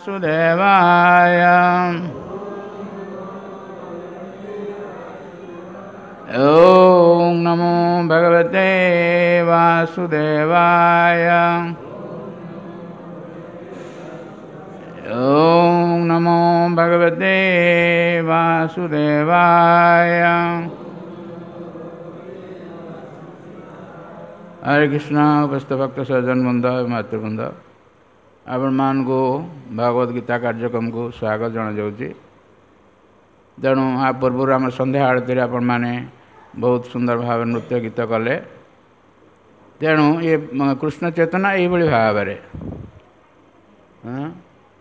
वासुदेवाय। ॐ नमो भगवते वासुदेवाय। ॐ नमो भगवते वासुदेवाय। हरे कृष्ण। उपस्थित भक्त सज्जन ବୃନ୍ଦ, ମାତୃବୃନ୍ଦ, ଆପଣମାନଙ୍କୁ ଭଗବତ ଗୀତା କାର୍ଯ୍ୟକ୍ରମକୁ ସ୍ୱାଗତ ଜଣାଯାଉଛି। ତେଣୁ ଆ ପୂର୍ବରୁ ଆମ ସନ୍ଧ୍ୟା ଆଳତୀରେ ଆପଣମାନେ ବହୁତ ସୁନ୍ଦର ଭାବରେ ନୃତ୍ୟ ଗୀତ କଲେ। ତେଣୁ ଏ କୃଷ୍ଣ ଚେତନା ଏଇଭଳି ଭାବରେ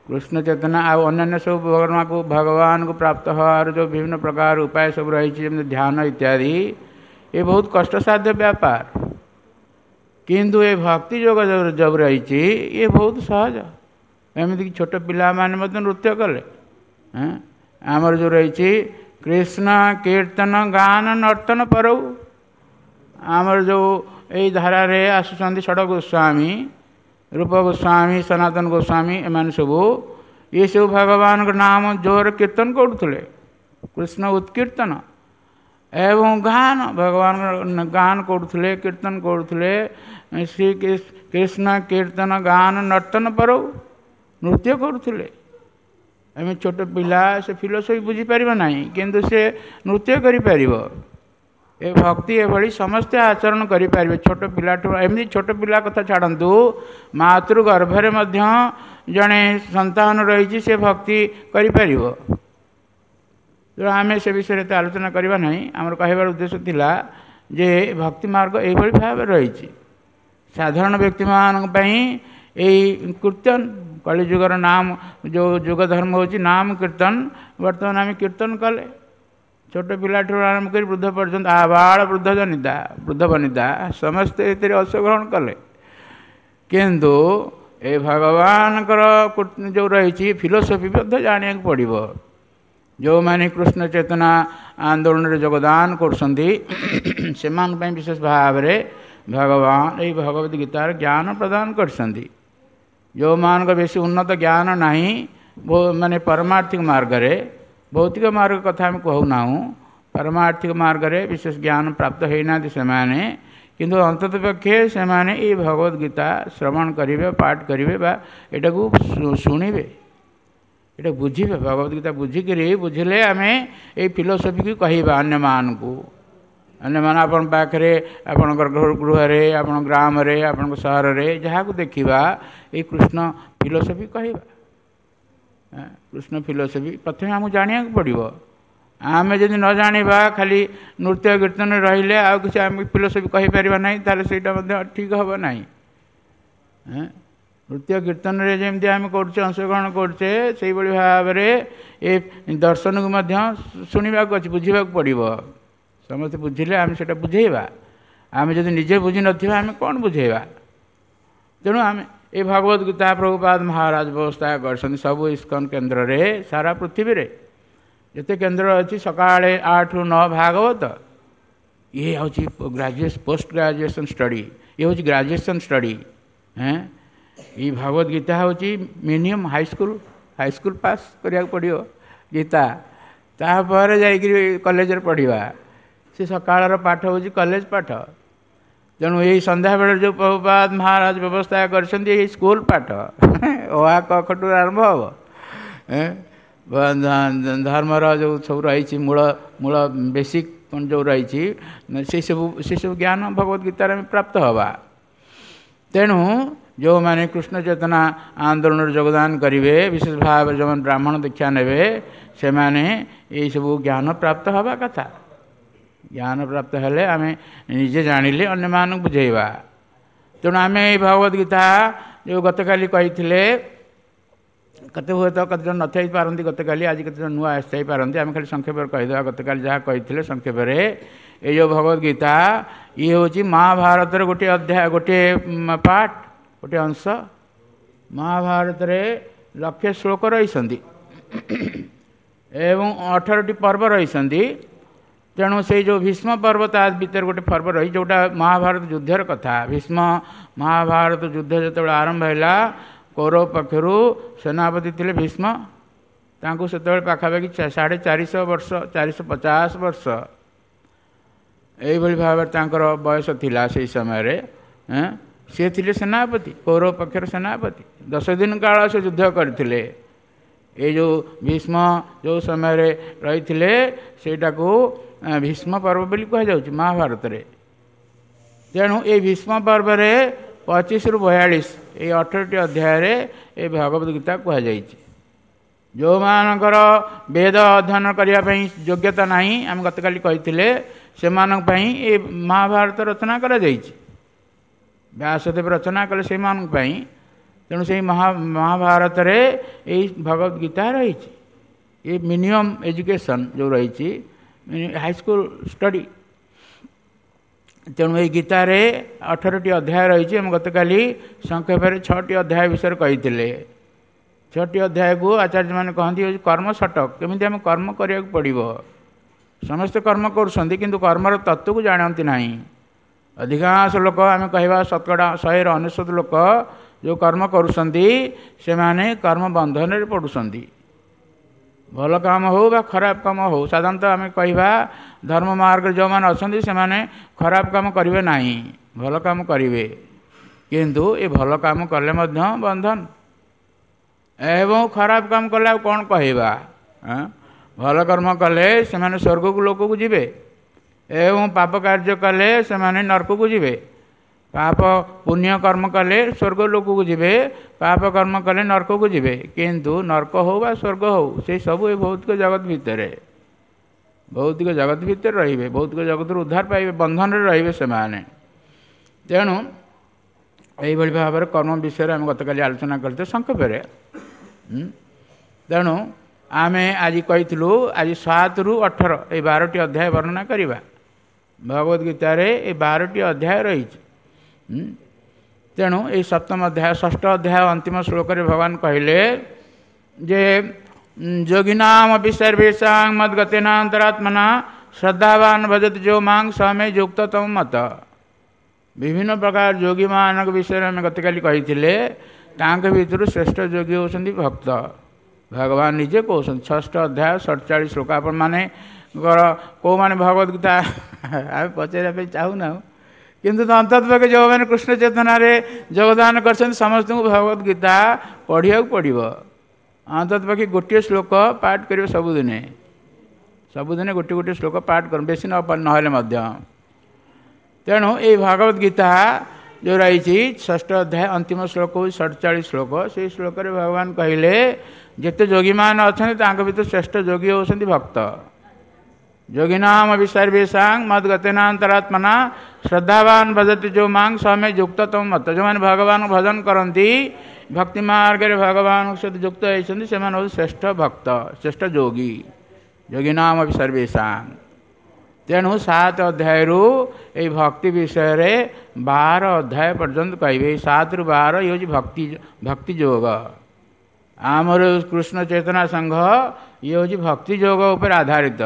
କୃଷ୍ଣ ଚେତନା ଆଉ ଅନ୍ୟାନ୍ୟ ସବୁ ଭଗବାନଙ୍କୁ ପ୍ରାପ୍ତ ହେବାର ଯେଉଁ ବିଭିନ୍ନ ପ୍ରକାର ଉପାୟ ସବୁ ରହିଛି, ଯେମିତି ଧ୍ୟାନ ଇତ୍ୟାଦି, ଏ ବହୁତ କଷ୍ଟସାଧ୍ୟ ବ୍ୟାପାର। କିନ୍ତୁ ଏ ଭକ୍ତି ଯୋଗ ଯେଉଁ ରହିଛି ଇଏ ବହୁତ ସହଜ। ଏମିତିକି ଛୋଟ ପିଲାମାନେ ମଧ୍ୟ ନୃତ୍ୟ କଲେ। ଆମର ଯେଉଁ ରହିଛି କୃଷ୍ଣ କୀର୍ତ୍ତନ ଗାନ ନର୍ତ୍ତନ ପରଉ, ଆମର ଯେଉଁ ଏଇ ଧାରାରେ ଆସୁଛନ୍ତି ଷଡ଼ ଗୋସ୍ୱାମୀ, ରୂପ ଗୋସ୍ୱାମୀ, ସନାତନ ଗୋସ୍ୱାମୀ, ଏମାନେ ସବୁ ଏସବୁ ଭଗବାନଙ୍କ ନାମ ଜୋର କୀର୍ତ୍ତନ କରୁଥିଲେ, କୃଷ୍ଣ ଉତ୍କୀର୍ତ୍ତନ ଏବଂ ଗାନ, ଭଗବାନଙ୍କ ଗାନ କରୁଥିଲେ, କୀର୍ତ୍ତନ କରୁଥିଲେ। ଶ୍ରୀ କୃଷ୍ଣ କୀର୍ତ୍ତନ ଗାନ ନର୍ତ୍ତନ ପରଉ ନୃତ୍ୟ କରୁଥିଲେ। ଆମେ ଛୋଟ ପିଲା, ସେ ଫିଲୋସଫି ବୁଝିପାରିବ ନାହିଁ, କିନ୍ତୁ ସେ ନୃତ୍ୟ କରିପାରିବ। ଏ ଭକ୍ତି ଏଭଳି ସମସ୍ତେ ଆଚରଣ କରିପାରିବେ, ଛୋଟ ପିଲାଠୁ। ଏମିତି ଛୋଟ ପିଲା କଥା ଛାଡ଼ନ୍ତୁ, ମାତୃ ଗର୍ଭରେ ମଧ୍ୟ ଜଣେ ସନ୍ତାନ ରହିଛି, ସେ ଭକ୍ତି କରିପାରିବ। ତେଣୁ ଆମେ ସେ ବିଷୟରେ ଏତେ ଆଲୋଚନା କରିବା ନାହିଁ। ଆମର କହିବାର ଉଦ୍ଦେଶ୍ୟ ଥିଲା ଯେ ଭକ୍ତି ମାର୍ଗ ଏଇଭଳି ଭାବରେ ରହିଛି। ସାଧାରଣ ବ୍ୟକ୍ତିମାନଙ୍କ ପାଇଁ ଏଇ କୀର୍ତ୍ତନ, କଳିଯୁଗର ନାମ ଯେଉଁ ଯୁଗ ଧର୍ମ ହେଉଛି ନାମ କୀର୍ତ୍ତନ। ବର୍ତ୍ତମାନ ଆମେ କୀର୍ତ୍ତନ କଲେ ଛୋଟ ପିଲାଠାରୁ ଆରମ୍ଭ କରି ବୃଦ୍ଧ ପର୍ଯ୍ୟନ୍ତ, ଆବାଳ ବୃଦ୍ଧ ଜନିତା, ବୃଦ୍ଧ ବନିତା ସମସ୍ତେ ଏଥିରେ ଅଂଶଗ୍ରହଣ କଲେ। କିନ୍ତୁ ଏ ଭଗବାନଙ୍କର ଯେଉଁ ରହିଛି ଫିଲୋସଫି ମଧ୍ୟ ଜାଣିବାକୁ ପଡ଼ିବ। ଯେଉଁମାନେ କୃଷ୍ଣ ଚେତନା ଆନ୍ଦୋଳନରେ ଯୋଗଦାନ କରୁଛନ୍ତି ସେମାନଙ୍କ ପାଇଁ ବିଶେଷ ଭାବରେ ଭଗବାନ ଏଇ ଭଗବତ ଗୀତାର ଜ୍ଞାନ ପ୍ରଦାନ କରିଛନ୍ତି। ଯେଉଁମାନଙ୍କ ବେଶୀ ଉନ୍ନତ ଜ୍ଞାନ ନାହିଁ, ମାନେ ପରମାର୍ଥିକ ମାର୍ଗରେ, ଭୌତିକ ମାର୍ଗ କଥା ଆମେ କହୁନାହୁଁ, ପାରମାର୍ଥିକ ମାର୍ଗରେ ବିଶେଷ ଜ୍ଞାନ ପ୍ରାପ୍ତ ହେଇନାହାନ୍ତି ସେମାନେ, କିନ୍ତୁ ଅନ୍ତତଃ ପକ୍ଷେ ସେମାନେ ଏଇ ଭଗବତ ଗୀତା ଶ୍ରବଣ କରିବେ, ପାଠ କରିବେ ବା ଏଟାକୁ ଶୁଣିବେ, ଏଇଟା ବୁଝିବେ। ଭଗବତ ଗୀତା ବୁଝିକିରି, ବୁଝିଲେ ଆମେ ଏଇ ଫିଲୋସଫିକୁ କହିବା ଅନ୍ୟମାନଙ୍କୁ। ଅନ୍ୟମାନେ ଆପଣଙ୍କ ପାଖରେ, ଆପଣଙ୍କର ଗୃହରେ, ଆପଣଙ୍କ ଗ୍ରାମରେ, ଆପଣଙ୍କ ସହରରେ ଯାହାକୁ ଦେଖିବା ଏଇ କୃଷ୍ଣ ଫିଲୋସଫି କହିବା। କୃଷ୍ଣ ଫିଲୋସଫି ପ୍ରଥମେ ଆମକୁ ଜାଣିବାକୁ ପଡ଼ିବ। ଆମେ ଯଦି ନ ଜାଣିବା, ଖାଲି ନୃତ୍ୟ କୀର୍ତ୍ତନରେ ରହିଲେ ଆଉ କିଛି ଆମେ ଫିଲୋସଫି କହିପାରିବା ନାହିଁ, ତାହେଲେ ସେଇଟା ମଧ୍ୟ ଠିକ୍ ହେବ ନାହିଁ। ନୃତ୍ୟ କୀର୍ତ୍ତନରେ ଯେମିତି ଆମେ କରୁଛେ, ଅଂଶଗ୍ରହଣ କରୁଛେ, ସେଇଭଳି ଭାବରେ ଏ ଦର୍ଶନକୁ ମଧ୍ୟ ଶୁଣିବାକୁ ଅଛି, ବୁଝିବାକୁ ପଡ଼ିବ। ସମସ୍ତେ ବୁଝିଲେ ଆମେ ସେଇଟା ବୁଝେଇବା। ଆମେ ଯଦି ନିଜେ ବୁଝିନଥିବା ଆମେ କ'ଣ ବୁଝେଇବା? ତେଣୁ ଆମେ ଏ ଭଗବତ ଗୀତା ପ୍ରଭୁପାଦ ମହାରାଜ ବ୍ୟବସ୍ଥା କରିଛନ୍ତି ସବୁ ଇସ୍କନ କେନ୍ଦ୍ରରେ, ସାରା ପୃଥିବୀରେ ଯେତେ କେନ୍ଦ୍ର ଅଛି, ସକାଳେ 8ରୁ 9 ଭାଗବତ। ଇଏ ହେଉଛି ପୋଷ୍ଟ ଗ୍ରାଜୁଏସନ୍ ଷ୍ଟଡ଼ି, ଇଏ ହେଉଛି ଗ୍ରାଜୁଏସନ୍ ଷ୍ଟଡ଼ି। ଏଇ ଭଗବତ ଗୀତା ହେଉଛି ମିନିମମ୍ ହାଇସ୍କୁଲ ପାସ୍ କରିବାକୁ ପଡ଼ିବ ଗୀତା, ତାପରେ ଯାଇକରି କଲେଜରେ ପଢ଼ିବା। ସେ ସକାଳର ପାଠ ହେଉଛି କଲେଜ ପାଠ। ତେଣୁ ଏଇ ସନ୍ଧ୍ୟାବେଳେ ଯେଉଁ ପ୍ରଭୁପାଦ ମହାରାଜ ବ୍ୟବସ୍ଥା କରିଛନ୍ତି, ଏଇ ସ୍କୁଲ ପାଠ, ଅ ଆ କ ଖ ଠୁ ଆରମ୍ଭ ହେବ। ଧର୍ମର ଯେଉଁ ସବୁ ରହିଛି ମୂଳ ମୂଳ ବେସିକ୍ ଯେଉଁ ରହିଛି, ସେସବୁ ଜ୍ଞାନ ଭଗବତ ଗୀତାରେ ଆମେ ପ୍ରାପ୍ତ ହେବା। ତେଣୁ ଯେଉଁମାନେ କୃଷ୍ଣ ଚେତନା ଆନ୍ଦୋଳନରେ ଯୋଗଦାନ କରିବେ, ବିଶେଷ ଭାବରେ ଯେଉଁମାନେ ବ୍ରାହ୍ମଣ ଦୀକ୍ଷା ନେବେ, ସେମାନେ ଏଇସବୁ ଜ୍ଞାନ ପ୍ରାପ୍ତ ହେବା କଥା। ଜ୍ଞାନ ପ୍ରାପ୍ତ ହେଲେ ଆମେ ନିଜେ ଜାଣିଲେ ଅନ୍ୟମାନଙ୍କୁ ବୁଝେଇବା। ତେଣୁ ଆମେ ଏଇ ଭଗବତ ଗୀତା ଯେଉଁ ଗତକାଲି କହିଥିଲେ, କେତେ ହୁଏତ କେତେ ଜଣ ନଥାଇ ପାରନ୍ତି ଗତକାଲି, ଆଜି କେତେ ଜଣ ନୂଆ ଆସିଥାଇପାରନ୍ତି। ଆମେ ଖାଲି ସଂକ୍ଷେପରେ କହିଦେବା ଗତକାଲି ଯାହା କହିଥିଲେ ସଂକ୍ଷେପରେ। ଏଇ ଯେଉଁ ଭଗବତ ଗୀତା ଇଏ ହେଉଛି ମହାଭାରତର ଗୋଟିଏ ଅଧ୍ୟାୟ, ଗୋଟିଏ ପାଠ, ଗୋଟିଏ ଅଂଶ। ମହାଭାରତରେ ଲକ୍ଷେ ଶ୍ଲୋକ ରହିଛନ୍ତି ଏବଂ 18ଟି ପର୍ବ ରହିଛନ୍ତି। ତେଣୁ ସେଇ ଯେଉଁ ଭୀଷ୍ମ ପର୍ବ, ତା ଭିତରେ ଗୋଟେ ପର୍ବ ରହିଛି ଯେଉଁଟା ମହାଭାରତ ଯୁଦ୍ଧର କଥା। ଭୀଷ୍ମ ମହାଭାରତ ଯୁଦ୍ଧ ଯେତେବେଳେ ଆରମ୍ଭ ହେଲା, କୌରବ ପକ୍ଷରୁ ସେନାପତି ଥିଲେ ଭୀଷ୍ମ। ତାଙ୍କୁ ସେତେବେଳେ ପାଖାପାଖି 450 ବର୍ଷ, 450 ବର୍ଷ ଏଇଭଳି ଭାବରେ ତାଙ୍କର ବୟସ ଥିଲା ସେଇ ସମୟରେ। ସିଏ ଥିଲେ ସେନାପତି, କୌରବ ପକ୍ଷର ସେନାପତି। 10 ଦିନ କାଳ ସେ ଯୁଦ୍ଧ କରିଥିଲେ। ଏଇ ଯେଉଁ ଭୀଷ୍ମ ଯେଉଁ ସମୟରେ ରହିଥିଲେ ସେଇଟାକୁ ଭୀଷ୍ମ ପର୍ବ ବୋଲି କୁହାଯାଉଛି ମହାଭାରତରେ। ତେଣୁ ଏଇ ଭୀଷ୍ମ ପର୍ବରେ 25ରୁ 42 ଏଇ 18ଟି ଅଧ୍ୟାୟରେ ଏ ଭଗବତ ଗୀତା କୁହାଯାଇଛି। ଯେଉଁମାନଙ୍କର ବେଦ ଅଧ୍ୟୟନ କରିବା ପାଇଁ ଯୋଗ୍ୟତା ନାହିଁ, ଆମେ ଗତକାଲି କହିଥିଲେ, ସେମାନଙ୍କ ପାଇଁ ଏ ମହାଭାରତ ରଚନା କରାଯାଇଛି। ବ୍ୟାସଦେବ ରଚନା କଲେ ସେଇମାନଙ୍କ ପାଇଁ। ତେଣୁ ସେଇ ମହାଭାରତରେ ଏଇ ଭଗବତ ଗୀତା ରହିଛି। ଏ ମିନିମମ୍ ଏଜୁକେସନ୍ ଯେଉଁ ରହିଛି, ହାଇସ୍କୁଲ ଷ୍ଟଡ଼ି। ତେଣୁ ଏଇ ଗୀତାରେ 18ଟି ଅଧ୍ୟାୟ ରହିଛି। ଆମେ ଗତକାଲି ସଂକ୍ଷେପରେ 6ଟି ଅଧ୍ୟାୟ ବିଷୟରେ କହିଥିଲେ। 6ଟି ଅଧ୍ୟାୟକୁ ଆଚାର୍ଯ୍ୟମାନେ କହନ୍ତି ହେଉଛି କର୍ମ ଷଟକ। କେମିତି ଆମେ କର୍ମ କରିବାକୁ ପଡ଼ିବ। ସମସ୍ତେ କର୍ମ କରୁଛନ୍ତି, କିନ୍ତୁ କର୍ମର ତତ୍ତ୍ୱକୁ ଜାଣନ୍ତି ନାହିଁ। ଅଧିକାଂଶ ଲୋକ, ଆମେ କହିବା ଶତକଡ଼ା 100ରେ 99 ଲୋକ ଯେଉଁ କର୍ମ କରୁଛନ୍ତି, ସେମାନେ କର୍ମ ବନ୍ଧନରେ ପଡ଼ୁଛନ୍ତି। ଭଲ କାମ ହେଉ ବା ଖରାପ କାମ ହେଉ, ସାଧାରଣତଃ ଆମେ କହିବା ଧର୍ମ ମାର୍ଗରେ ଯେଉଁମାନେ ଅଛନ୍ତି ସେମାନେ ଖରାପ କାମ କରିବେ ନାହିଁ, ଭଲ କାମ କରିବେ। କିନ୍ତୁ ଏ ଭଲ କାମ କଲେ ମଧ୍ୟ ବନ୍ଧନ, ଏବଂ ଖରାପ କାମ କଲେ ଆଉ କ'ଣ କହିବା। ଭଲ କର୍ମ କଲେ ସେମାନେ ସ୍ୱର୍ଗକୁ ଲୋକକୁ ଯିବେ, ଏବଂ ପାପ କାର୍ଯ୍ୟ କଲେ ସେମାନେ ନର୍କକୁ ଯିବେ। ପାପ ପୁଣ୍ୟ କର୍ମ କଲେ ସ୍ୱର୍ଗ ଲୋକକୁ ଯିବେ, ପାପ କର୍ମ କଲେ ନର୍କକୁ ଯିବେ। କିନ୍ତୁ ନର୍କ ହେଉ ବା ସ୍ୱର୍ଗ ହେଉ, ସେ ସବୁ ଏ ଭୌତିକ ଜଗତ ଭିତରେ, ଭୌତିକ ଜଗତ ଭିତରେ ରହିବେ। ଭୌତିକ ଜଗତରୁ ଉଦ୍ଧାର ପାଇବେ, ବନ୍ଧନରେ ରହିବେ ସେମାନେ। ତେଣୁ ଏଇଭଳି ଭାବରେ କର୍ମ ବିଷୟରେ ଆମେ ଗତକାଲି ଆଲୋଚନା କରିଥିଲେ ସଂକ୍ଷେପରେ। ତେଣୁ ଆମେ ଆଜି କହିଥିଲୁ, ଆଜି 7ରୁ 18 ଏଇ 12ଟି ଅଧ୍ୟାୟ ବର୍ଣ୍ଣନା କରିବା। ଭଗବତ ଗୀତାରେ ଏ 12ଟି ଅଧ୍ୟାୟ ରହିଛି। ତେଣୁ ଏଇ ସପ୍ତମ ଅଧ୍ୟାୟ, ଷଷ୍ଠ ଅଧ୍ୟାୟ ଅନ୍ତିମ ଶ୍ଲୋକରେ ଭଗବାନ କହିଲେ ଯେ ଯୋଗିନାମପି ସର୍ବେଷାଂ ମଦ୍ଗତେନାନ୍ତରାତ୍ମନା ଶ୍ରଦ୍ଧାବାନ ଭଜତି ଯୋ ମାଂ ସ ମେ ଯୁକ୍ତତମ ମତ। ବିଭିନ୍ନ ପ୍ରକାର ଯୋଗୀମାନଙ୍କ ବିଷୟରେ ଆମେ ଗତକାଲି କହିଥିଲେ। ତାଙ୍କ ଭିତରୁ ଶ୍ରେଷ୍ଠ ଯୋଗୀ ହେଉଛନ୍ତି ଭକ୍ତ। ଭଗବାନ ନିଜେ କହୁଛନ୍ତି ଷଷ୍ଠ ଅଧ୍ୟାୟ 47 ଶ୍ଲୋକ। ଆପଣମାନଙ୍କର କେଉଁମାନେ ଭଗବତ ଗୀତା ଆମେ ପଚାରିବା ପାଇଁ ଚାହୁଁନାହୁଁ, କିନ୍ତୁ ଅନ୍ତତଃ ପକ୍ଷେ ଯେଉଁମାନେ କୃଷ୍ଣ ଚେତନାରେ ଯୋଗଦାନ କରିଛନ୍ତି ସମସ୍ତଙ୍କୁ ଭଗବତ ଗୀତା ପଢ଼ିବାକୁ ପଡ଼ିବ। ଅନ୍ତତଃ ପକ୍ଷେ ଗୋଟିଏ ଶ୍ଲୋକ ପାଠ କରିବେ ସବୁଦିନେ, ସବୁଦିନେ ଗୋଟିଏ ଗୋଟିଏ ଶ୍ଲୋକ ପାଠ କରନ୍ତୁ, ବେଶୀ ନହେଲେ ମଧ୍ୟ। ତେଣୁ ଏଇ ଭଗବତ ଗୀତା ଯେଉଁ ରହିଛି, ଷଷ୍ଠ ଅଧ୍ୟାୟ ଅନ୍ତିମ ଶ୍ଲୋକ ହେଉଛି 47 ଶ୍ଲୋକ। ସେଇ ଶ୍ଲୋକରେ ଭଗବାନ କହିଲେ ଯେତେ ଯୋଗୀମାନେ ଅଛନ୍ତି ତାଙ୍କ ଭିତରୁ ଶ୍ରେଷ୍ଠ ଯୋଗୀ ହେଉଛନ୍ତି ଭକ୍ତ। ଯୋଗିନାମପି ସର୍ବେଷାଂ ମଦ୍ଗତେନାନ୍ତରାତ୍ମନା ଶ୍ରଦ୍ଧାବାନ ଭଜତି ଯୋ ମାଂ ସ ମେ ଯୁକ୍ତତମ ମତ। ଯେଉଁମାନେ ଭଗବାନଙ୍କୁ ଭଜନ କରନ୍ତି, ଭକ୍ତି ମାର୍ଗରେ ଭଗବାନଙ୍କ ସହିତ ଯୁକ୍ତ ହେଇଛନ୍ତି, ସେମାନେ ହେଉଛନ୍ତି ଶ୍ରେଷ୍ଠ ଭକ୍ତ, ଶ୍ରେଷ୍ଠ ଯୋଗୀ। ଯୋଗିନାମପି ସର୍ବେଷାଂ। ତେଣୁ 7 ଅଧ୍ୟାୟରୁ ଏଇ ଭକ୍ତି ବିଷୟରେ 12 ଅଧ୍ୟାୟ ପର୍ଯ୍ୟନ୍ତ କହିବେ। ଏଇ 7ରୁ 12 ଇଏ ହେଉଛି ଭକ୍ତି, ଭକ୍ତି ଯୋଗ। ଆମର କୃଷ୍ଣ ଚେତନା ସଂଘ ଇଏ ହେଉଛି ଭକ୍ତି ଯୋଗ ଉପରେ ଆଧାରିତ।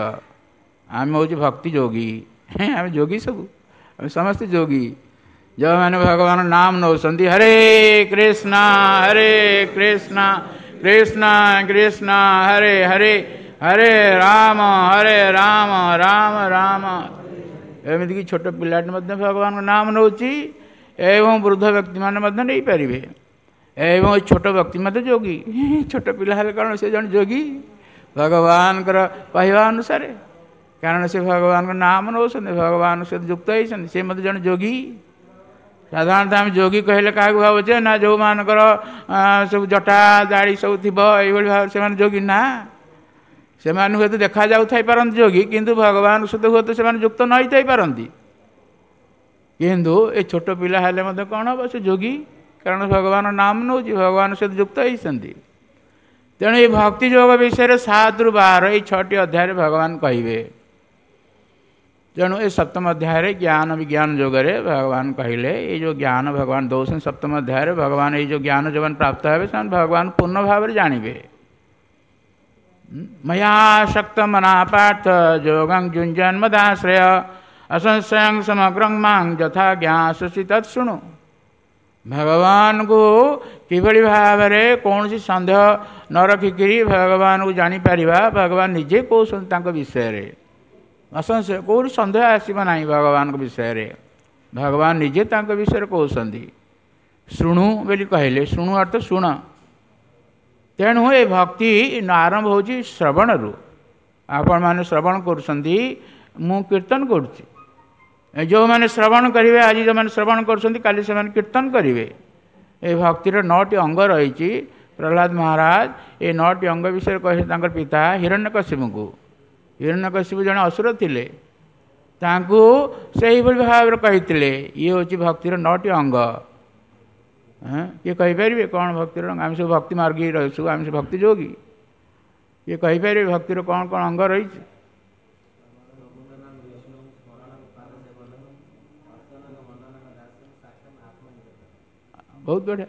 ଆମେ ହେଉଛି ଭକ୍ତି ଯୋଗୀ, ଆମେ ଯୋଗୀ ସବୁ, ଆମେ ସମସ୍ତେ ଯୋଗୀ। ଯେଉଁମାନେ ଭଗବାନ ନାମ ନେଉଛନ୍ତି, ହରେ କୃଷ୍ଣ ହରେ କୃଷ୍ଣ କୃଷ୍ଣ କୃଷ୍ଣ ହରେ ହରେ, ହରେ ରାମ ହରେ ରାମ ରାମ ରାମ। ଏମିତିକି ଛୋଟ ପିଲାଟି ମଧ୍ୟ ଭଗବାନଙ୍କ ନାମ ନେଉଛି, ଏବଂ ବୃଦ୍ଧ ବ୍ୟକ୍ତିମାନେ ମଧ୍ୟ ନେଇପାରିବେ, ଏବଂ ଏ ଛୋଟ ବ୍ୟକ୍ତି ମଧ୍ୟ ଯୋଗୀ। ଛୋଟ ପିଲା ହେଲେ କ'ଣ ସେ ଜଣେ ଯୋଗୀ ଭଗବାନଙ୍କର କହିବା ଅନୁସାରେ, କାରଣ ସେ ଭଗବାନଙ୍କ ନାମ ନେଉଛନ୍ତି, ଭଗବାନଙ୍କ ସହିତ ଯୁକ୍ତ ହେଇଛନ୍ତି, ସେ ମଧ୍ୟ ଜଣେ ଯୋଗୀ। ସାଧାରଣତଃ ଆମେ ଯୋଗୀ କହିଲେ କାହାକୁ ଭାବୁଛେ ନା ଯେଉଁମାନଙ୍କର ସବୁ ଜଟା ଦାଢ଼ି ସବୁ ଥିବ, ଏଇଭଳି ଭାବରେ ସେମାନେ ଯୋଗୀ ନା। ସେମାନେ ହୁଏତ ଦେଖାଯାଉଥାଇ ପାରନ୍ତି ଯୋଗୀ, କିନ୍ତୁ ଭଗବାନଙ୍କ ସହିତ ହୁଏତ ସେମାନେ ଯୁକ୍ତ ନ ହେଇଥାଇପାରନ୍ତି। କିନ୍ତୁ ଏ ଛୋଟ ପିଲା ହେଲେ ମଧ୍ୟ କ'ଣ ହେବ, ସେ ଯୋଗୀ, କାରଣ ଭଗବାନ ନାମ ନେଉଛି, ଭଗବାନ ସହିତ ଯୁକ୍ତ ହେଇଛନ୍ତି। ତେଣୁ ଏଇ ଭକ୍ତି ଯୋଗ ବିଷୟରେ 7ରୁ 12 ଏଇ 6ଟି ଅଧ୍ୟାୟରେ ଭଗବାନ କହିବେ। ତେଣୁ ଏ ସପ୍ତମ ଅଧ୍ୟାୟରେ ଜ୍ଞାନ ବିଜ୍ଞାନ ଯୋଗରେ ଭଗବାନ କହିଲେ, ଏଇ ଯେଉଁ ଜ୍ଞାନ ଭଗବାନ ଦେଉଛନ୍ତି ସପ୍ତମ ଅଧ୍ୟାୟରେ, ଭଗବାନ ଏଇ ଯେଉଁ ଜ୍ଞାନ ଯେଉଁମାନେ ପ୍ରାପ୍ତ ହେବେ ସେମାନେ ଭଗବାନ ପୂର୍ଣ୍ଣ ଭାବରେ ଜାଣିବେ। ମୟାସକ୍ତ ମନା ପାର୍ଥ ଯୋଗଂ ଯୁଞ୍ଜନ୍ ମଦାଶ୍ରୟ ଅସଂଶୟଂ ସମଗ୍ରଂ ମାଂ ଯଥା ଜ୍ଞାସ୍ୟସି ତତ୍ ଶୃଣୁ। ଭଗବାନଙ୍କୁ କିଭଳି ଭାବରେ କୌଣସି ସନ୍ଦେହ ନ ରଖିକିରି ଭଗବାନଙ୍କୁ ଜାଣିପାରିବା, ଭଗବାନ ନିଜେ କହୁଛନ୍ତି ତାଙ୍କ ବିଷୟରେ। ଅସଂଶୟ, କେଉଁଠି ସନ୍ଦେହ ଆସିବ ନାହିଁ ଭଗବାନଙ୍କ ବିଷୟରେ। ଭଗବାନ ନିଜେ ତାଙ୍କ ବିଷୟରେ କହୁଛନ୍ତି। ଶୁଣୁ ବୋଲି କହିଲେ, ଶୁଣୁ ଅର୍ଥ ଶୁଣ। ତେଣୁ ଏ ଭକ୍ତି ଆରମ୍ଭ ହେଉଛି ଶ୍ରବଣରୁ। ଆପଣମାନେ ଶ୍ରବଣ କରୁଛନ୍ତି, ମୁଁ କୀର୍ତ୍ତନ କରୁଛି। ଯେଉଁମାନେ ଶ୍ରବଣ କରିବେ, ଆଜି ଯେଉଁମାନେ ଶ୍ରବଣ କରୁଛନ୍ତି, କାଲି ସେମାନେ କୀର୍ତ୍ତନ କରିବେ। ଏ ଭକ୍ତିର 9ଟି ଅଙ୍ଗ ରହିଛି। ପ୍ରହ୍ଲାଦ ମହାରାଜ ଏ 9ଟି ଅଙ୍ଗ ବିଷୟରେ କହିଛନ୍ତି ତାଙ୍କର ପିତା ହିରଣ୍ୟକଶିପୁଙ୍କୁ। ହିରଣ୍ୟକଶିପୁ ଜଣେ ଅସୁର ଥିଲେ, ତାଙ୍କୁ ସେଇଭଳି ଭାବରେ କହିଥିଲେ। ଇଏ ହେଉଛି ଭକ୍ତିର 9ଟି ଅଙ୍ଗ। କିଏ କହିପାରିବେ କ'ଣ ଭକ୍ତିର ଅଙ୍ଗ? ଆମେ ସବୁ ଭକ୍ତି ମାର୍ଗୀ ରହିଛୁ, ଆମେ ସବୁ ଭକ୍ତି ଯୋଗୀ। କିଏ କହିପାରିବେ ଭକ୍ତିର କ'ଣ କ'ଣ ଅଙ୍ଗ ରହିଛି? ବହୁତ ବଢ଼ିଆ।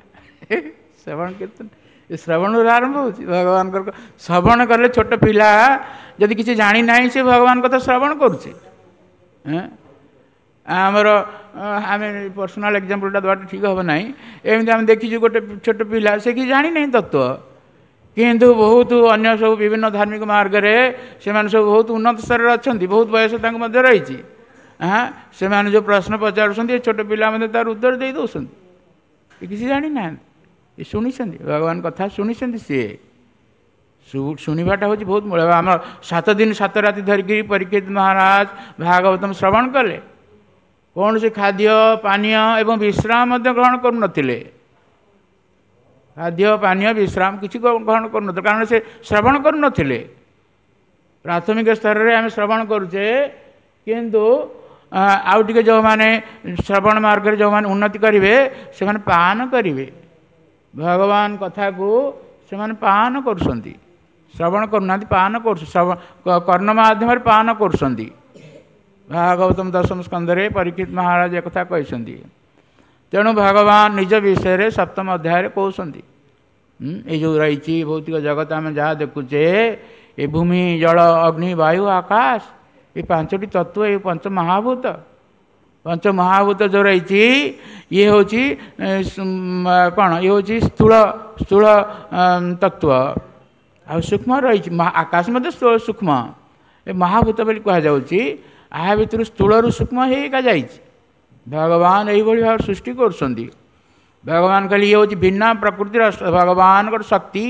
ଶ୍ରବଣ କୀର୍ତ୍ତନ ଏ ଶ୍ରବଣରୁ ଆରମ୍ଭ ହେଉଛି। ଭଗବାନଙ୍କର ଶ୍ରବଣ କଲେ, ଛୋଟ ପିଲା ଯଦି କିଛି ଜାଣିନାହିଁ, ସେ ଭଗବାନ କଥା ଶ୍ରବଣ କରୁଛି। ଆମର ଆମେ ପର୍ସନାଲ ଏକ୍ଜାମ୍ପଲଟା ଦେବାଟା ଠିକ୍ ହେବ ନାହିଁ। ଏମିତି ଆମେ ଦେଖିଛୁ ଗୋଟେ ଛୋଟ ପିଲା, ସେ କିଛି ଜାଣିନାହିଁ ତତ୍ତ୍ୱ, କିନ୍ତୁ ବହୁତ ଅନ୍ୟ ସବୁ ବିଭିନ୍ନ ଧାର୍ମିକ ମାର୍ଗରେ ସେମାନେ ସବୁ ବହୁତ ଉନ୍ନତ ସ୍ତରରେ ଅଛନ୍ତି, ବହୁତ ବୟସ ତାଙ୍କୁ ମଧ୍ୟ ରହିଛି। ହଁ, ସେମାନେ ଯେଉଁ ପ୍ରଶ୍ନ ପଚାରୁଛନ୍ତି, ଏ ଛୋଟ ପିଲା ମଧ୍ୟ ତାର ଉତ୍ତର ଦେଇ ଦେଉଛନ୍ତି। ଏ କିଛି ଜାଣିନାହାନ୍ତି, ଏ ଶୁଣିଛନ୍ତି, ଭଗବାନ କଥା ଶୁଣିଛନ୍ତି। ସିଏ ଶୁଣିବାଟା ହେଉଛି ବହୁତ ମୂଳ। ଆମର 7 ଦିନ 7 ରାତି ଧରିକିରି ପରୀକ୍ଷିତ ମହାରାଜ ଭାଗବତମ ଶ୍ରବଣ କଲେ। କୌଣସି ଖାଦ୍ୟ ପାନୀୟ ଏବଂ ବିଶ୍ରାମ ମଧ୍ୟ ଗ୍ରହଣ କରୁନଥିଲେ। ଖାଦ୍ୟ ପାନୀୟ ବିଶ୍ରାମ କିଛି ଗ୍ରହଣ କରୁନଥିଲେ, କାରଣ ସେ ଶ୍ରବଣ କରୁନଥିଲେ। ପ୍ରାଥମିକ ସ୍ତରରେ ଆମେ ଶ୍ରବଣ କରୁଛେ, କିନ୍ତୁ ଆଉ ଟିକେ ଯେଉଁମାନେ ଶ୍ରବଣ ମାର୍ଗରେ ଯେଉଁମାନେ ଉନ୍ନତି କରିବେ, ସେମାନେ ପାନ କରିବେ। ଭଗବାନ କଥାକୁ ସେମାନେ ପାନ କରୁଛନ୍ତି, ଶ୍ରବଣ କରୁନାହାନ୍ତି, ପାନ କରୁଛନ୍ତି, କର୍ଣ୍ଣ ମାଧ୍ୟମରେ ପାନ କରୁଛନ୍ତି। ଭାଗବତମ ଦଶମ ସ୍କନ୍ଧରେ ପରୀକ୍ଷିତ ମହାରାଜ ଏକଥା କହିଛନ୍ତି। ତେଣୁ ଭଗବାନ ନିଜ ବିଷୟରେ ସପ୍ତମ ଅଧ୍ୟାୟରେ କହୁଛନ୍ତି, ଏଇ ଯେଉଁ ରହିଛି ଭୌତିକ ଜଗତ ଆମେ ଯାହା ଦେଖୁଛେ, ଏ ଭୂମି, ଜଳ, ଅଗ୍ନି, ବାୟୁ, ଆକାଶ, ଏ 5ଟି ତତ୍ତ୍ୱ, ଏ ପଞ୍ଚ ମହାଭୂତ। ପଞ୍ଚ ମହାଭୂତ ଯେଉଁ ରହିଛି, ଇଏ ହେଉଛି କ'ଣ? ଇଏ ହେଉଛି ସ୍ଥୂଳ ତତ୍ତ୍ୱ। ଆଉ ସୂକ୍ଷ୍ମ ରହିଛି ଆକାଶ ମଧ୍ୟ ସୂକ୍ଷ୍ମ। ଏ ମହାଭୂତ ବୋଲି କୁହାଯାଉଛି। ଏହା ଭିତରୁ ସ୍ଥୂଳରୁ ସୂକ୍ଷ୍ମ ହେଇକା ଯାଇଛି। ଭଗବାନ ଏଇଭଳି ଭାବରେ ସୃଷ୍ଟି କରୁଛନ୍ତି। ଭଗବାନ କହିଲେ ଇଏ ହେଉଛି ଭିନ୍ନ ପ୍ରକୃତିର ଭଗବାନଙ୍କର ଶକ୍ତି।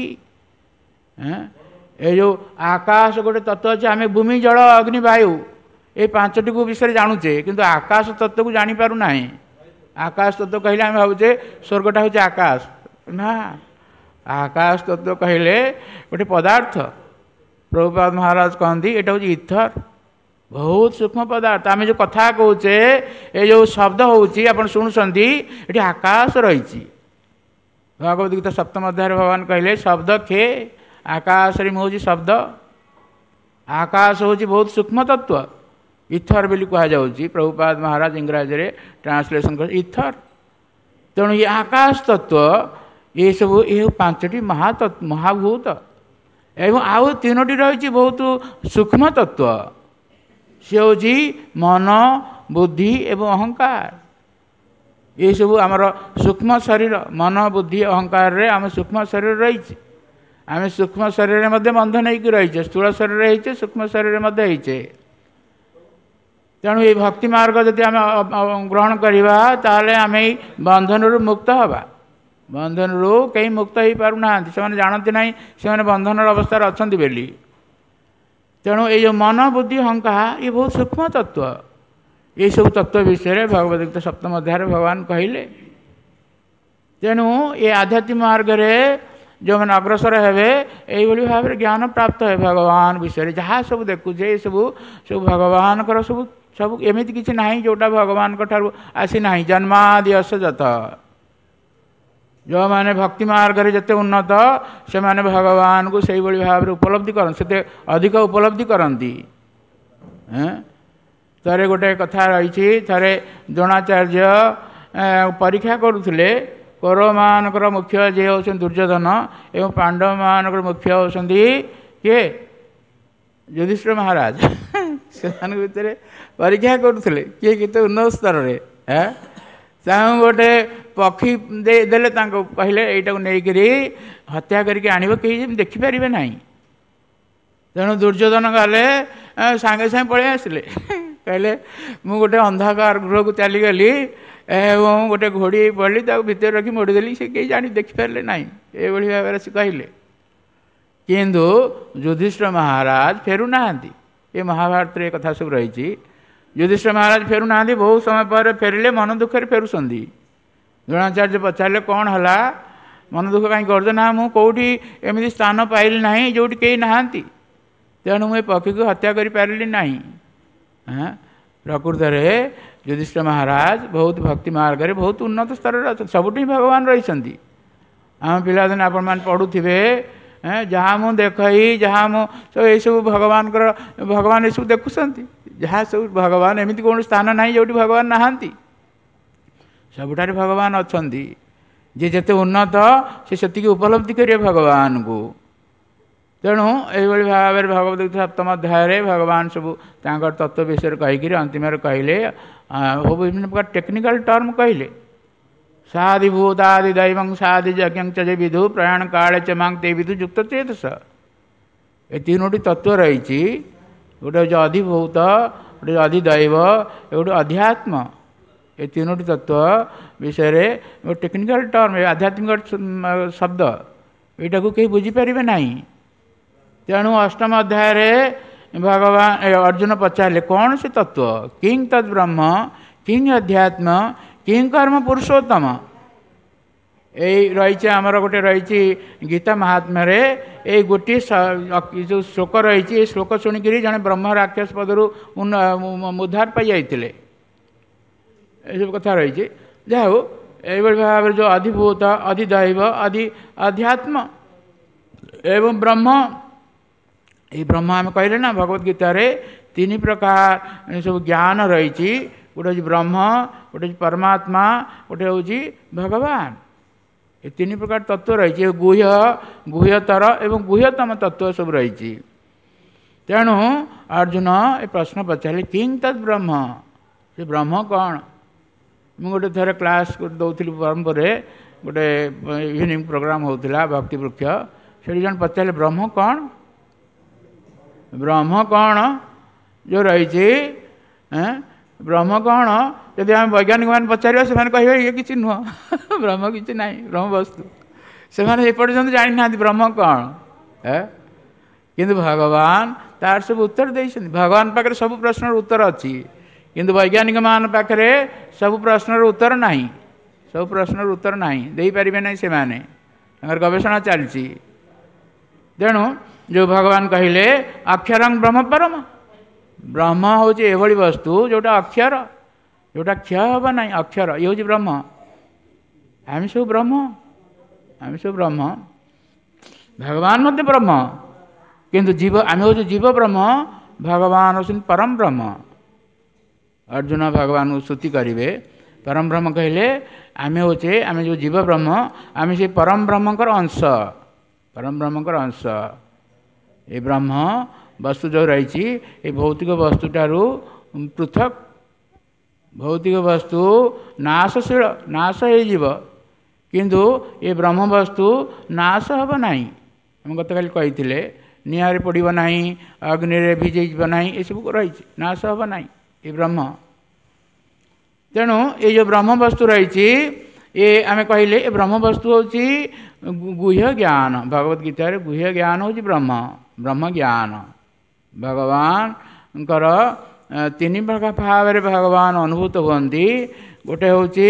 ଏ ଯେଉଁ ଆକାଶ ଗୋଟେ ତତ୍ତ୍ୱ ଅଛି, ଆମେ ଭୂମି, ଜଳ, ଅଗ୍ନି, ବାୟୁ ଏଇ 5ଟିକୁ ବିଷୟରେ ଜାଣୁଛେ, କିନ୍ତୁ ଆକାଶ ତତ୍ତ୍ୱକୁ ଜାଣିପାରୁନାହିଁ। ଆକାଶ ତତ୍ତ୍ୱ କହିଲେ ଆମେ ଭାବୁଛେ ସ୍ୱର୍ଗଟା ହେଉଛି ଆକାଶ। ନା, ଆକାଶ ତତ୍ତ୍ୱ କହିଲେ ଗୋଟେ ପଦାର୍ଥ। ପ୍ରଭୁପାଦ ମହାରାଜ କହନ୍ତି ଏଇଟା ହେଉଛି ଇଥର, ବହୁତ ସୂକ୍ଷ୍ମ ପଦାର୍ଥ। ଆମେ ଯେଉଁ କଥା କହୁଛେ, ଏ ଯେଉଁ ଶବ୍ଦ ହେଉଛି ଆପଣ ଶୁଣୁଛନ୍ତି, ଏଠି ଆକାଶ ରହିଛି। ଭଗବତ ଗୀତା ସପ୍ତମ ଅଧ୍ୟାୟରେ ଭଗବାନ କହିଲେ ଶବ୍ଦ ଖେ, ଆକାଶରେ ମୁଁ ହେଉଛି ଶବ୍ଦ। ଆକାଶ ହେଉଛି ବହୁତ ସୂକ୍ଷ୍ମ ତତ୍ତ୍ୱ, ଇଥର ବୋଲି କୁହାଯାଉଛି। ପ୍ରଭୁପାଦ ମହାରାଜ ଇଂରାଜୀରେ ଟ୍ରାନ୍ସଲେସନ୍ କରି ଇଥର। ତେଣୁ ଏ ଆକାଶ ତତ୍ତ୍ୱ, ଏସବୁ ଏ 5ଟି ମହାଭୂତ, ଏବଂ ଆଉ 3ଟି ରହିଛି ବହୁତ ସୂକ୍ଷ୍ମ ତତ୍ତ୍ୱ। ସେ ହେଉଛି ମନ, ବୁଦ୍ଧି ଏବଂ ଅହଙ୍କାର। ଏସବୁ ଆମର ସୂକ୍ଷ୍ମ ଶରୀର, ମନ, ବୁଦ୍ଧି, ଅହଙ୍କାରରେ ଆମ ସୂକ୍ଷ୍ମ ଶରୀର ରହିଛି। ଆମେ ସୂକ୍ଷ୍ମ ଶରୀରରେ ମଧ୍ୟ ବନ୍ଧନ ହେଇକି ରହିଛେ, ସ୍ଥୂଳ ଶରୀରରେ ହେଇଛେ, ସୂକ୍ଷ୍ମ ଶରୀରରେ ମଧ୍ୟ ହେଇଛେ। ତେଣୁ ଏଇ ଭକ୍ତି ମାର୍ଗ ଯଦି ଆମେ ଗ୍ରହଣ କରିବା, ତାହେଲେ ଆମେ ଏଇ ବନ୍ଧନରୁ ମୁକ୍ତ ହେବା। ବନ୍ଧନରୁ କେହି ମୁକ୍ତ ହେଇପାରୁନାହାନ୍ତି, ସେମାନେ ଜାଣନ୍ତି ନାହିଁ ସେମାନେ ବନ୍ଧନର ଅବସ୍ଥାରେ ଅଛନ୍ତି ବୋଲି। ତେଣୁ ଏଇ ଯେଉଁ ମନ, ବୁଦ୍ଧି, ଅହଙ୍କାର, ଇଏ ବହୁତ ସୂକ୍ଷ୍ମ ତତ୍ତ୍ୱ। ଏଇସବୁ ତତ୍ତ୍ୱ ବିଷୟରେ ଭଗବତ ଗୀତା ସପ୍ତମ ଅଧ୍ୟାୟରେ ଭଗବାନ କହିଲେ। ତେଣୁ ଏ ଆଧ୍ୟାତ୍ମିକ ମାର୍ଗରେ ଯେଉଁମାନେ ଅଗ୍ରସର ହେବେ, ଏଇଭଳି ଭାବରେ ଜ୍ଞାନ ପ୍ରାପ୍ତ ହେବେ ଭଗବାନ ବିଷୟରେ। ଯାହା ସବୁ ଦେଖୁଛେ ଏସବୁ ସବୁ ଭଗବାନଙ୍କର, ସବୁ ସବୁ ଏମିତି କିଛି ନାହିଁ ଯେଉଁଟା ଭଗବାନଙ୍କ ଠାରୁ ଆସିନାହିଁ। ଜନ୍ମାଦି ଅସଯତ। ଯେଉଁମାନେ ଭକ୍ତି ମାର୍ଗରେ ଯେତେ ଉନ୍ନତ, ସେମାନେ ଭଗବାନଙ୍କୁ ସେଇଭଳି ଭାବରେ ଉପଲବ୍ଧି କରନ୍ତି, ସେତେ ଅଧିକ ଉପଲବ୍ଧି କରନ୍ତି। ଥରେ ଗୋଟେ କଥା ରହିଛି, ଥରେ ଦ୍ରୋଣାଚାର୍ଯ୍ୟ ପରୀକ୍ଷା କରୁଥିଲେ। କୌରବମାନଙ୍କର ମୁଖ୍ୟ ଯିଏ ହେଉଛନ୍ତି ଦୁର୍ଯ୍ୟୋଧନ, ଏବଂ ପାଣ୍ଡବମାନଙ୍କର ମୁଖ୍ୟ ହେଉଛନ୍ତି କିଏ? ଯୁଧିଷ୍ଠିର ମହାରାଜ। ସେମାନଙ୍କ ଭିତରେ ପରୀକ୍ଷା କରୁଥିଲେ କିଏ କେତେ ଉନ୍ନତ ସ୍ତରରେ। ତାଙ୍କୁ ଗୋଟେ ପକ୍ଷୀ ଦେଲେ, ତାଙ୍କୁ କହିଲେ ଏଇଟାକୁ ନେଇକରି ହତ୍ୟା କରିକି ଆଣିବ, କେହି ଯେମିତି ଦେଖିପାରିବେ ନାହିଁ। ତେଣୁ ଦୁର୍ଯ୍ୟୋଧନ ଗଲେ, ସାଙ୍ଗେ ସାଙ୍ଗେ ପଳେଇ ଆସିଲେ। କହିଲେ ମୁଁ ଗୋଟେ ଅନ୍ଧକାର ଗୃହକୁ ଚାଲିଗଲି ଏବଂ ଗୋଟେ ଘୋଡ଼ି ପଡ଼ିଲି, ତାକୁ ଭିତରେ ରଖି ମୋଡ଼ିଦେଲି, ସେ କେହି ଜାଣି ଦେଖିପାରିଲେ ନାହିଁ। ଏଇଭଳି ଭାବରେ ସେ କହିଲେ। କିନ୍ତୁ ଯୁଧିଷ୍ଠିର ମହାରାଜ ଫେରୁନାହାନ୍ତି। ଏ ମହାଭାରତରେ ଏ କଥା ସବୁ ରହିଛି। ଯୁଧିଷ୍ଠିର ମହାରାଜ ଫେରୁନାହାନ୍ତି। ବହୁତ ସମୟ ପରେ ଫେରିଲେ, ମନ ଦୁଃଖରେ ଫେରୁଛନ୍ତି। ଦ୍ରୋଣାଚାର୍ଯ୍ୟ ପଚାରିଲେ କ'ଣ ହେଲା, ମନ ଦୁଃଖ କାହିଁ କରୁଛ? ନା, ମୁଁ କେଉଁଠି ଏମିତି ସ୍ଥାନ ପାଇଲି ନାହିଁ ଯେଉଁଠି କେହି ନାହାନ୍ତି, ତେଣୁ ମୁଁ ଏ ପକ୍ଷୀକୁ ହତ୍ୟା କରିପାରିଲି ନାହିଁ। ପ୍ରକୃତରେ ଯୁଧିଷ୍ଠିର ମହାରାଜ ବହୁତ ଭକ୍ତି ମାର୍ଗରେ ବହୁତ ଉନ୍ନତ ସ୍ତରରେ ଅଛନ୍ତି, ସବୁଠି ଭଗବାନ ରହିଛନ୍ତି। ଆମ ପିଲାଦିନେ ଆପଣମାନେ ପଢ଼ୁଥିବେ, ଯାହା ମୁଁ ଦେଖଇ ଯାହା ମୁଁ ସବୁ ଏଇସବୁ ଭଗବାନଙ୍କର, ଭଗବାନ ଏସବୁ ଦେଖୁଛନ୍ତି, ଯାହା ସବୁ ଭଗବାନ, ଏମିତି କୌଣସି ସ୍ଥାନ ନାହିଁ ଯେଉଁଠି ଭଗବାନ ନାହାନ୍ତି, ସବୁଠାରେ ଭଗବାନ ଅଛନ୍ତି। ଯିଏ ଯେତେ ଉନ୍ନତ ସେ ସେତିକି ଉପଲବ୍ଧି କରିବେ ଭଗବାନଙ୍କୁ। ତେଣୁ ଏଇଭଳି ଭାବରେ ଭଗବତ ଗୀତା ସପ୍ତମ ଅଧ୍ୟାୟରେ ଭଗବାନ ସବୁ ତାଙ୍କର ତତ୍ତ୍ୱ ବିଷୟରେ କହିକିରି ଅନ୍ତିମରେ କହିଲେ, ବିଭିନ୍ନ ପ୍ରକାର ଟେକ୍ନିକାଲ ଟର୍ମ କହିଲେ। ସାଦି ଭୂତାଦି ଦୈବଂ ସାଦି ଯଜ୍ଞ ଚ ଯେ ବିଧୁ ପ୍ରୟାଣ କାଳେ ଚ ମାଂ ତେ ବିଧୁ ଯୁକ୍ତ ଚେତସ। ଏ ତିନୋଟି ତତ୍ତ୍ୱ ରହିଛି, ଗୋଟେ ହେଉଛି ଅଧିଭୂତ, ଗୋଟେ ଅଧିଦୈବ, ଗୋଟେ ଅଧ୍ୟାତ୍ମ। ଏ ତିନୋଟି ତତ୍ତ୍ୱ ବିଷୟରେ ଗୋଟେ ଟେକ୍ନିକାଲ ଟର୍ମ, ଆଧ୍ୟାତ୍ମିକ ଶବ୍ଦ, ଏଇଟାକୁ କେହି ବୁଝିପାରିବେ ନାହିଁ। ତେଣୁ ଅଷ୍ଟମ ଅଧ୍ୟାୟରେ ଭଗବାନ ଅର୍ଜୁନ ପଚାରିଲେ କ'ଣ ସେ ତତ୍ତ୍ୱ? କିଂ ତଦ୍ ବ୍ରହ୍ମ କିଂ ଅଧ୍ୟାତ୍ମ କିଂ କର୍ମ ପୁରୁଷୋତ୍ତମ। ଏଇ ରହିଛି ଆମର ଗୋଟେ ରହିଛି ଗୀତା ମହାତ୍ମ୍ୟରେ ଏଇ ଗୋଟିଏ ଯେଉଁ ଶ୍ଲୋକ ରହିଛି, ଏ ଶ୍ଲୋକ ଶୁଣିକିରି ଜଣେ ବ୍ରହ୍ମ ରାକ୍ଷସ ପଦରୁ ଉଦ୍ଧାର ପାଇଯାଇଥିଲେ। ଏସବୁ କଥା ରହିଛି। ଯାହା ହଉ, ଏଇଭଳି ଭାବରେ ଯେଉଁ ଅଧିଭୂତ, ଅଧିଦୈବ, ଅଧି ଅଧ୍ୟାତ୍ମ ଏବଂ ବ୍ରହ୍ମ, ଏଇ ବ୍ରହ୍ମ ଆମେ କହିଲେ ନା ଭଗବତ ଗୀତାରେ ତିନି ପ୍ରକାର ସବୁ ଜ୍ଞାନ ରହିଛି। ଗୋଟେ ହେଉଛି ବ୍ରହ୍ମ, ଗୋଟେ ହେଉଛି ପରମାତ୍ମା, ଗୋଟେ ହେଉଛି ଭଗବାନ। ଏ ତିନି ପ୍ରକାର ତତ୍ତ୍ୱ ରହିଛି। ଗୁହ୍ୟ, ଗୁହ୍ୟତର ଏବଂ ଗୁହ୍ୟତମ ତତ୍ତ୍ୱ ସବୁ ରହିଛି। ତେଣୁ ଅର୍ଜୁନ ଏ ପ୍ରଶ୍ନ ପଚାରିଲେ କିଂ ତଦ୍ ବ୍ରହ୍ମ, ସେ ବ୍ରହ୍ମ କ'ଣ? ମୁଁ ଗୋଟେ ଥରେ କ୍ଲାସ୍ ଦେଉଥିଲି ବ୍ରହ୍ମପୁରରେ, ଗୋଟେ ଇଭିନିଂ ପ୍ରୋଗ୍ରାମ୍ ହେଉଥିଲା ଭକ୍ତି ବୃକ୍ଷ, ସେଠି ଜଣେ ପଚାରିଲେ ବ୍ରହ୍ମ କ'ଣ? ବ୍ରହ୍ମ କ'ଣ ଯେଉଁ ରହିଛି, ବ୍ରହ୍ମ କ'ଣ? ଯଦି ଆମେ ବୈଜ୍ଞାନିକମାନେ ପଚାରିବା ସେମାନେ କହିବେ ଇଏ କିଛି ନୁହଁ, ବ୍ରହ୍ମ କିଛି ନାହିଁ, ବ୍ରହ୍ମ ବସ୍ତୁ। ସେମାନେ ଏପର୍ଯ୍ୟନ୍ତ ଜାଣିନାହାନ୍ତି ବ୍ରହ୍ମ କ'ଣ। କିନ୍ତୁ ଭଗବାନ ତାର ସବୁ ଉତ୍ତର ଦେଇଛନ୍ତି। ଭଗବାନ ପାଖରେ ସବୁ ପ୍ରଶ୍ନର ଉତ୍ତର ଅଛି, କିନ୍ତୁ ବୈଜ୍ଞାନିକମାନଙ୍କ ପାଖରେ ସବୁ ପ୍ରଶ୍ନର ଉତ୍ତର ନାହିଁ। ସବୁ ପ୍ରଶ୍ନର ଉତ୍ତର ନାହିଁ, ଦେଇପାରିବେ ନାହିଁ ସେମାନେ, ତାଙ୍କର ଗବେଷଣା ଚାଲିଛି। ତେଣୁ ଯେଉଁ ଭଗବାନ କହିଲେ ଅକ୍ଷରଂ ବ୍ରହ୍ମ ପରମ, ବ୍ରହ୍ମ ହେଉଛି ଏଭଳି ବସ୍ତୁ ଯେଉଁଟା ଅକ୍ଷର, ଯେଉଁଟା କ୍ଷୟ ହେବ ନାହିଁ, ଅକ୍ଷର, ଇଏ ହେଉଛି ବ୍ରହ୍ମ। ଆମେ ସବୁ ବ୍ରହ୍ମ, ଆମେ ସବୁ ବ୍ରହ୍ମ, ଭଗବାନ ମଧ୍ୟ ବ୍ରହ୍ମ, କିନ୍ତୁ ଜୀବ, ଆମେ ହେଉଛୁ ଜୀବ ବ୍ରହ୍ମ, ଭଗବାନ ହେଉଛନ୍ତି ପରମ ବ୍ରହ୍ମ। ଅର୍ଜୁନ ଭଗବାନଙ୍କୁ ସ୍ତୁତି କରିବେ। ପରମ ବ୍ରହ୍ମ କହିଲେ ଆମେ ହେଉଛେ, ଆମେ ଯେଉଁ ଜୀବ ବ୍ରହ୍ମ, ଆମେ ସେ ପରମ ବ୍ରହ୍ମଙ୍କର ଅଂଶ, ପରମ ବ୍ରହ୍ମଙ୍କର ଅଂଶ। ଏ ବ୍ରହ୍ମ ବସ୍ତୁ ଯେଉଁ ରହିଛି ଏ ଭୌତିକ ବସ୍ତୁଠାରୁ ପୃଥକ୍। ଭୌତିକ ବସ୍ତୁ ନାଶଶୀଳ, ନାଶ ହେଇଯିବ, କିନ୍ତୁ ଏ ବ୍ରହ୍ମ ବସ୍ତୁ ନାଶ ହେବ ନାହିଁ। ଆମେ ଗତକାଲି କହିଥିଲେ ନିଆଁରେ ପଡ଼ିବ ନାହିଁ, ଅଗ୍ନିରେ ଭିଜେଇଯିବ ନାହିଁ, ଏସବୁ ରହିଛି, ନାଶ ହେବ ନାହିଁ ଏ ବ୍ରହ୍ମ। ତେଣୁ ଏଇ ଯେଉଁ ବ୍ରହ୍ମ ବସ୍ତୁ ରହିଛି, ଏ ଆମେ କହିଲେ ଏ ବ୍ରହ୍ମ ବସ୍ତୁ ହେଉଛି ଗୁହ୍ୟ ଜ୍ଞାନ। ଭଗବତ ଗୀତାରେ ଗୁହ୍ୟ ଜ୍ଞାନ ହେଉଛି ବ୍ରହ୍ମ, ବ୍ରହ୍ମ ଜ୍ଞାନ। ଭଗବାନଙ୍କର ତିନି ପ୍ରକାର ଭାବରେ ଭଗବାନ ଅନୁଭୂତ ହୁଅନ୍ତି। ଗୋଟେ ହେଉଛି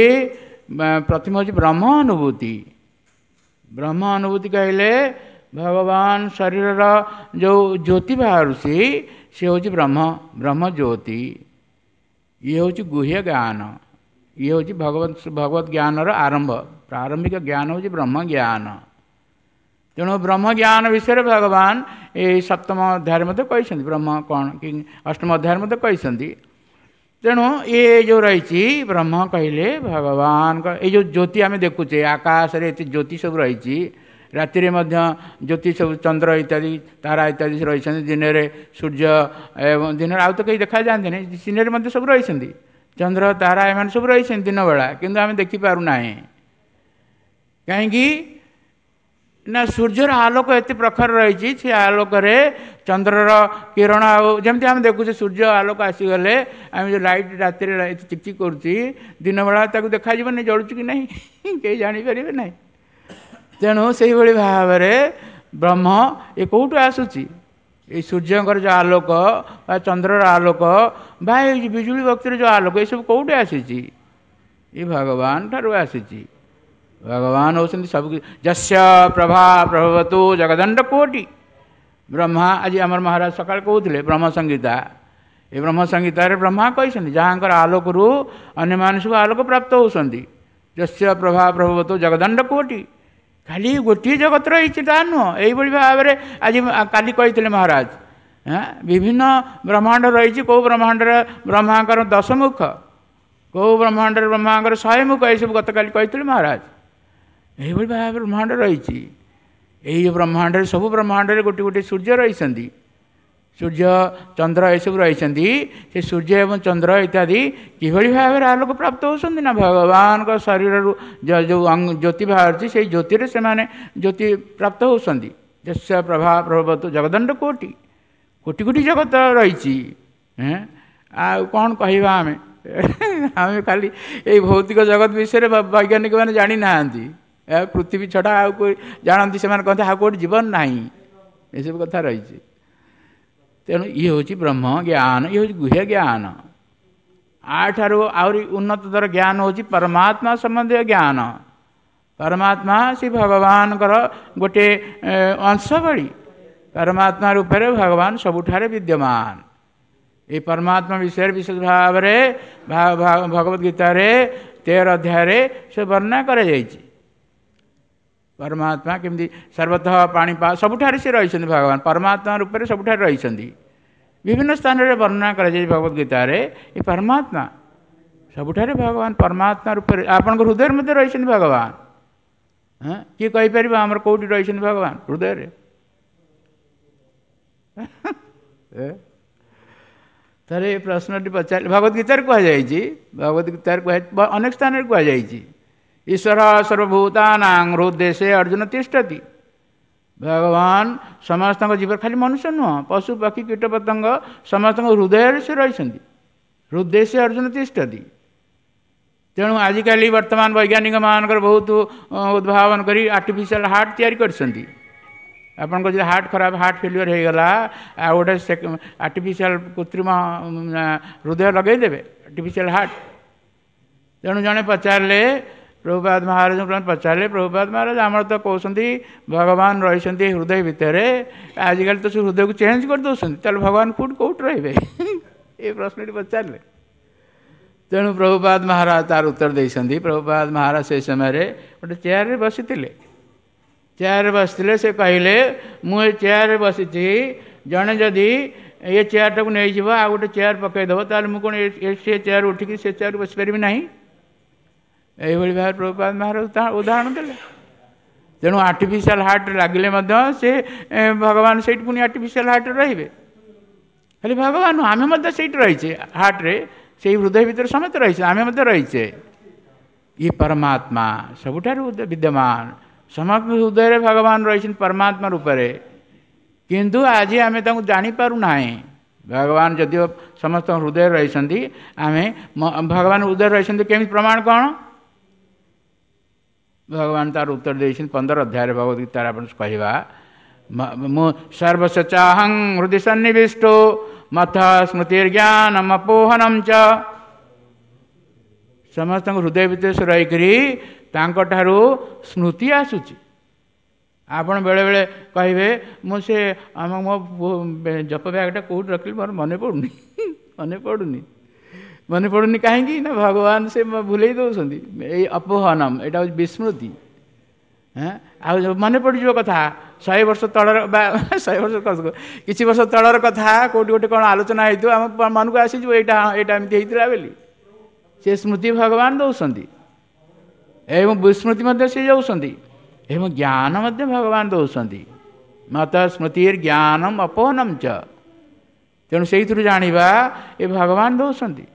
ପ୍ରଥମ ହେଉଛି ବ୍ରହ୍ମ ଅନୁଭୂତି। ବ୍ରହ୍ମ ଅନୁଭୂତି କହିଲେ ଭଗବାନ ଶରୀରର ଯେଉଁ ଜ୍ୟୋତି ବାହାରୁଛି ସେ ହେଉଛି ବ୍ରହ୍ମ, ବ୍ରହ୍ମ ଜ୍ୟୋତି। ଇଏ ହେଉଛି ଗୁହ୍ୟ ଜ୍ଞାନ, ଇଏ ହେଉଛି ଭଗବତ ଜ୍ଞାନର ଆରମ୍ଭ। ପ୍ରାରମ୍ଭିକ ଜ୍ଞାନ ହେଉଛି ବ୍ରହ୍ମ ଜ୍ଞାନ। ତେଣୁ ବ୍ରହ୍ମ ଜ୍ଞାନ ବିଷୟରେ ଭଗବାନ ଏଇ ସପ୍ତମ ଅଧ୍ୟାୟରେ ମଧ୍ୟ କହିଛନ୍ତି, ବ୍ରହ୍ମ କ'ଣ କି ଅଷ୍ଟମ ଅଧ୍ୟାୟରେ ମଧ୍ୟ କହିଛନ୍ତି। ତେଣୁ ଏ ଯେଉଁ ରହିଛି ବ୍ରହ୍ମ କହିଲେ ଭଗବାନଙ୍କ ଏଇ ଯେଉଁ ଜ୍ୟୋତି ଆମେ ଦେଖୁଛେ ଆକାଶରେ, ଏତେ ଜ୍ୟୋତି ସବୁ ରହିଛି, ରାତିରେ ମଧ୍ୟ ଜ୍ୟୋତି ସବୁ ଚନ୍ଦ୍ର ଇତ୍ୟାଦି ତାରା ଇତ୍ୟାଦି ରହିଛନ୍ତି, ଦିନରେ ସୂର୍ଯ୍ୟ ଏବଂ ଦିନରେ ଆଉ ତ କେହି ଦେଖାଯାଆନ୍ତିନି, ଦିନରେ ମଧ୍ୟ ସବୁ ରହିଛନ୍ତି। ଚନ୍ଦ୍ର ତାରା ଏମାନେ ସବୁ ରହିଛନ୍ତି ଦିନବେଳା, କିନ୍ତୁ ଆମେ ଦେଖିପାରୁନାହିଁ। କାହିଁକି ନା ସୂର୍ଯ୍ୟର ଆଲୋକ ଏତେ ପ୍ରଖର ରହିଛି, ସେ ଆଲୋକରେ ଚନ୍ଦ୍ରର କିରଣ, ଆଉ ଯେମିତି ଆମେ ଦେଖୁଛେ ସୂର୍ଯ୍ୟ ଆଲୋକ ଆସିଗଲେ ଆମେ ଯେଉଁ ଲାଇଟ୍ ରାତିରେ ଚିକ୍ ଚିକ୍ କରୁଛି, ଦିନବେଳା ତାକୁ ଦେଖାଯିବନି ଜଳୁଛି କି ନାହିଁ, କେହି ଜାଣିପାରିବେ ନାହିଁ। ତେଣୁ ସେଇଭଳି ଭାବରେ ବ୍ରହ୍ମ ଏ କେଉଁଠୁ ଆସୁଛି? ଏଇ ସୂର୍ଯ୍ୟଙ୍କର ଯେଉଁ ଆଲୋକ ବା ଚନ୍ଦ୍ରର ଆଲୋକ ବା ଏଇ ବିଜୁଳି ବକ୍ତିର ଯେଉଁ ଆଲୋକ, ଏସବୁ କେଉଁଠୁ ଆସିଛି? ଏ ଭଗବାନ ଠାରୁ ଆସିଛି। ଭଗବାନ ହେଉଛନ୍ତି ସବୁ। ଯସ୍ୟ ପ୍ରଭା ପ୍ରଭବତୁ ଜଗଦଣ୍ଡ କୋଟି ବ୍ରହ୍ମା। ଆଜି ଆମର ମହାରାଜ ସକାଳେ କହୁଥିଲେ ବ୍ରହ୍ମ ସଂହିତା। ଏ ବ୍ରହ୍ମ ସଂହିତାରେ ବ୍ରହ୍ମା କହିଛନ୍ତି, ଯାହାଙ୍କର ଆଲୋକରୁ ଅନ୍ୟମାନେ ସବୁ ଆଲୋକ ପ୍ରାପ୍ତ ହେଉଛନ୍ତି। ଯସ୍ୟ ପ୍ରଭା ପ୍ରଭବତୁ ଜଗଦଣ୍ଡ କୋଟି। ଖାଲି ଗୋଟିଏ ଜଗତ ରହିଛି ତା ନୁହଁ। ଏଇଭଳି ଭାବରେ ଆଜି କାଲି କହିଥିଲେ ମହାରାଜ, ବିଭିନ୍ନ ବ୍ରହ୍ମାଣ୍ଡ ରହିଛି। କେଉଁ ବ୍ରହ୍ମାଣ୍ଡରେ ବ୍ରହ୍ମାଙ୍କର 10 ମୁଖ, କେଉଁ ବ୍ରହ୍ମାଣ୍ଡରେ ବ୍ରହ୍ମାଙ୍କର 100 ମୁଖ, ଏସବୁ ଗତକାଲି କହିଥିଲେ ମହାରାଜ। ଏଇଭଳି ଭାବରେ ବ୍ରହ୍ମାଣ୍ଡ ରହିଛି। ଏଇ ବ୍ରହ୍ମାଣ୍ଡରେ, ସବୁ ବ୍ରହ୍ମାଣ୍ଡରେ ଗୋଟିଏ ଗୋଟିଏ ସୂର୍ଯ୍ୟ ରହିଛନ୍ତି, ସୂର୍ଯ୍ୟ ଚନ୍ଦ୍ର ଏସବୁ ରହିଛନ୍ତି। ସେ ସୂର୍ଯ୍ୟ ଏବଂ ଚନ୍ଦ୍ର ଇତ୍ୟାଦି କିଭଳି ଭାବରେ ଆଲୋକ ପ୍ରାପ୍ତ ହେଉଛନ୍ତି ନା ଭଗବାନଙ୍କ ଶରୀରରୁ ଯେଉଁ ଜ୍ୟୋତି ବାହାରୁଛି, ସେଇ ଜ୍ୟୋତିରେ ସେମାନେ ଜ୍ୟୋତି ପ୍ରାପ୍ତ ହେଉଛନ୍ତି। ଯସ୍ୟ ପ୍ରଭା ପ୍ରଭବତୁ ଜଗଦଣ୍ଡ କୋଟି, କୋଟି କୋଟି ଜଗତ ରହିଛି। ଆଉ କ'ଣ କହିବା ଆମେ? ଆମେ ଖାଲି ଏଇ ଭୌତିକ ଜଗତ ବିଷୟରେ ବୈଜ୍ଞାନିକ ମାନେ ଜାଣିନାହାନ୍ତି। ପୃଥିବୀ ଛଡ଼ା ଆଉ ଜାଣନ୍ତି, ସେମାନେ କହନ୍ତି ଆଉ କେଉଁଠି ଜୀବନ ନାହିଁ, ଏସବୁ କଥା ରହିଛି। ତେଣୁ ଇଏ ହେଉଛି ବ୍ରହ୍ମ ଜ୍ଞାନ, ଇଏ ହେଉଛି ଗୁହ୍ୟ ଜ୍ଞାନ। ଆଠାରୁ ଆହୁରି ଉନ୍ନତତର ଜ୍ଞାନ ହେଉଛି ପରମାତ୍ମା ସମ୍ବନ୍ଧୀୟ ଜ୍ଞାନ। ପରମାତ୍ମା ସେ ଭଗବାନଙ୍କର ଗୋଟିଏ ଅଂଶ ଭଳି, ପରମାତ୍ମା ରୂପରେ ଭଗବାନ ସବୁଠାରେ ବିଦ୍ୟମାନ। ଏଇ ପରମାତ୍ମା ବିଷୟରେ ବିଶେଷ ଭାବରେ ଭଗବତ ଗୀତାରେ 13 ଅଧ୍ୟାୟରେ ସେ ବର୍ଣ୍ଣନା କରାଯାଇଛି। ପରମାତ୍ମା କେମିତି ସର୍ବତଃ ପାଣିପା, ସବୁଠାରେ ସେ ରହିଛନ୍ତି। ଭଗବାନ ପରମାତ୍ମା ରୂପରେ ସବୁଠାରେ ରହିଛନ୍ତି। ବିଭିନ୍ନ ସ୍ଥାନରେ ବର୍ଣ୍ଣନା କରାଯାଇଛି ଭଗବତ ଗୀତାରେ। ଏ ପରମାତ୍ମା ସବୁଠାରେ ଭଗବାନ ପରମାତ୍ମା ରୂପରେ ଆପଣଙ୍କ ହୃଦୟରେ ମଧ୍ୟ ରହିଛନ୍ତି ଭଗବାନ। ହଁ, କିଏ କହିପାରିବ ଆମର କେଉଁଠି ରହିଛନ୍ତି ଭଗବାନ ହୃଦୟରେ? ଥରେ ଏ ପ୍ରଶ୍ନଟି ପଚାରିଲେ, ଭଗବତ ଗୀତାରେ କୁହାଯାଇଛି, ଭଗବତ ଗୀତାରେ କୁହା ଅନେକ ସ୍ଥାନରେ କୁହାଯାଇଛି, ଈଶ୍ୱର ସର୍ବଭୂତାନାଂ ହୃଦେଶେ ଅର୍ଜୁନ ତିଷ୍ଠତି। ଭଗବାନ ସମସ୍ତଙ୍କ ଜୀବ, ଖାଲି ମନୁଷ୍ୟ ନୁହଁ, ପଶୁ ପକ୍ଷୀ କୀଟ ପତଙ୍ଗ ସମସ୍ତଙ୍କ ହୃଦୟରେ ସେ ରହିଛନ୍ତି। ହୃଦେଶେ ଅର୍ଜୁନ ତିଷ୍ଠତି। ତେଣୁ ଆଜିକାଲି ବର୍ତ୍ତମାନ ବୈଜ୍ଞାନିକ ମାନଙ୍କର ବହୁତ ଉଦ୍ଭାବନ କରି ଆର୍ଟିଫିସିଆଲ ହାର୍ଟ ତିଆରି କରିଛନ୍ତି। ଆପଣଙ୍କର ଯଦି ହାର୍ଟ ଖରାପ, ହାର୍ଟ ଫେଲିଓର ହେଇଗଲା, ଆଉ ଗୋଟେ ଆର୍ଟିଫିସିଆଲ କୃତ୍ରିମ ହୃଦୟ ଲଗେଇଦେବେ, ଆର୍ଟିଫିସିଆଲ ହାର୍ଟ। ତେଣୁ ଜଣେ ପଚାରିଲେ ପ୍ରଭୁପାଦ ମହାରାଜଙ୍କୁ, ପଚାରିଲେ ପ୍ରଭୁପାଦ ମହାରାଜ, ଆମର ତ କହୁଛନ୍ତି ଭଗବାନ ରହିଛନ୍ତି ହୃଦୟ ଭିତରେ, ଆଜିକାଲି ତ ସେ ହୃଦୟକୁ ଚେଞ୍ଜ କରିଦେଉଛନ୍ତି, ତାହେଲେ ଭଗବାନ କେଉଁଠି କେଉଁଠି ରହିବେ? ଏ ପ୍ରଶ୍ନଟି ପଚାରିଲେ। ତେଣୁ ପ୍ରଭୁପାଦ ମହାରାଜ ତାର ଉତ୍ତର ଦେଇଛନ୍ତି। ପ୍ରଭୁପାଦ ମହାରାଜ ସେ ସମୟରେ ଗୋଟେ ଚେୟାରରେ ବସିଥିଲେ, ଚେୟାରରେ ବସିଥିଲେ। ସେ କହିଲେ, ମୁଁ ଏ ଚେୟାରରେ ବସିଛି, ଜଣେ ଯଦି ଏ ଚେୟାରଟାକୁ ନେଇଯିବ ଆଉ ଗୋଟେ ଚେୟାର ପକାଇଦେବ, ତାହେଲେ ମୁଁ କ'ଣ ସେ ଚେୟାର ଉଠିକି ସେ ଚେୟାର ବସିପାରିବି ନାହିଁ? ଏଇଭଳି ଭାବରେ ପ୍ରଭୁପାଦ ମହାରାଜ ଉଦାହରଣ ଦେଲେ। ତେଣୁ ଆର୍ଟିଫିସିଆଲ ହାର୍ଟ ଲାଗିଲେ ମଧ୍ୟ ସେ ଭଗବାନ ସେଇଠି ପୁଣି ଆର୍ଟିଫିସିଆଲ ହାର୍ଟରେ ରହିବେ। ଖାଲି ଭଗବାନ, ଆମେ ମଧ୍ୟ ସେଇଠି ରହିଛେ, ହାର୍ଟରେ, ସେଇ ହୃଦୟ ଭିତରେ ସମସ୍ତେ ରହିଛେ, ଆମେ ମଧ୍ୟ ରହିଛେ। ଇଏ ପରମାତ୍ମା ସବୁଠାରୁ ବିଦ୍ୟମାନ, ସମସ୍ତ ହୃଦୟରେ ଭଗବାନ ରହିଛନ୍ତି ପରମାତ୍ମା ରୂପରେ। କିନ୍ତୁ ଆଜି ଆମେ ତାଙ୍କୁ ଜାଣିପାରୁନାହିଁ। ଭଗବାନ ଯଦିଓ ସମସ୍ତଙ୍କ ହୃଦୟରେ ରହିଛନ୍ତି, ଆମେ ଭଗବାନ ହୃଦୟରେ ରହିଛନ୍ତି କେମିତି ପ୍ରମାଣ କ'ଣ? ଭଗବାନ ତାର ଉତ୍ତର ଦେଇଛନ୍ତି 15 ଅଧ୍ୟାୟରେ ଭଗବତ ଗୀତାରେ। ଆପଣ କହିବା, ମୁଁ ସର୍ବସ୍ୱ ଚାହଂ ହୃଦୟ ସନ୍ନିବିଷ୍ଟୋ ମଥ ସ୍ମୃତିର୍ଜ୍ଞାନମ ଅପୋହନମ ଚ। ସମସ୍ତଙ୍କ ହୃଦୟ ଭିତରେ ସେ ରହିକରି ତାଙ୍କଠାରୁ ସ୍ମୃତି ଆସୁଛି। ଆପଣ ବେଳେବେଳେ କହିବେ, ମୁଁ ସେ ଆମ ମୋ ଜପ ବ୍ୟାଗଟା କେଉଁଠି ରଖିଲି ମୋର ମନେ ପଡ଼ୁନି, ମନେ ପଡ଼ୁନି, ମନେ ପଡ଼ୁନି। କାହିଁକି ନା ଭଗବାନ ସେ ଭୁଲେଇ ଦେଉଛନ୍ତି। ଏଇ ଅପୋହନମ, ଏଇଟା ହେଉଛି ବିସ୍ମୃତି। ଆଉ ମନେ ପଡ଼ିଯିବ କଥା 100 ବର୍ଷ ତଳର ବା 100 ବର୍ଷ କିଛି ବର୍ଷ ତଳର କଥା, କେଉଁଠି ଗୋଟେ କ'ଣ ଆଲୋଚନା ହେଇଥିବ, ଆମ ମନକୁ ଆସିଯିବ ଏଇଟା ଏଇଟା ଏମିତି ହେଇଥିଲା ବୋଲି। ସେ ସ୍ମୃତି ଭଗବାନ ଦେଉଛନ୍ତି ଏବଂ ବିସ୍ମୃତି ମଧ୍ୟ ସେ ଦେଉଛନ୍ତି ଏବଂ ଜ୍ଞାନ ମଧ୍ୟ ଭଗବାନ ଦେଉଛନ୍ତି। ମତ ସ୍ମୃତିର ଜ୍ଞାନମ ଅପୋହନମ ଚ। ତେଣୁ ସେଇଥିରୁ ଜାଣିବା ଏ ଭଗବାନ ଦେଉଛନ୍ତି।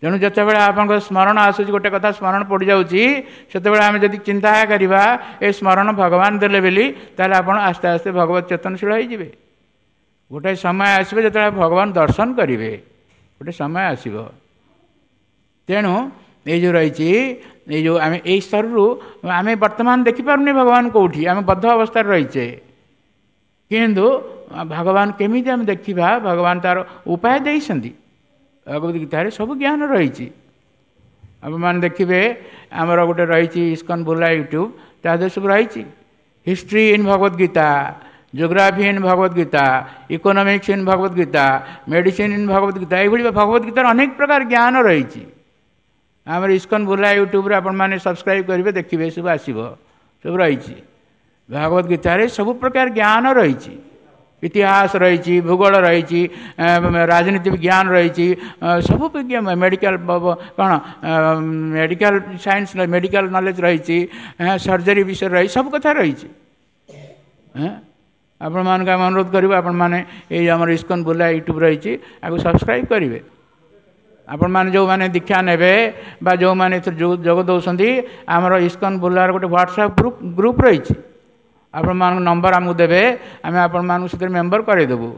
ତେଣୁ ଯେତେବେଳେ ଆପଣଙ୍କ ସ୍ମରଣ ଆସୁଛି, ଗୋଟେ କଥା ସ୍ମରଣ ପଡ଼ିଯାଉଛି, ସେତେବେଳେ ଆମେ ଯଦି ଚିନ୍ତା କରିବା ଏ ସ୍ମରଣ ଭଗବାନ ଦେଲେ ବୋଲି, ତାହେଲେ ଆପଣ ଆସ୍ତେ ଆସ୍ତେ ଭଗବତ ଚେତନଶୀଳ ହେଇଯିବେ। ଗୋଟେ ସମୟ ଆସିବ ଯେତେବେଳେ ଭଗବାନ ଦର୍ଶନ କରିବେ, ଗୋଟେ ସମୟ ଆସିବ। ତେଣୁ ଏଇ ଯେଉଁ ରହିଛି, ଏଇ ଯେଉଁ ଆମେ ଏଇ ସ୍ତରରୁ ଆମେ ବର୍ତ୍ତମାନ ଦେଖିପାରୁନି ଭଗବାନ କେଉଁଠି, ଆମେ ବଦ୍ଧ ଅବସ୍ଥାରେ ରହିଛେ। କିନ୍ତୁ ଭଗବାନ କେମିତି ଆମେ ଦେଖିବା, ଭଗବାନ ତାର ଉପାୟ ଦେଇଛନ୍ତି। ଭଗବତ ଗୀତାରେ ସବୁ ଜ୍ଞାନ ରହିଛି। ଆପଣମାନେ ଦେଖିବେ ଆମର ଗୋଟେ ରହିଛି ଇସ୍କନ ବୁଲା ୟୁଟ୍ୟୁବ୍, ତା ଦେହରେ ସବୁ ରହିଛି। History in Bhagavad Gita, geography in Bhagavad Gita, economics in Bhagavad Gita, medicine in Bhagavad Gita, ଏଇଭଳି ଭଗବତ ଗୀତାର ଅନେକ ପ୍ରକାର ଜ୍ଞାନ ରହିଛି। ଆମର ଇସ୍କନ ବୁଲା ୟୁଟ୍ୟୁବ୍ରେ ଆପଣମାନେ ସବସ୍କ୍ରାଇବ୍ କରିବେ, ଦେଖିବେ ସବୁ ଆସିବ, ସବୁ ରହିଛି। ଭଗବତ ଗୀତାରେ ସବୁ ପ୍ରକାର ଜ୍ଞାନ ରହିଛି। ଇତିହାସ ରହିଛି, ଭୂଗୋଳ ରହିଛି, ରାଜନୀତି ବିଜ୍ଞାନ ରହିଛି, ସବୁ ମେଡ଼ିକାଲ କ'ଣ ମେଡ଼ିକାଲ ସାଇନ୍ସ, ମେଡ଼ିକାଲ ନଲେଜ ରହିଛି, ସର୍ଜରୀ ବିଷୟରେ ରହିଛି, ସବୁ କଥା ରହିଛି। ଆପଣମାନଙ୍କୁ ଆମେ ଅନୁରୋଧ କରିବୁ, ଆପଣମାନେ ଏଇ ଆମର ଇସ୍କନ ବୁଲା ୟୁଟ୍ୟୁବ୍ ରହିଛି, ଆକୁ ସବସ୍କ୍ରାଇବ୍ କରିବେ। ଆପଣମାନେ ଯେଉଁମାନେ ଦୀକ୍ଷା ନେବେ ବା ଯେଉଁମାନେ ଏଥିରେ ଯୋଗ ଦେଉଛନ୍ତି, ଆମର ଇସ୍କନ ବୁଲାର ଗୋଟେ ହ୍ୱାଟ୍ସଆପ୍ ଗ୍ରୁପ୍ ରହିଛି। ଆପଣମାନଙ୍କ ନମ୍ବର ଆମକୁ ଦେବେ, ଆମେ ଆପଣମାନଙ୍କୁ ସେଥିରେ ମେମ୍ବର କରାଇଦେବୁ।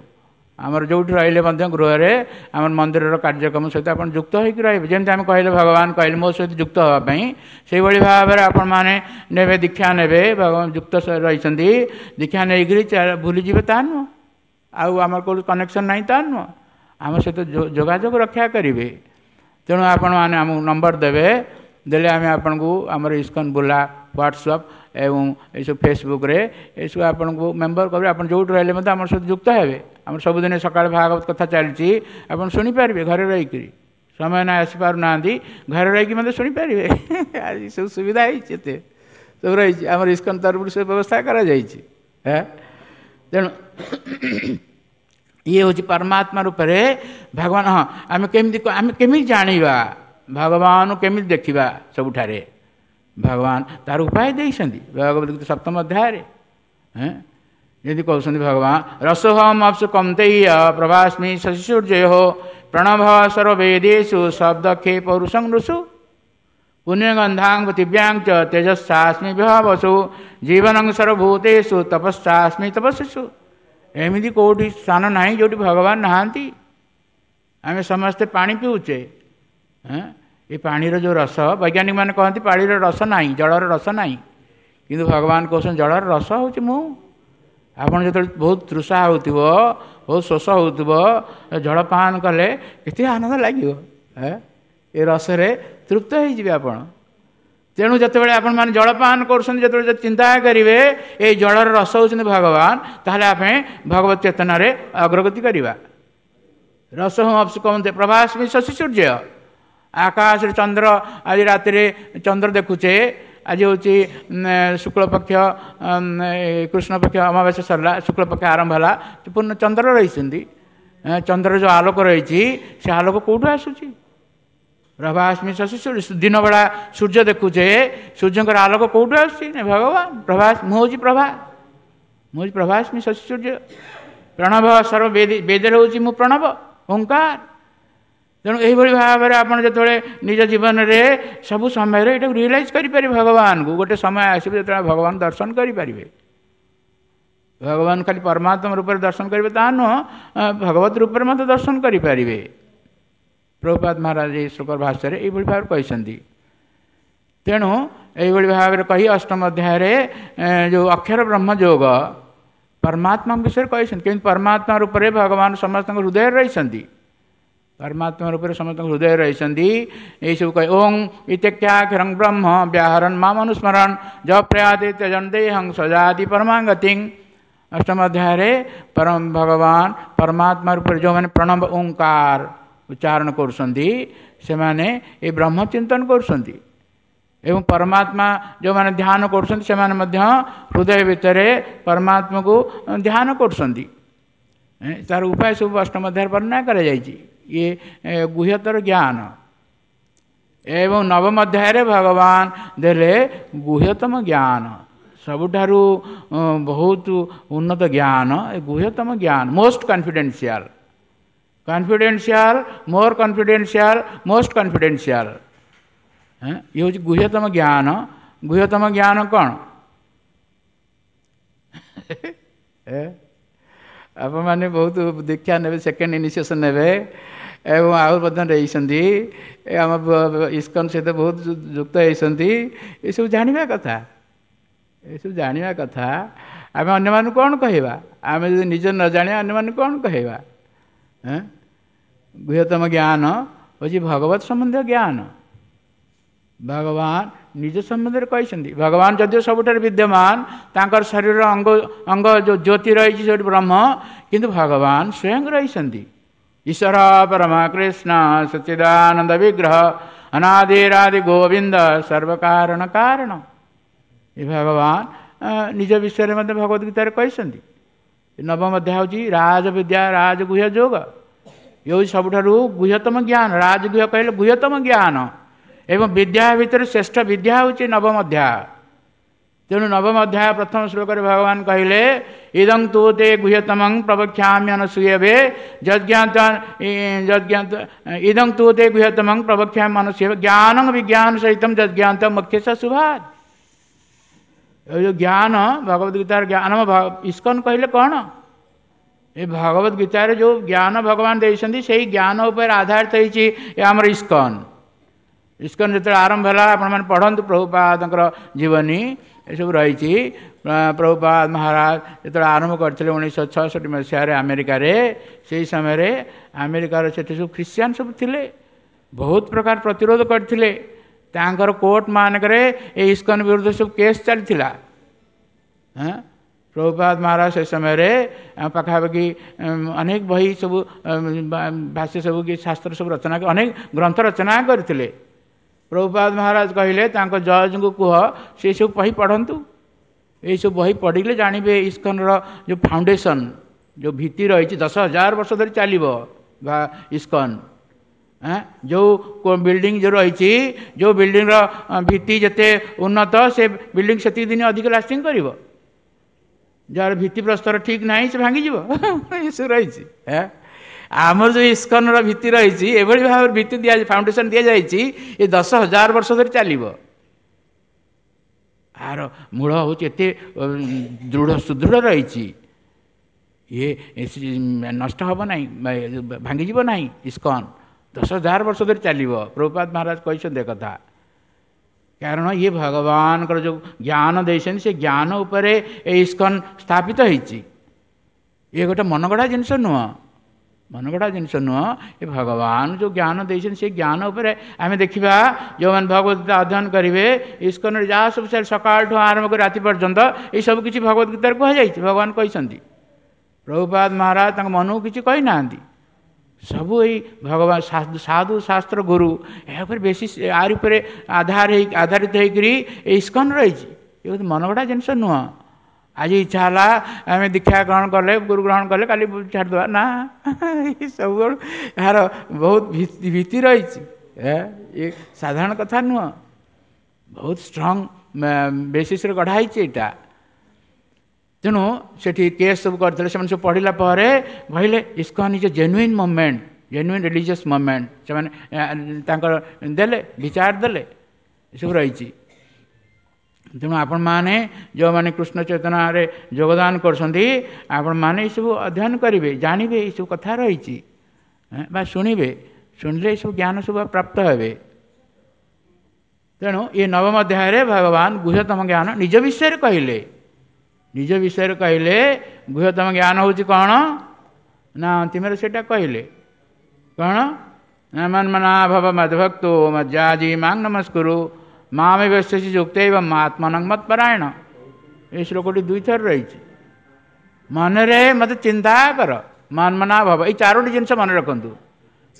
ଆମର ଯେଉଁଠି ରହିଲେ ମଧ୍ୟ ଗୃହରେ ଆମର ମନ୍ଦିରର କାର୍ଯ୍ୟକ୍ରମ ସହିତ ଆପଣ ଯୁକ୍ତ ହୋଇକି ରହିବେ। ଯେମିତି ଆମେ କହିଲେ, ଭଗବାନ କହିଲେ ମୋ ସହିତ ଯୁକ୍ତ ହେବା ପାଇଁ, ସେଇଭଳି ଭାବରେ ଆପଣମାନେ ନେବେ, ଦୀକ୍ଷା ନେବେ, ଭଗବାନ ଯୁକ୍ତ ରହିଛନ୍ତି, ଦୀକ୍ଷା ନେଇକରି ଭୁଲିଯିବେ ତା ନୁହଁ, ଆଉ ଆମର କେଉଁଠି କନେକ୍ସନ୍ ନାହିଁ ତା ନୁହଁ, ଆମ ସହିତ ଯୋଗାଯୋଗ ରକ୍ଷା କରିବେ। ତେଣୁ ଆପଣମାନେ ଆମକୁ ନମ୍ବର ଦେବେ, ଦେଲେ ଆମେ ଆପଣଙ୍କୁ ଆମର ଇସ୍କନ ବୁଲା ହ୍ୱାଟ୍ସଆପ୍ ଏବଂ ଏସବୁ ଫେସବୁକ୍ରେ ଏସବୁ ଆପଣଙ୍କୁ ମେମ୍ବର କରିବେ। ଆପଣ ଯେଉଁଠି ରହିଲେ ମଧ୍ୟ ଆମ ସହିତ ଯୁକ୍ତ ହେବେ। ଆମର ସବୁଦିନ ସକାଳେ ଭାଗବତ କଥା ଚାଲିଛି, ଆପଣ ଶୁଣିପାରିବେ ଘରେ ରହିକରି। ସମୟ ନା ଆସିପାରୁନାହାନ୍ତି, ଘରେ ରହିକି ମଧ୍ୟ ଶୁଣିପାରିବେ। ଆଜି ସବୁ ସୁବିଧା ହେଇଛି, ଏତେ ସବୁ ରହିଛି, ଆମର ଇସ୍କନ ତରଫରୁ ସବୁ ବ୍ୟବସ୍ଥା କରାଯାଇଛି। ତେଣୁ ଇଏ ହେଉଛି ପରମାତ୍ମା ରୂପରେ ଭଗବାନ। ହଁ, ଆମେ କେମିତି ଜାଣିବା ଭଗବାନ, କେମିତି ଦେଖିବା ସବୁଠାରେ ଭଗବାନ, ତାର ଉପାୟ ଦେଇଛନ୍ତି ଭଗବତ ଗୀତା ସପ୍ତମ ଅଧ୍ୟାୟରେ। ଯେମିତି କହୁଛନ୍ତି ଭଗବାନ, ରସୋହମ ଅପ୍ସୁ କନ୍ତେୟ ପ୍ରଭାସ୍ମି ଶଶିସୂର୍ଯ୍ୟୟୋ ପ୍ରଣଭ ସର୍ବେଦେଷୁ ଶବ୍ଦକ୍ଷେ ପୌରୁଷଂ ନୃଷୁ ପୁଣ୍ୟଗନ୍ଧାଂ ପୃଥିବ୍ୟାଂ ଚ ତେଜସ୍ସାସ୍ମି ବିଭାବସୁ ଜୀବନଂ ସର୍ବଭୂତେଷୁ ତପସ୍ସାସ୍ମି ତପସ୍ୱିଷୁ। ଏମିତି କେଉଁଠି ସ୍ଥାନ ନାହିଁ ଯେଉଁଠି ଭଗବାନ ନାହାନ୍ତି। ଆମେ ସମସ୍ତେ ପାଣି ପିଉଛେ, ଏ ପାଣିର ଯେଉଁ ରସ, ବୈଜ୍ଞାନିକମାନେ କହନ୍ତି ପାଣିର ରସ ନାହିଁ, ଜଳର ରସ ନାହିଁ, କିନ୍ତୁ ଭଗବାନ କହୁଛନ୍ତି ଜଳର ରସ ହେଉଛି ମୁଁ। ଆପଣ ଯେତେବେଳେ ବହୁତ ତୃଷା ହେଉଥିବ, ବହୁତ ଶୋଷ ହେଉଥିବ, ଜଳପାନ କଲେ କେତେ ଆନନ୍ଦ ଲାଗିବ, ଏ ରସରେ ତୃପ୍ତ ହେଇଯିବେ ଆପଣ। ତେଣୁ ଯେତେବେଳେ ଆପଣମାନେ ଜଳପାନ କରୁଛନ୍ତି, ଯେତେବେଳେ ଚିନ୍ତା କରିବେ ଏଇ ଜଳର ରସ ହେଉଛନ୍ତି ଭଗବାନ, ତାହେଲେ ଆମେ ଭଗବତ ଚେତନାରେ ଅଗ୍ରଗତି କରିବା। ରସ ଅପ୍ସୁ କହନ୍ତି ପ୍ରଭାସ୍ମି ଶଶି ସୂର୍ଯ୍ୟ। ଆକାଶରେ ଚନ୍ଦ୍ର, ଆଜି ରାତିରେ ଚନ୍ଦ୍ର ଦେଖୁଛେ, ଆଜି ହେଉଛି ଶୁକ୍ଳପକ୍ଷ, କୃଷ୍ଣପକ୍ଷ ଅମାବାସ୍ୟା ସରିଲା, ଶୁକ୍ଳପକ୍ଷ ଆରମ୍ଭ ହେଲା, ପୂର୍ଣ୍ଣ ଚନ୍ଦ୍ର ରହିଛନ୍ତି। ଚନ୍ଦ୍ରର ଯେଉଁ ଆଲୋକ ରହିଛି, ସେ ଆଲୋକ କେଉଁଠୁ ଆସୁଛି? ପ୍ରଭାସ୍ମି ଶଶି ସୂର୍ଯ୍ୟ। ଦିନବେଳା ସୂର୍ଯ୍ୟ ଦେଖୁଛେ, ସୂର୍ଯ୍ୟଙ୍କର ଆଲୋକ କେଉଁଠୁ ଆସୁଛି? ନା ଭଗବାନ। ପ୍ରଭାସ, ମୁଁ ହେଉଛି ପ୍ରଭା, ମୁଁ ହେଉଛି ପ୍ରଭାସ୍ମି ଶଶି ସୂର୍ଯ୍ୟ। ପ୍ରଣବ ସର୍ବ ବେଦରେ ହେଉଛି ମୁଁ ପ୍ରଣବ ଓଙ୍କାର। ତେଣୁ ଏହିଭଳି ଭାବରେ ଆପଣ ଯେତେବେଳେ ନିଜ ଜୀବନରେ ସବୁ ସମୟରେ ଏଇଟାକୁ ରିଏଲାଇଜ୍ କରିପାରିବେ ଭଗବାନଙ୍କୁ, ଗୋଟେ ସମୟ ଆସିବ ଯେତେବେଳେ ଭଗବାନ ଦର୍ଶନ କରିପାରିବେ। ଭଗବାନ ଖାଲି ପରମାତ୍ମା ରୂପରେ ଦର୍ଶନ କରିବେ ତା ନୁହଁ, ଭଗବତ ରୂପରେ ମଧ୍ୟ ଦର୍ଶନ କରିପାରିବେ। ପ୍ରଭୁପାଦ ମହାରାଜ ଏହି ଶ୍ଲୋକର ଭାଷ୍ୟରେ ଏଇଭଳି ଭାବରେ କହିଛନ୍ତି। ତେଣୁ ଏଇଭଳି ଭାବରେ କହି ଅଷ୍ଟମ ଅଧ୍ୟାୟରେ ଯେଉଁ ଅକ୍ଷର ବ୍ରହ୍ମ ଯୋଗ ପରମାତ୍ମାଙ୍କ ବିଷୟରେ କହିଛନ୍ତି, କେମିତି ପରମାତ୍ମା ରୂପରେ ଭଗବାନ ସମସ୍ତଙ୍କ ହୃଦୟରେ ରହିଛନ୍ତି, ପରମାତ୍ମା ରୂପରେ ସମସ୍ତଙ୍କ ହୃଦୟରେ ରହିଛନ୍ତି। ଏଇସବୁ କହି ଓଂ ଇତ୍ୟାକ୍ଷରଂ ବ୍ରହ୍ମ ବ୍ୟାହରନ୍ ମାମ ଅନୁସ୍ମରণ ଜପ୍ରୟାତି ତ୍ୟଜନ ଦେହଂ ସଜାତି ପରମାଙ୍ଗତିଂ। ଅଷ୍ଟମ ଅଧ୍ୟାୟରେ ପରମ ଭଗବାନ ପରମାତ୍ମା ରୂପରେ ଯେଉଁମାନେ ପ୍ରଣବ ଓଙ୍କାର ଉଚ୍ଚାରଣ କରୁଛନ୍ତି, ସେମାନେ ଏ ବ୍ରହ୍ମ ଚିନ୍ତନ କରୁଛନ୍ତି, ଏବଂ ପରମାତ୍ମା ଯେଉଁମାନେ ଧ୍ୟାନ କରୁଛନ୍ତି ସେମାନେ ମଧ୍ୟ ହୃଦୟ ଭିତରେ ପରମାତ୍ମାକୁ ଧ୍ୟାନ କରୁଛନ୍ତି। ତାର ଉପାୟ ସବୁ ଅଷ୍ଟମ ଅଧ୍ୟାୟରେ ବର୍ଣ୍ଣନା କରାଯାଇଛି। ଇଏ ଗୁହ୍ୟତର ଜ୍ଞାନ। ଏବଂ ନବମ ଅଧ୍ୟାୟରେ ଭଗବାନ ଦେଲେ ଗୁହ୍ୟତମ ଜ୍ଞାନ, ସବୁଠାରୁ ବହୁତ ଉନ୍ନତ ଜ୍ଞାନ, ଏ ଗୁହ୍ୟତମ ଜ୍ଞାନ, most confidential. Confidential, more confidential, most confidential. ଇଏ ହେଉଛି ଗୁହ୍ୟତମ ଜ୍ଞାନ। ଗୁହ୍ୟତମ ଜ୍ଞାନ କ'ଣ? ଆପଣମାନେ ବହୁତ ଦୀକ୍ଷା ନେବେ, ସେକେଣ୍ଡ ଇନିସିଏସନ୍ ନେବେ ଏବଂ ଆଉ ମଧ୍ୟ ଦେଇଛନ୍ତି, ଆମ ଇସ୍କନ ସହିତ ବହୁତ ଯୁକ୍ତ ହେଇଛନ୍ତି। ଏସବୁ ଜାଣିବା କଥା, ଏସବୁ ଜାଣିବା କଥା। ଆମେ ଅନ୍ୟମାନଙ୍କୁ କ'ଣ କହିବା? ଆମେ ଯଦି ନିଜ ନ ଜାଣିବା, ଅନ୍ୟମାନଙ୍କୁ କ'ଣ କହିବା? ଗୁହ୍ୟତମ ଜ୍ଞାନ ହେଉଛି ଭଗବତ ସମ୍ବନ୍ଧୀୟ ଜ୍ଞାନ। ଭଗବାନ ନିଜ ସମ୍ବନ୍ଧରେ କହିଛନ୍ତି। ଭଗବାନ ଯଦିଓ ସବୁଠାରେ ବିଦ୍ୟମାନ, ତାଙ୍କର ଶରୀରର ଅଙ୍ଗ ଅଙ୍ଗ ଯେଉଁ ଜ୍ୟୋତି ରହିଛି ସେଠି ବ୍ରହ୍ମ, କିନ୍ତୁ ଭଗବାନ ସ୍ୱୟଂ ରହିଛନ୍ତି। ଈଶ୍ୱର ପରମ କୃଷ୍ଣ ସଚ୍ଚିଦାନନ୍ଦ ବିଗ୍ରହ ଅନାଦିରାଦି ଗୋବିନ୍ଦ ସର୍ବକାରଣ କାରଣ। ଏ ଭଗବାନ ନିଜ ବିଷୟରେ ମଧ୍ୟ ଭଗବତ ଗୀତାରେ କହିଛନ୍ତି। ନବମ ଅଧ୍ୟାୟ ହେଉଛି ରାଜବିଦ୍ୟା, ରାଜଗୁହ୍ୟ ଯୋଗ। ଇଏ ହେଉଛି ସବୁଠାରୁ ଗୁହ୍ୟତମ ଜ୍ଞାନ। ରାଜଗୁହ୍ୟ କହିଲେ ଗୁହ୍ୟତମ ଜ୍ଞାନ, ଏବଂ ବିଦ୍ୟା ଭିତରେ ଶ୍ରେଷ୍ଠ ବିଦ୍ୟା ହେଉଛି ନବମ ଅଧ୍ୟାୟ। ତେଣୁ ନବମ ଅଧ୍ୟାୟ ପ୍ରଥମ ଶ୍ଲୋକରେ ଭଗବାନ କହିଲେ, ଇଦଂ ତୁ ତେ ଗୁହ୍ୟତମଂ ପ୍ରବକ୍ଷ୍ୟାମି ଅନସୂୟବେ ଯଜ୍ଞାତ ଯଜ୍ଞାତ ଇଦଂ ତୁ ତେ ଗୁହ୍ୟତମଂ ପ୍ରବକ୍ଷ୍ୟାମି ଅନସୂୟବେ ଜ୍ଞାନଂ ବିଜ୍ଞାନ ସହିତಂ ଯଜ୍ଞାନ୍ତ ମୁଖ୍ୟ ଶୁଭାତ। ଏ ଯେଉଁ ଜ୍ଞାନ, ଭଗବତ ଗୀତାର ଜ୍ଞାନ, ଇସ୍କନ କହିଲେ କ'ଣ? ଏ ଭଗବତ ଗୀତାରେ ଯେଉଁ ଜ୍ଞାନ ଭଗବାନ ଦେଇଛନ୍ତି, ସେଇ ଜ୍ଞାନ ଉପରେ ଆଧାରିତ ହେଇଛି ଏ ଆମର ଇସ୍କନ। ଇସ୍କନ ଯେତେବେଳେ ଆରମ୍ଭ ହେଲା, ଆପଣମାନେ ପଢ଼ନ୍ତୁ ପ୍ରଭୁପାଦଙ୍କର ଜୀବନୀ, ଏସବୁ ରହିଛି। ପ୍ରଭୁପାଦ ମହାରାଜ ଯେତେବେଳେ ଆରମ୍ଭ କରିଥିଲେ 1966 ମସିହାରେ ଆମେରିକାରେ, ସେଇ ସମୟରେ ଆମେରିକାର ସେଠି ସବୁ ଖ୍ରୀଷ୍ଟିଆନ ସବୁ ଥିଲେ, ବହୁତ ପ୍ରକାର ପ୍ରତିରୋଧ କରିଥିଲେ। ତାଙ୍କର କୋର୍ଟ ମାନଙ୍କରେ ଏ ଇସ୍କନ ବିରୁଦ୍ଧରେ ସବୁ କେସ୍ ଚାଲିଥିଲା। ହଁ, ପ୍ରଭୁପାଦ ମହାରାଜ ସେ ସମୟରେ ପାଖାପାଖି ଅନେକ ବହି ସବୁ, ଭାଷ୍ୟ ସବୁ କି ଶାସ୍ତ୍ର ସବୁ ରଚନା, ଅନେକ ଗ୍ରନ୍ଥ ରଚନା କରିଥିଲେ। ପ୍ରଭୁପାଦ ମହାରାଜ କହିଲେ, ତାଙ୍କ ଜଜଙ୍କୁ କୁହ ସେ ସବୁ ବହି ପଢ଼ନ୍ତୁ। ଏଇସବୁ ବହି ପଢ଼ିଲେ ଜାଣିବେ ଇସ୍କନର ଯେଉଁ ଫାଉଣ୍ଡେସନ୍, ଯେଉଁ ଭିତ୍ତି ରହିଛି, 10,000 ବର୍ଷ ଧରି ଚାଲିବ ବା ଇସ୍କନ। ଯେଉଁ ବିଲ୍ଡିଂ ଯେଉଁ ରହିଛି, ଯେଉଁ ବିଲ୍ଡିଂର ଭିତ୍ତି ଯେତେ ଉନ୍ନତ, ସେ ବିଲ୍ଡିଂ ସେତିକି ଦିନ ଅଧିକ ଲାଷ୍ଟିଂ କରିବ। ଯାହାର ଭିତ୍ତିପ୍ରସ୍ତର ଠିକ୍ ନାହିଁ, ସେ ଭାଙ୍ଗିଯିବ। ଏସବୁ ରହିଛି। ଆମର ଯେଉଁ ଇସ୍କନର ଭିତ୍ତି ରହିଛି, ଏଭଳି ଭାବରେ ଭିତ୍ତି ଦିଆ, ଫାଉଣ୍ଡେସନ୍ ଦିଆଯାଇଛି, ଏ 10,000 ବର୍ଷ ଧରି ଚାଲିବ। ଆର ମୂଳ ହେଉଛି ଏତେ ଦୃଢ଼ ସୁଦୃଢ଼ ରହିଛି, ଇଏ ନଷ୍ଟ ହେବ ନାହିଁ, ଭାଙ୍ଗିଯିବ ନାହିଁ। ଇସ୍କନ 10,000 ବର୍ଷ ଧରି ଚାଲିବ, ପ୍ରଭୁପାଦ ମହାରାଜ କହିଛନ୍ତି କଥା। କାରଣ ଇଏ ଭଗବାନଙ୍କର ଯେଉଁ ଜ୍ଞାନ ଦେଇଛନ୍ତି, ସେ ଜ୍ଞାନ ଉପରେ ଏ ଇସ୍କନ ସ୍ଥାପିତ ହେଇଛି। ଇଏ ଗୋଟେ ମନଗଢ଼ା ଜିନିଷ ନୁହଁ, ମନଗଢ଼ା ଜିନିଷ ନୁହଁ। ଏ ଭଗବାନ ଯେଉଁ ଜ୍ଞାନ ଦେଇଛନ୍ତି, ସେ ଜ୍ଞାନ ଉପରେ ଆମେ ଦେଖିବା। ଯେଉଁମାନେ ଭଗବତ ଗୀତା ଅଧ୍ୟୟନ କରିବେ, ଇସ୍କନରେ ଯାହା ସବୁ ସକାଳଠୁ ଆରମ୍ଭ କରି ରାତି ପର୍ଯ୍ୟନ୍ତ ଏଇସବୁ କିଛି ଭଗବତ ଗୀତାରେ କୁହାଯାଇଛି, ଭଗବାନ କହିଛନ୍ତି। ପ୍ରଭୁପାଦ ମହାରାଜ ତାଙ୍କ ମନକୁ କିଛି କହିନାହାନ୍ତି। ସବୁ ଏଇ ଭଗବାନ, ସାଧୁ, ଶାସ୍ତ୍ର, ଗୁରୁ, ଏହା ଉପରେ ବେଶୀ ଆରି ଉପରେ ଆଧାର ହେଇ ଆଧାରିତ ହେଇକରି ଏ ଇସ୍କନ ରହିଛି। ଏ ମନଗଢ଼ା ଜିନିଷ ନୁହଁ। ଆଜି ଇଚ୍ଛା ହେଲା ଆମେ ଦୀକ୍ଷା ଗ୍ରହଣ କଲେ, ଗୁରୁ ଗ୍ରହଣ କଲେ, କାଲି ଛାଡ଼ିଦେବା ନା। ସବୁବେଳେ ଏହାର ବହୁତ ଭିତ୍ତି ରହିଛି। ଏ ସାଧାରଣ କଥା ନୁହଁ, ବହୁତ ଷ୍ଟ୍ରଙ୍ଗ ବେସିସ୍ରେ ଗଢ଼ା ହେଇଛି ଏଇଟା। ତେଣୁ ସେଠି କେସ୍ ସବୁ କରିଥିଲେ, ସେମାନେ ସବୁ ପଢ଼ିଲା ପରେ କହିଲେ, ISKCON is a genuine movement, genuine religious movement. ସେମାନେ ତାଙ୍କର ଦେଲେ, ବିଚାର ଦେଲେ, ଏସବୁ ରହିଛି। ତେଣୁ ଆପଣମାନେ ଯେଉଁମାନେ କୃଷ୍ଣ ଚେତନାରେ ଯୋଗଦାନ କରୁଛନ୍ତି, ଆପଣମାନେ ଏସବୁ ଅଧ୍ୟୟନ କରିବେ, ଜାଣିବେ ଏସବୁ କଥା ରହିଛି, ବା ଶୁଣିବେ। ଶୁଣିଲେ ଏସବୁ ଜ୍ଞାନ ସବୁ ପ୍ରାପ୍ତ ହେବେ। ତେଣୁ ଏ ନବମ ଅଧ୍ୟାୟରେ ଭଗବାନ ଗୁହ୍ୟତମ ଜ୍ଞାନ ନିଜ ବିଷୟରେ କହିଲେ। ନିଜ ବିଷୟରେ କହିଲେ, ଗୁହ୍ୟତମ ଜ୍ଞାନ ହେଉଛି କ'ଣ ନା, ଅନ୍ତିମରେ ସେଇଟା କହିଲେ କ'ଣ ନା, ମନ୍ମନା ଭବ ମଦ୍ଭକ୍ତୋ ମଜ୍ଜାଜି ମାଂ ନମସ୍କୁରୁ ମାମେ ବ୍ୟସ୍ୟସି ଯୁକ୍ତ ଏବଂ ଆତ୍ମନଂ ମତ୍ପରାୟଣ। ଏଇ ଶ୍ଲୋକଟି ଦୁଇଥର ରହିଛି। ମନରେ ମୋତେ ଚିନ୍ତା କର, ମନ୍ମନା ଭବ। ଏଇ ଚାରୋଟି ଜିନିଷ ମନେ ରଖନ୍ତୁ।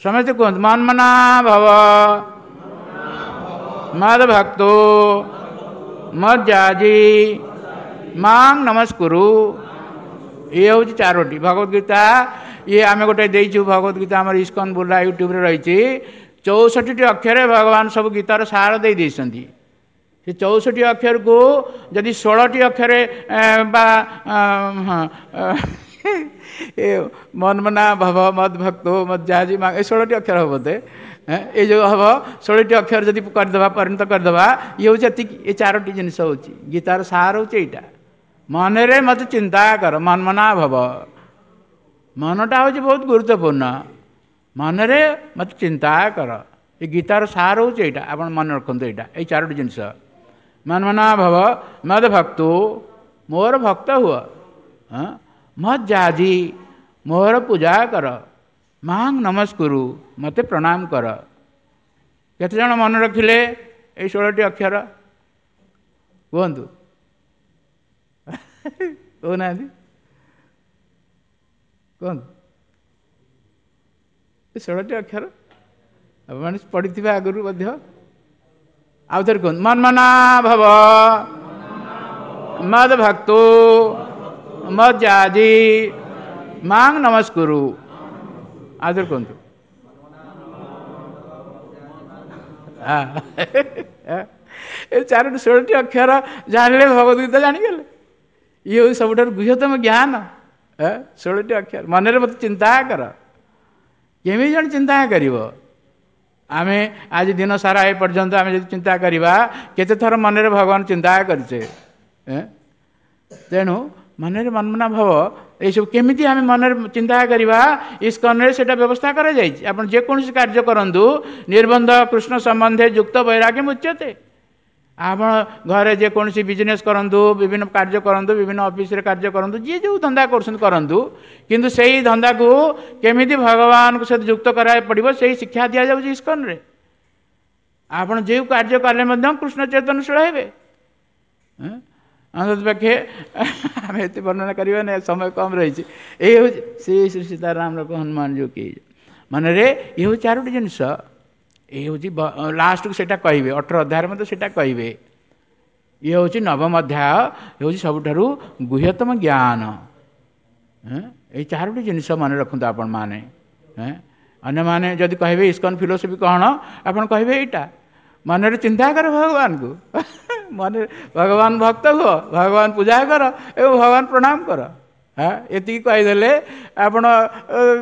ସମସ୍ତେ କୁହନ୍ତୁ, ମନ୍ମନା ଭବ ମଦ ଭକ୍ତୋ ମଜ୍ଜାଜି ମାଂ ନମସ୍କୁରୁ। ଇଏ ହେଉଛି ଚାରୋଟି ଭଗବତ ଗୀତା। ଇଏ ଆମେ ଗୋଟେ ଦେଇଛୁ ଭଗବତ ଗୀତା, ଆମର ଇସ୍କନ ବୁର୍ଲା ୟୁଟ୍ୟୁବରେ ରହିଛି। 64ଟି ଅକ୍ଷରରେ ଭଗବାନ ସବୁ ଗୀତାର ସାର ଦେଇ ଦେଇଛନ୍ତି। ସେ 64 ଅକ୍ଷରକୁ ଯଦି 16ଟି ଅକ୍ଷରେ ବା, ହଁ, ଏ ମନମନା ଭବ ମଦ ଭକ୍ତ ମଦ ଯାହାଜି, ଏ 16ଟି ଅକ୍ଷର ହେବ ବୋଧେ। ଏଇ ଯେଉଁ ହେବ 16ଟି ଅକ୍ଷର ଯଦି କରିଦେବା, ପରିଣତ କରିଦେବା, ଇଏ ହେଉଛି ଏତିକି। ଏ 4ଟି ଜିନିଷ ହେଉଛି ଗୀତାର ସାର, ହେଉଛି ଏଇଟା। ମନରେ ମୋତେ ଚିନ୍ତା କର, ମନମନା ଭବ। ମନଟା ହେଉଛି ବହୁତ ଗୁରୁତ୍ୱପୂର୍ଣ୍ଣ। ମନରେ ମୋତେ ଚିନ୍ତା କର, ଏ ଗୀତାର ସାର ହେଉଛି ଏଇଟା। ଆପଣ ମନେ ରଖନ୍ତୁ ଏଇଟା, ଏଇ 4ଟି ଜିନିଷ। ମନମନା ଭବ ମଦ ଭକ୍ତୁ, ମୋର ଭକ୍ତ ହୁଅ। ମଦ ଯାଜି, ମୋର ପୂଜା କର। ମାଂ ନମସ୍କୁରୁ, ମୋତେ ପ୍ରଣାମ କର। କେତେଜଣ ମନେ ରଖିଲେ ଏଇ 16ଟି ଅକ୍ଷର? କୁହନ୍ତୁ, କହୁନାହାନ୍ତି, କୁହନ୍ତୁ। ଏ 16ଟି ଅକ୍ଷର ଆପଣମାନେ ପଢ଼ିଥିବେ ଆଗରୁ ମଧ୍ୟ। ଆଉ ଥରେ କୁହନ୍ତୁ। ମନ୍ମନା ଭବ ମଦ ଭକ୍ତୁ ମଦ ଯାଜି ମାଂ ନମସ୍କୁରୁ। ଆଉ ଥରେ କୁହନ୍ତୁ। ଏ 4ଟି 16ଟି ଅକ୍ଷର ଜାଣିଲେ ଭଗବତ ଗୀତା ଜାଣିଗଲେ। ଇଏ ହେଉଛି ସବୁଠାରୁ ଗୁହ୍ୟତମ ଜ୍ଞାନ। 16ଟି ଅକ୍ଷର, ମନରେ ମୋତେ ଚିନ୍ତା କର। କେମିତି ଜଣେ ଚିନ୍ତା କରିବ? ଆମେ ଆଜି ଦିନ ସାରା ଏ ପର୍ଯ୍ୟନ୍ତ ଆମେ ଯଦି ଚିନ୍ତା କରିବା, କେତେ ଥର ମନରେ ଭଗବାନ ଚିନ୍ତା କରିଛେ? ତେଣୁ ମନରେ ମନମନା ଭବ, ଏଇସବୁ କେମିତି ଆମେ ମନରେ ଚିନ୍ତା କରିବା? ଇସ୍କନରେ ସେଇଟା ବ୍ୟବସ୍ଥା କରାଯାଇଛି। ଆପଣ ଯେକୌଣସି କାର୍ଯ୍ୟ କରନ୍ତୁ, ନିର୍ବନ୍ଧ କୃଷ୍ଣ ସମ୍ବନ୍ଧେ ଯୁକ୍ତ ବୈରାଗ୍ୟ ମୁଚ୍ୟତେ। ଆପଣ ଘରେ ଯେକୌଣସି ବିଜନେସ୍ କରନ୍ତୁ, ବିଭିନ୍ନ କାର୍ଯ୍ୟ କରନ୍ତୁ, ବିଭିନ୍ନ ଅଫିସରେ କାର୍ଯ୍ୟ କରନ୍ତୁ, ଯିଏ ଯେଉଁ ଧନ୍ଦା କରୁଛନ୍ତି କରନ୍ତୁ, କିନ୍ତୁ ସେଇ ଧନ୍ଦାକୁ କେମିତି ଭଗବାନଙ୍କ ସହିତ ଯୁକ୍ତ କରିବାକୁ ପଡ଼ିବ, ସେଇ ଶିକ୍ଷା ଦିଆଯାଉଛି ଇସ୍କନରେ। ଆପଣ ଯେଉଁ କାର୍ଯ୍ୟ କଲେ ମଧ୍ୟ କୃଷ୍ଣ ଚେତନଶୀଳ ହେବେ। ଅନ୍ତତଃ ପକ୍ଷେ ଆମେ ଏତେ ବର୍ଣ୍ଣନା କରିବା ନା, ସମୟ କମ୍ ରହିଛି। ଏଇ ହେଉଛି ଶ୍ରୀ ଶ୍ରୀ ସୀତାରାମ ଲୋକ ହନୁମାନ ଯୋଉ କି ମନରେ, ଇଏ ହେଉଛି 4ଟି ଜିନିଷ। ଏଇ ହେଉଛି ଲାଷ୍ଟକୁ ସେଇଟା କହିବେ, 18 ଅଧ୍ୟାୟରେ ମଧ୍ୟ ସେଇଟା କହିବେ। ଇଏ ହେଉଛି ନବମ ଅଧ୍ୟାୟ, ହେଉଛି ସବୁଠାରୁ ଗୁହ୍ୟତମ ଜ୍ଞାନ। ଏଇ 4ଟି ଜିନିଷ ମନେ ରଖନ୍ତୁ ଆପଣମାନେ। ଅନ୍ୟମାନେ ଯଦି କହିବେ ଇସ୍କନ ଫିଲୋସଫି କ'ଣ, ଆପଣ କହିବେ ଏଇଟା। ମନରେ ଚିନ୍ତା କର ଭଗବାନଙ୍କୁ, ମନରେ ଭଗବାନ ଭକ୍ତ ହୁଅ, ଭଗବାନ ପୂଜା କର ଏବଂ ଭଗବାନ ପ୍ରଣାମ କର। ହଁ, ଏତିକି କହିଦେଲେ ଆପଣ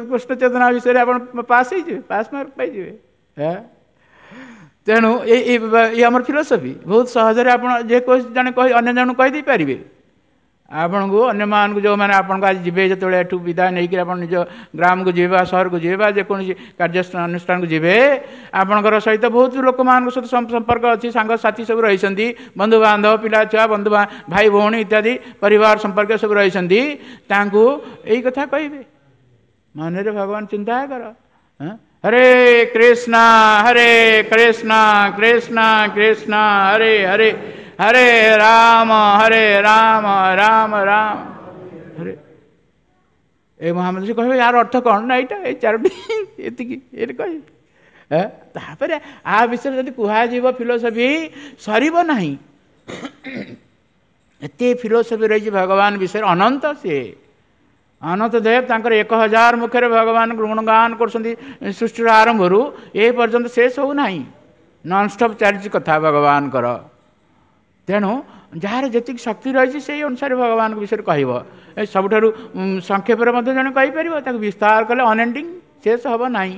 କୃଷ୍ଣ ଚେତନା ବିଷୟରେ ଆପଣ ପାସ୍ ହେଇଯିବେ, ପାସ୍ ମାର୍କ ପାଇଯିବେ। ହଁ, ତେଣୁ ଏଇ ଆମର ଫିଲୋସଫି ବହୁତ ସହଜରେ ଆପଣ ଯେକୌଣସି ଜଣେ କହି ଅନ୍ୟ ଜଣଙ୍କୁ କହିଦେଇପାରିବେ। ଆପଣଙ୍କୁ ଅନ୍ୟମାନଙ୍କୁ ଯେଉଁମାନେ ଆପଣଙ୍କୁ ଆଜି ଯିବେ, ଯେତେବେଳେ ଏଠୁ ବିଦାୟ ନେଇକରି ଆପଣ ନିଜ ଗ୍ରାମକୁ ଯିବେ ବା ସହରକୁ ଯିବେ ବା ଯେକୌଣସି କାର୍ଯ୍ୟ ଅନୁଷ୍ଠାନକୁ ଯିବେ, ଆପଣଙ୍କର ସହିତ ବହୁତ ଲୋକମାନଙ୍କ ସହିତ ସମ୍ପର୍କ ଅଛି, ସାଙ୍ଗସାଥି ସବୁ ରହିଛନ୍ତି, ବନ୍ଧୁବାନ୍ଧବ, ପିଲା ଛୁଆ, ବନ୍ଧୁ ଭାଇ ଭଉଣୀ ଇତ୍ୟାଦି ପରିବାର ସମ୍ପର୍କ ସବୁ ରହିଛନ୍ତି, ତାଙ୍କୁ ଏଇ କଥା କହିବେ, ମନରେ ଭଗବାନ ଚିନ୍ତା କର। ହରେ କୃଷ୍ଣ ହରେ କୃଷ୍ଣ କୃଷ୍ଣ କୃଷ୍ଣ ହରେ ହରେ, ହରେ ରାମ ହରେ ରାମ ରାମ ରାମ ହରେ। ଏ ମହାମନ୍ତ୍ରୀ କହିବେ ୟାର ଅର୍ଥ କ'ଣ? ନା, ଏଇଟା ଏଇ 4ଟି, ଏତିକି ଏଇଟା କହିବେ। ତାପରେ ଆ ବିଷୟରେ ଯଦି କୁହାଯିବ ଫିଲୋସଫି ସରିବ ନାହିଁ। ଏତେ ଫିଲୋସଫି ରହିଛି ଭଗବାନ ବିଷୟରେ, ଅନନ୍ତ ସିଏ ଅନନ୍ତ ଦେବ। ତାଙ୍କର 1000 ମୁଖରେ ଭଗବାନ ଗୁଣଗାନ କରୁଛନ୍ତି ସୃଷ୍ଟିର ଆରମ୍ଭରୁ ଏ ପର୍ଯ୍ୟନ୍ତ, ଶେଷ ହେଉନାହିଁ, ନନଷ୍ଟପ୍ ଚାଲିଛି କଥା ଭଗବାନଙ୍କର। ତେଣୁ ଯାହାର ଯେତିକି ଶକ୍ତି ରହିଛି ସେଇ ଅନୁସାରେ ଭଗବାନଙ୍କ ବିଷୟରେ କହିବ। ଏ ସବୁଠାରୁ ସଂକ୍ଷେପରେ ମଧ୍ୟ ଜଣେ କହିପାରିବ, ତାକୁ ବିସ୍ତାର କଲେ ଅନଏଣ୍ଡିଂ, ଶେଷ ହେବ ନାହିଁ।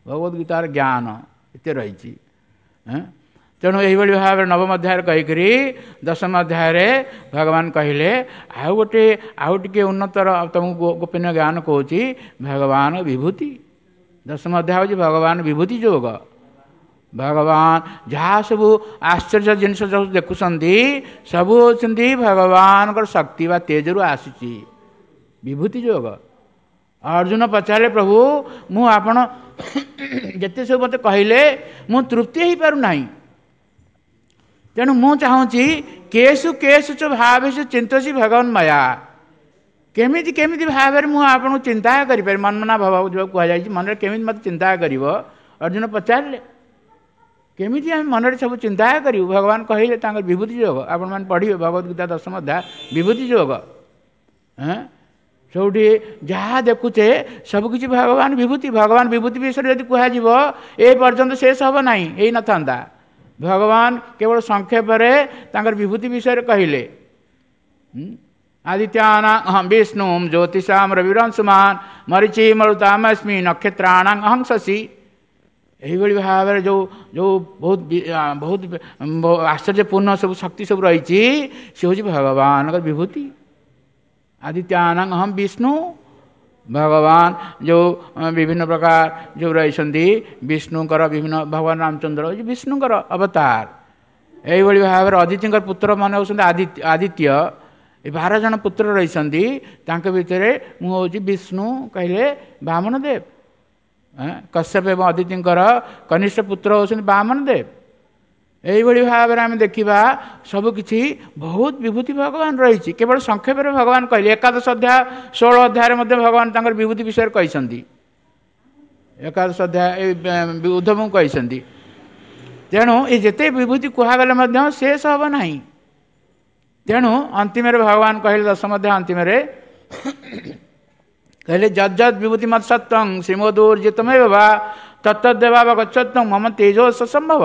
ଭଗବତ ଗୀତାର ଜ୍ଞାନ ଏତେ ରହିଛି। ତେଣୁ ଏହିଭଳି ଭାବରେ ନବମ ଅଧ୍ୟାୟରେ କହିକରି ଦଶମ ଅଧ୍ୟାୟରେ ଭଗବାନ କହିଲେ, ଆଉ ଗୋଟେ ଆଉ ଟିକେ ଉନ୍ନତର ତୁମକୁ ଗୋପନୀୟ ଜ୍ଞାନ କହୁଛି, ଭଗବାନ ବିଭୂତି। ଦଶମ ଅଧ୍ୟାୟ ହେଉଛି ଭଗବାନ ବିଭୂତି ଯୋଗ। ଭଗବାନ ଯାହା ସବୁ ଆଶ୍ଚର୍ଯ୍ୟ ଜିନିଷ ସବୁ ଦେଖୁଛନ୍ତି, ସବୁ ହେଉଛନ୍ତି ଭଗବାନଙ୍କର ଶକ୍ତି ବା ତେଜରୁ ଆସିଛି, ବିଭୂତି ଯୋଗ। ଅର୍ଜୁନ ପଚାରିଲେ, ପ୍ରଭୁ ମୁଁ ଆପଣ ଯେତେ ସବୁ ମୋତେ କହିଲେ ମୁଁ ତୃପ୍ତି ହେଇପାରୁନାହିଁ, ତେଣୁ ମୁଁ ଚାହୁଁଛି କେଶୁ କେଶୁ ଚ ଭାବେଶୁ ଚିନ୍ତସି ଭଗବାନ ମୟା, କେମିତି କେମିତି ଭାବରେ ମୁଁ ଆପଣଙ୍କୁ ଚିନ୍ତା କରିପାରିବି? ମନମନା ଭାବ ଯେଉଁ କୁହାଯାଇଛି, ମନରେ କେମିତି ମୋତେ ଚିନ୍ତା କରିବ? ଅର୍ଜୁନ ପଚାରିଲେ, କେମିତି ଆମେ ମନରେ ସବୁ ଚିନ୍ତା କରିବୁ? ଭଗବାନ କହିଲେ ତାଙ୍କର ବିଭୂତି ଯୋଗ। ଆପଣମାନେ ପଢ଼ିବେ ଭଗବତ ଗୀତା ଦଶମ ଅଧ୍ୟାୟ ବିଭୂତି ଯୋଗ। ସବୁଠି ଯାହା ଦେଖୁଛେ ସବୁକିଛି ଭଗବାନ ବିଭୂତି। ଭଗବାନ ବିଭୂତି ବିଷୟରେ ଯଦି କୁହାଯିବ ଏ ପର୍ଯ୍ୟନ୍ତ ଶେଷ ହେବ ନାହିଁ, ହେଇନଥାନ୍ତା। ଭଗବାନ କେବଳ ସଂକ୍ଷେପରେ ତାଙ୍କର ବିଭୂତି ବିଷୟରେ କହିଲେ। आदित्यानां अहं विष्णुं ज्योतिषां रविरंशुमान् मरीचि मरुतामस्मि नक्षत्राणां अहं शशि। ଏଇଭଳି ଭାବରେ ଯେଉଁ ଯେଉଁ ବହୁତ ବହୁତ ଆଶ୍ଚର୍ଯ୍ୟପୂର୍ଣ୍ଣ ସବୁ ଶକ୍ତି ସବୁ ରହିଛି, ସେ ହେଉଛି ଭଗବାନଙ୍କର ବିଭୂତି। ଆଦିତ୍ୟାନାଂ ଅହಂ ବିଷ୍ଣୁ, ଭଗବାନ ଯେଉଁ ବିଭିନ୍ନ ପ୍ରକାର ଯେଉଁ ରହିଛନ୍ତି ବିଷ୍ଣୁଙ୍କର ବିଭିନ୍ନ, ଭଗବାନ ରାମଚନ୍ଦ୍ର ହେଉଛି ବିଷ୍ଣୁଙ୍କର ଅବତାର। ଏଇଭଳି ଭାବରେ ଅଦିତିଙ୍କର ପୁତ୍ରମାନେ ହେଉଛନ୍ତି ଆଦିତ୍ୟ। ଏ 12 ଜଣ ପୁତ୍ର ରହିଛନ୍ତି, ତାଙ୍କ ଭିତରେ ମୁଁ ହେଉଛି ବିଷ୍ଣୁ କହିଲେ ବାମନ ଦେବ। କଶ୍ୟପ ଏବଂ ଅଦିତିଙ୍କର କନିଷ୍ଠ ପୁତ୍ର ହେଉଛନ୍ତି ବାମନ ଦେବ। ଏଇଭଳି ଭାବରେ ଆମେ ଦେଖିବା ସବୁକିଛି ବହୁତ ବିଭୂତି ଭଗବାନ ରହିଛି। କେବଳ ସଂକ୍ଷେପରେ ଭଗବାନ କହିଲେ। ଏକାଦଶ ଅଧ୍ୟାୟ 16 ଅଧ୍ୟାୟରେ ମଧ୍ୟ ଭଗବାନ ତାଙ୍କର ବିଭୂତି ବିଷୟରେ କହିଛନ୍ତି। ଏକାଦଶ ଅଧ୍ୟାୟ ଉଦ୍ଧବଙ୍କୁ କହିଛନ୍ତି। ତେଣୁ ଏ ଯେତେ ବିଭୂତି କୁହାଗଲେ ମଧ୍ୟ ଶେଷ ହେବ ନାହିଁ। ତେଣୁ ଅନ୍ତିମରେ ଭଗବାନ କହିଲେ, ଦଶମ ଅଧ୍ୟାୟ ଅନ୍ତିମରେ କହିଲେ, ଯଦ୍ ଯଦ୍ ବିଭୂତି ମତ୍ ସତ୍ୱଂ ଶ୍ରୀମଦୁର୍ଜିତମେବ ବା ତତ୍ତଦ୍ଦେବାବଗଚ୍ଛତ୍ୱଂ ମମ ତେଜୋସ ସମ୍ଭବ।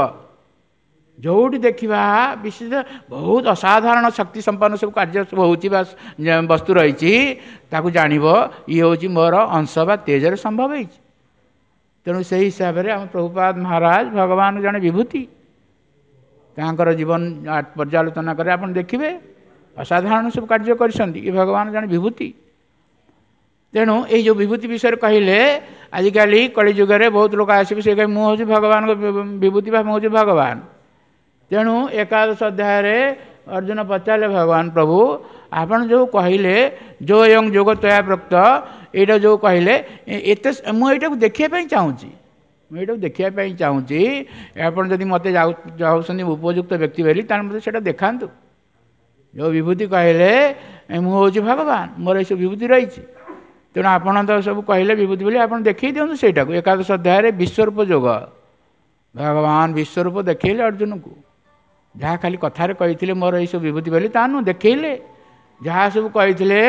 ଯେଉଁଠି ଦେଖିବା ବିଶେଷ ବହୁତ ଅସାଧାରଣ ଶକ୍ତି ସମ୍ପନ୍ନ ସବୁ କାର୍ଯ୍ୟ ସବୁ ହେଉଛି ବା ବସ୍ତୁ ରହିଛି, ତାକୁ ଜାଣିବ ଇଏ ହେଉଛି ମୋର ଅଂଶ ବା ତେଜରେ ସମ୍ଭବ ହେଇଛି। ତେଣୁ ସେଇ ହିସାବରେ ଆମ ପ୍ରଭୁପାଦ ମହାରାଜ ଭଗବାନ ଜଣେ ବିଭୂତି। ତାଙ୍କର ଜୀବନ ପର୍ଯ୍ୟାଲୋଚନା କରି ଆପଣ ଦେଖିବେ ଅସାଧାରଣ ସବୁ କାର୍ଯ୍ୟ କରିଛନ୍ତି। ଏ ଭଗବାନ ଜଣେ ବିଭୂତି। ତେଣୁ ଏଇ ଯେଉଁ ବିଭୂତି ବିଷୟରେ କହିଲେ, ଆଜିକାଲି କଳିଯୁଗରେ ବହୁତ ଲୋକ ଆସିବେ, ସେ କହିବେ ମୁଁ ହେଉଛି ଭଗବାନଙ୍କ ବିଭୂତି ବା ମୁଁ ହେଉଛି ଭଗବାନ। ତେଣୁ ଏକାଦଶ ଅଧ୍ୟାୟରେ ଅର୍ଜୁନ ପଚାରିଲେ ଭଗବାନ, ପ୍ରଭୁ ଆପଣ ଯେଉଁ କହିଲେ ଯୋ ଏଂ ଯୋଗ ତୟା ପ୍ରୋକ୍ତ, ଏଇଟା ଯେଉଁ କହିଲେ ଏତେ, ମୁଁ ଏଇଟାକୁ ଦେଖିବା ପାଇଁ ଚାହୁଁଛି, ମୁଁ ଏଇଟାକୁ ଦେଖିବା ପାଇଁ ଚାହୁଁଛି। ଆପଣ ଯଦି ମୋତେ ଯାଉଛନ୍ତି ଉପଯୁକ୍ତ ବ୍ୟକ୍ତି ବୋଲି, ତାହେଲେ ମୋତେ ସେଇଟା ଦେଖାନ୍ତୁ। ଯେଉଁ ବିଭୂତି କହିଲେ ମୁଁ ହେଉଛି ଭଗବାନ, ମୋର ଏସବୁ ବିଭୂତି ରହିଛି, ତେଣୁ ଆପଣ ତ ସବୁ କହିଲେ ବିଭୂତି ବୋଲି, ଆପଣ ଦେଖେଇ ଦିଅନ୍ତୁ ସେଇଟାକୁ। ଏକାଦଶ ଅଧ୍ୟାୟରେ ବିଶ୍ୱରୂପ ଯୋଗ, ଭଗବାନ ବିଶ୍ୱରୂପ ଦେଖେଇଲେ ଅର୍ଜୁନକୁ। ଯାହା ଖାଲି କଥାରେ କହିଥିଲେ ମୋର ଏଇସବୁ ବିଭୂତି ବୋଲି, ତା ନୁହଁ, ଦେଖେଇଲେ। ଯାହା ସବୁ କହିଥିଲେ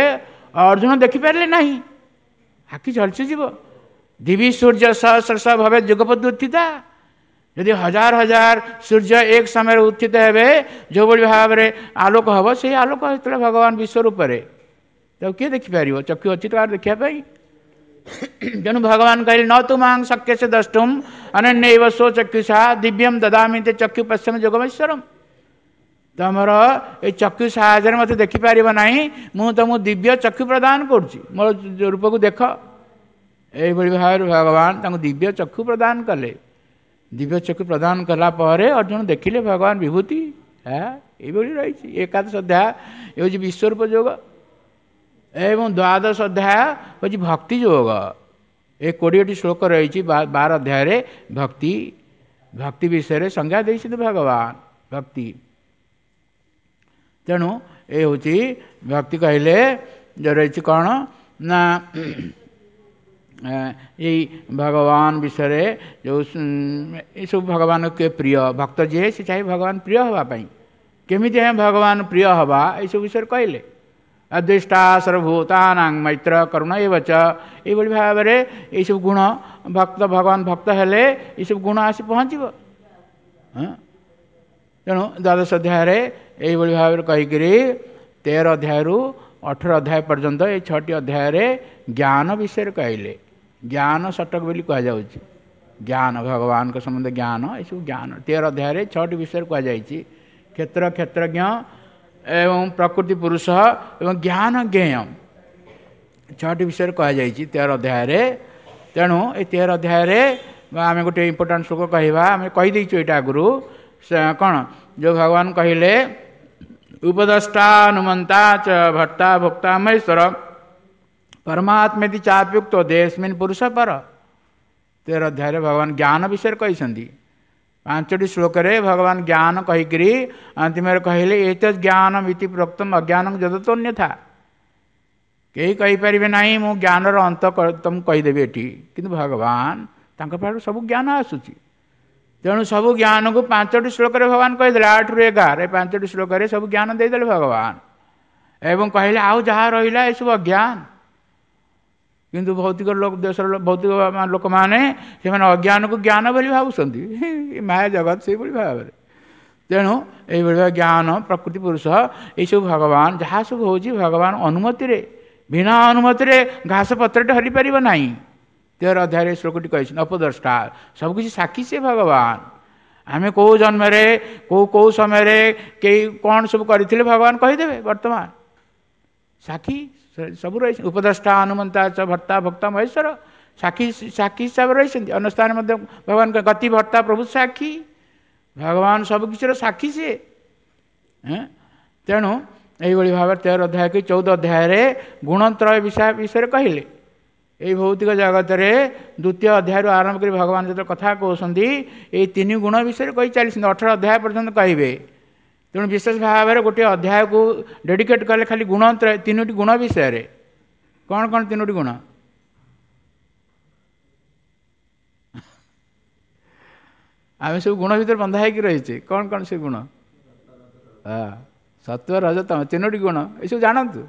ଅର୍ଜୁନ ଦେଖିପାରିଲେ ନାହିଁ, ଆଖି ଝଲସିଯିବ। ଦିବି ସୂର୍ଯ୍ୟ ସହସ୍ର ଭବେ ଯୁଗପଦ ଉତ୍ଥିତା, ଯଦି ହଜାର ହଜାର ସୂର୍ଯ୍ୟ ଏକ ସମୟରେ ଉତ୍ଥିତ ହେବେ, ଯେଉଁଭଳି ଭାବରେ ଆଲୋକ ହେବ, ସେଇ ଆଲୋକ ହେଇଥିଲା ଭଗବାନ ବିଶ୍ୱରୂପରେ। ତାକୁ କିଏ ଦେଖିପାରିବ? ଚକ୍ଷୁ ଅଛି ତ ଦେଖିବା ପାଇଁ। ତେଣୁ ଭଗବାନ କହିଲେ, ନ ତୁ ମାଂ ଶକ୍ୟସେ ଦ୍ରଷ୍ଟୁମ୍ ଅନନ୍ୟୈବ ସ୍ୱଚକ୍ଷୁଷା ଦିବ୍ୟಂ ଦଦାମି ତେ ଚକ୍ଷୁ ପଶ୍ୟମ ଯୋଗମୈଶ୍ୱରମ୍। ତମର ଏଇ ଚକ୍ଷୁ ସାହାଯ୍ୟରେ ମୋତେ ଦେଖିପାରିବ ନାହିଁ, ମୁଁ ତମକୁ ଦିବ୍ୟ ଚକ୍ଷୁ ପ୍ରଦାନ କରୁଛି, ମୋର ରୂପକୁ ଦେଖ। ଏଇଭଳି ଭାବରେ ଭଗବାନ ତାଙ୍କୁ ଦିବ୍ୟ ଚକ୍ଷୁ ପ୍ରଦାନ କଲେ। ଦିବ୍ୟ ଚକ୍ଷୁ ପ୍ରଦାନ କଲା ପରେ ଅର୍ଜୁନ ଦେଖିଲେ ଭଗବାନ ବିଭୂତି ଏଇଭଳି ରହିଛି। ଏକାଦଶ ଅଧ୍ୟାୟ ଏ ହେଉଛି ବିଶ୍ୱରୂପ ଯୋଗ, ଏବଂ ଦ୍ୱାଦଶ ଅଧ୍ୟାୟ ହେଉଛି ଭକ୍ତି ଯୋଗ। ଏ 20ଟି ଶ୍ଲୋକ ରହିଛି 12 ଅଧ୍ୟାୟରେ। ଭକ୍ତି, ଭକ୍ତି ବିଷୟରେ ସଂଜ୍ଞା ଦେଇଛନ୍ତି ଭଗବାନ ଭକ୍ତି। ତେଣୁ ଏ ହେଉଛି ଭକ୍ତି କହିଲେ ଯେଉଁ ରହିଛି କ'ଣ ନା ଏଇ ଭଗବାନ ବିଷୟରେ ଯେଉଁ ଏସବୁ ଭଗବାନ କିଏ ପ୍ରିୟ, ଭକ୍ତ ଯିଏ ସେ ଚାହେଁ ଭଗବାନ ପ୍ରିୟ ହେବା ପାଇଁ। କେମିତି ଆମେ ଭଗବାନ ପ୍ରିୟ ହେବା ଏସବୁ ବିଷୟରେ କହିଲେ। ଅଦ୍ୱେଷ୍ଟା ସର୍ବଭୂତାନାଂ ମୈତ୍ର କରୁଣ ଏବ ଚ, ଏଇଭଳି ଭାବରେ ଏଇସବୁ ଗୁଣ ଭକ୍ତ ଭଗବାନ ଭକ୍ତ ହେଲେ ଏଇସବୁ ଗୁଣ ଆସି ପହଞ୍ଚିବ। ତେଣୁ ଦ୍ୱାଦଶ ଅଧ୍ୟାୟରେ ଏଇଭଳି ଭାବରେ କହିକିରି 13 ଅଧ୍ୟାୟରୁ 18 ଅଧ୍ୟାୟ ପର୍ଯ୍ୟନ୍ତ ଏଇ 6ଟି ଅଧ୍ୟାୟରେ ଜ୍ଞାନ ବିଷୟରେ କହିଲେ। ଜ୍ଞାନ ଷଟକ ବୋଲି କୁହାଯାଉଛି। ଜ୍ଞାନ, ଭଗବାନଙ୍କ ସମ୍ବନ୍ଧେ ଜ୍ଞାନ, ଏସବୁ ଜ୍ଞାନ 13 ଅଧ୍ୟାୟରେ 6ଟି ବିଷୟରେ କୁହାଯାଇଛି। କ୍ଷେତ୍ର, କ୍ଷେତ୍ରଜ୍ଞ ଏବଂ ପ୍ରକୃତି ପୁରୁଷ ଏବଂ ଜ୍ଞାନ ଜ୍ଞେୟ, 6ଟି ବିଷୟରେ କୁହାଯାଇଛି 13 ଅଧ୍ୟାୟରେ। ତେଣୁ ଏ 13 ଅଧ୍ୟାୟରେ ଆମେ ଗୋଟେ ଇମ୍ପୋର୍ଟାଣ୍ଟ ଶ୍ଲୋକ କହିବା, ଆମେ କହିଦେଇଛୁ ଏଇଟା ଆଗରୁ। କ'ଣ ଯେଉଁ ଭଗବାନ କହିଲେ, ଉପଦଷ୍ଟାନୁମନ୍ତା ଚ ଭର୍ତ୍ତା ଭୋକ୍ତା ମହେଶ୍ୱର ପରମାତ୍ମେତି ଚାପ୍ୟୁକ୍ତ ଦେହସ୍ମିନ୍ ପୁରୁଷ ପର। 13 ଅଧ୍ୟାୟରେ ଭଗବାନ ଜ୍ଞାନ ବିଷୟରେ କହିଛନ୍ତି। 5ଟି ଶ୍ଲୋକରେ ଭଗବାନ ଜ୍ଞାନ କହିକିରି ଅନ୍ତିମରେ କହିଲେ, ଏତଦ୍ ଜ୍ଞାନମ୍ ଇତି ପ୍ରୋକ୍ତମ୍ ଅଜ୍ଞାନଂ ଯଦତୋନ୍ୟଥା। କେହି କହିପାରିବେ ନାହିଁ ମୁଁ ଜ୍ଞାନର ଅନ୍ତ ତମକୁ କହିଦେବି ଏଠି, କିନ୍ତୁ ଭଗବାନ ତାଙ୍କ ପାଖରୁ ସବୁ ଜ୍ଞାନ ଆସୁଛି। ତେଣୁ ସବୁ ଜ୍ଞାନକୁ 5ଟି ଶ୍ଲୋକରେ ଭଗବାନ କହିଦେଲେ, 8ରୁ 11 ଏ 5ଟି ଶ୍ଲୋକରେ ସବୁ ଜ୍ଞାନ ଦେଇଦେଲେ ଭଗବାନ, ଏବଂ କହିଲେ ଆଉ ଯାହା ରହିଲା ଏସବୁ ଅଜ୍ଞାନ। କିନ୍ତୁ ଭୌତିକ ଲୋକ, ଦେଶର ଭୌତିକ ଲୋକମାନେ ସେମାନେ ଅଜ୍ଞାନକୁ ଜ୍ଞାନ ବୋଲି ଭାବୁଛନ୍ତି। ମାୟା ଜଗତ ସେଇଭଳି ଭାବରେ। ତେଣୁ ଏଇଭଳି ଜ୍ଞାନ, ପ୍ରକୃତି, ପୁରୁଷ, ଏଇସବୁ ଭଗବାନ ଯାହା ସବୁ ହେଉଛି ଭଗବାନ ଅନୁମତିରେ, ବିନା ଅନୁମତିରେ ଘାସ ପତ୍ରଟେ ହଲିପାରିବ ନାହିଁ। 13 ଅଧ୍ୟାୟରେ ଶ୍ଲୋକଟି କହିଛନ୍ତି ଅପଦ୍ରଷ୍ଟା, ସବୁକିଛି ସାକ୍ଷୀ ସେ ଭଗବାନ। ଆମେ କେଉଁ ଜନ୍ମରେ କେଉଁ କେଉଁ ସମୟରେ କେହି କ'ଣ ସବୁ କରିଥିଲେ ଭଗବାନ କହିଦେବେ। ବର୍ତ୍ତମାନ ସାକ୍ଷୀ ସବୁ ରହିଛନ୍ତି। ଉପଦ୍ରଷ୍ଟା ଅନୁମନ୍ତା ଚ ଭର୍ତ୍ତା ଭକ୍ତା ମହେଶ୍ୱର, ସାକ୍ଷୀ ସାକ୍ଷୀ ହିସାବରେ ରହିଛନ୍ତି। ଅନ୍ୟ ସ୍ଥାନରେ ମଧ୍ୟ ଭଗବାନ ଗତି ଭର୍ତ୍ତା ପ୍ରଭୁ ସାକ୍ଷୀ, ଭଗବାନ ସବୁକିଛିର ସାକ୍ଷୀ ସିଏ। ତେଣୁ ଏଇଭଳି ଭାବରେ 13 ଅଧ୍ୟାୟ କି 14 ଅଧ୍ୟାୟରେ ଗୁଣତ୍ରୟ ବିଷୟରେ କହିଲେ। ଏଇ ଭୌତିକ ଜଗତରେ ଦ୍ୱିତୀୟ ଅଧ୍ୟାୟରୁ ଆରମ୍ଭ କରି ଭଗବାନ ଯେତେବେଳେ କଥା କହୁଛନ୍ତି, ଏଇ ତିନି ଗୁଣ ବିଷୟରେ କହି ଚାଲିଛନ୍ତି, 18 ଅଧ୍ୟାୟ ପର୍ଯ୍ୟନ୍ତ କହିବେ। ତେଣୁ ବିଶେଷ ଭାବରେ ଗୋଟିଏ ଅଧ୍ୟାୟକୁ ଡେଡିକେଟ୍ କଲେ ଖାଲି ଗୁଣତ୍ରୟ, ତିନୋଟି ଗୁଣ ବିଷୟରେ। କ'ଣ କ'ଣ ତିନୋଟି ଗୁଣ? ଆମେ ସବୁ ଗୁଣ ଭିତରେ ବନ୍ଧା ହେଇକି ରହିଛେ। କ'ଣ କ'ଣ ସେ ଗୁଣ? ହଁ, ସତ୍ୱ, ରଜ, ତମ, ତିନୋଟି ଗୁଣ। ଏସବୁ ଜାଣନ୍ତୁ।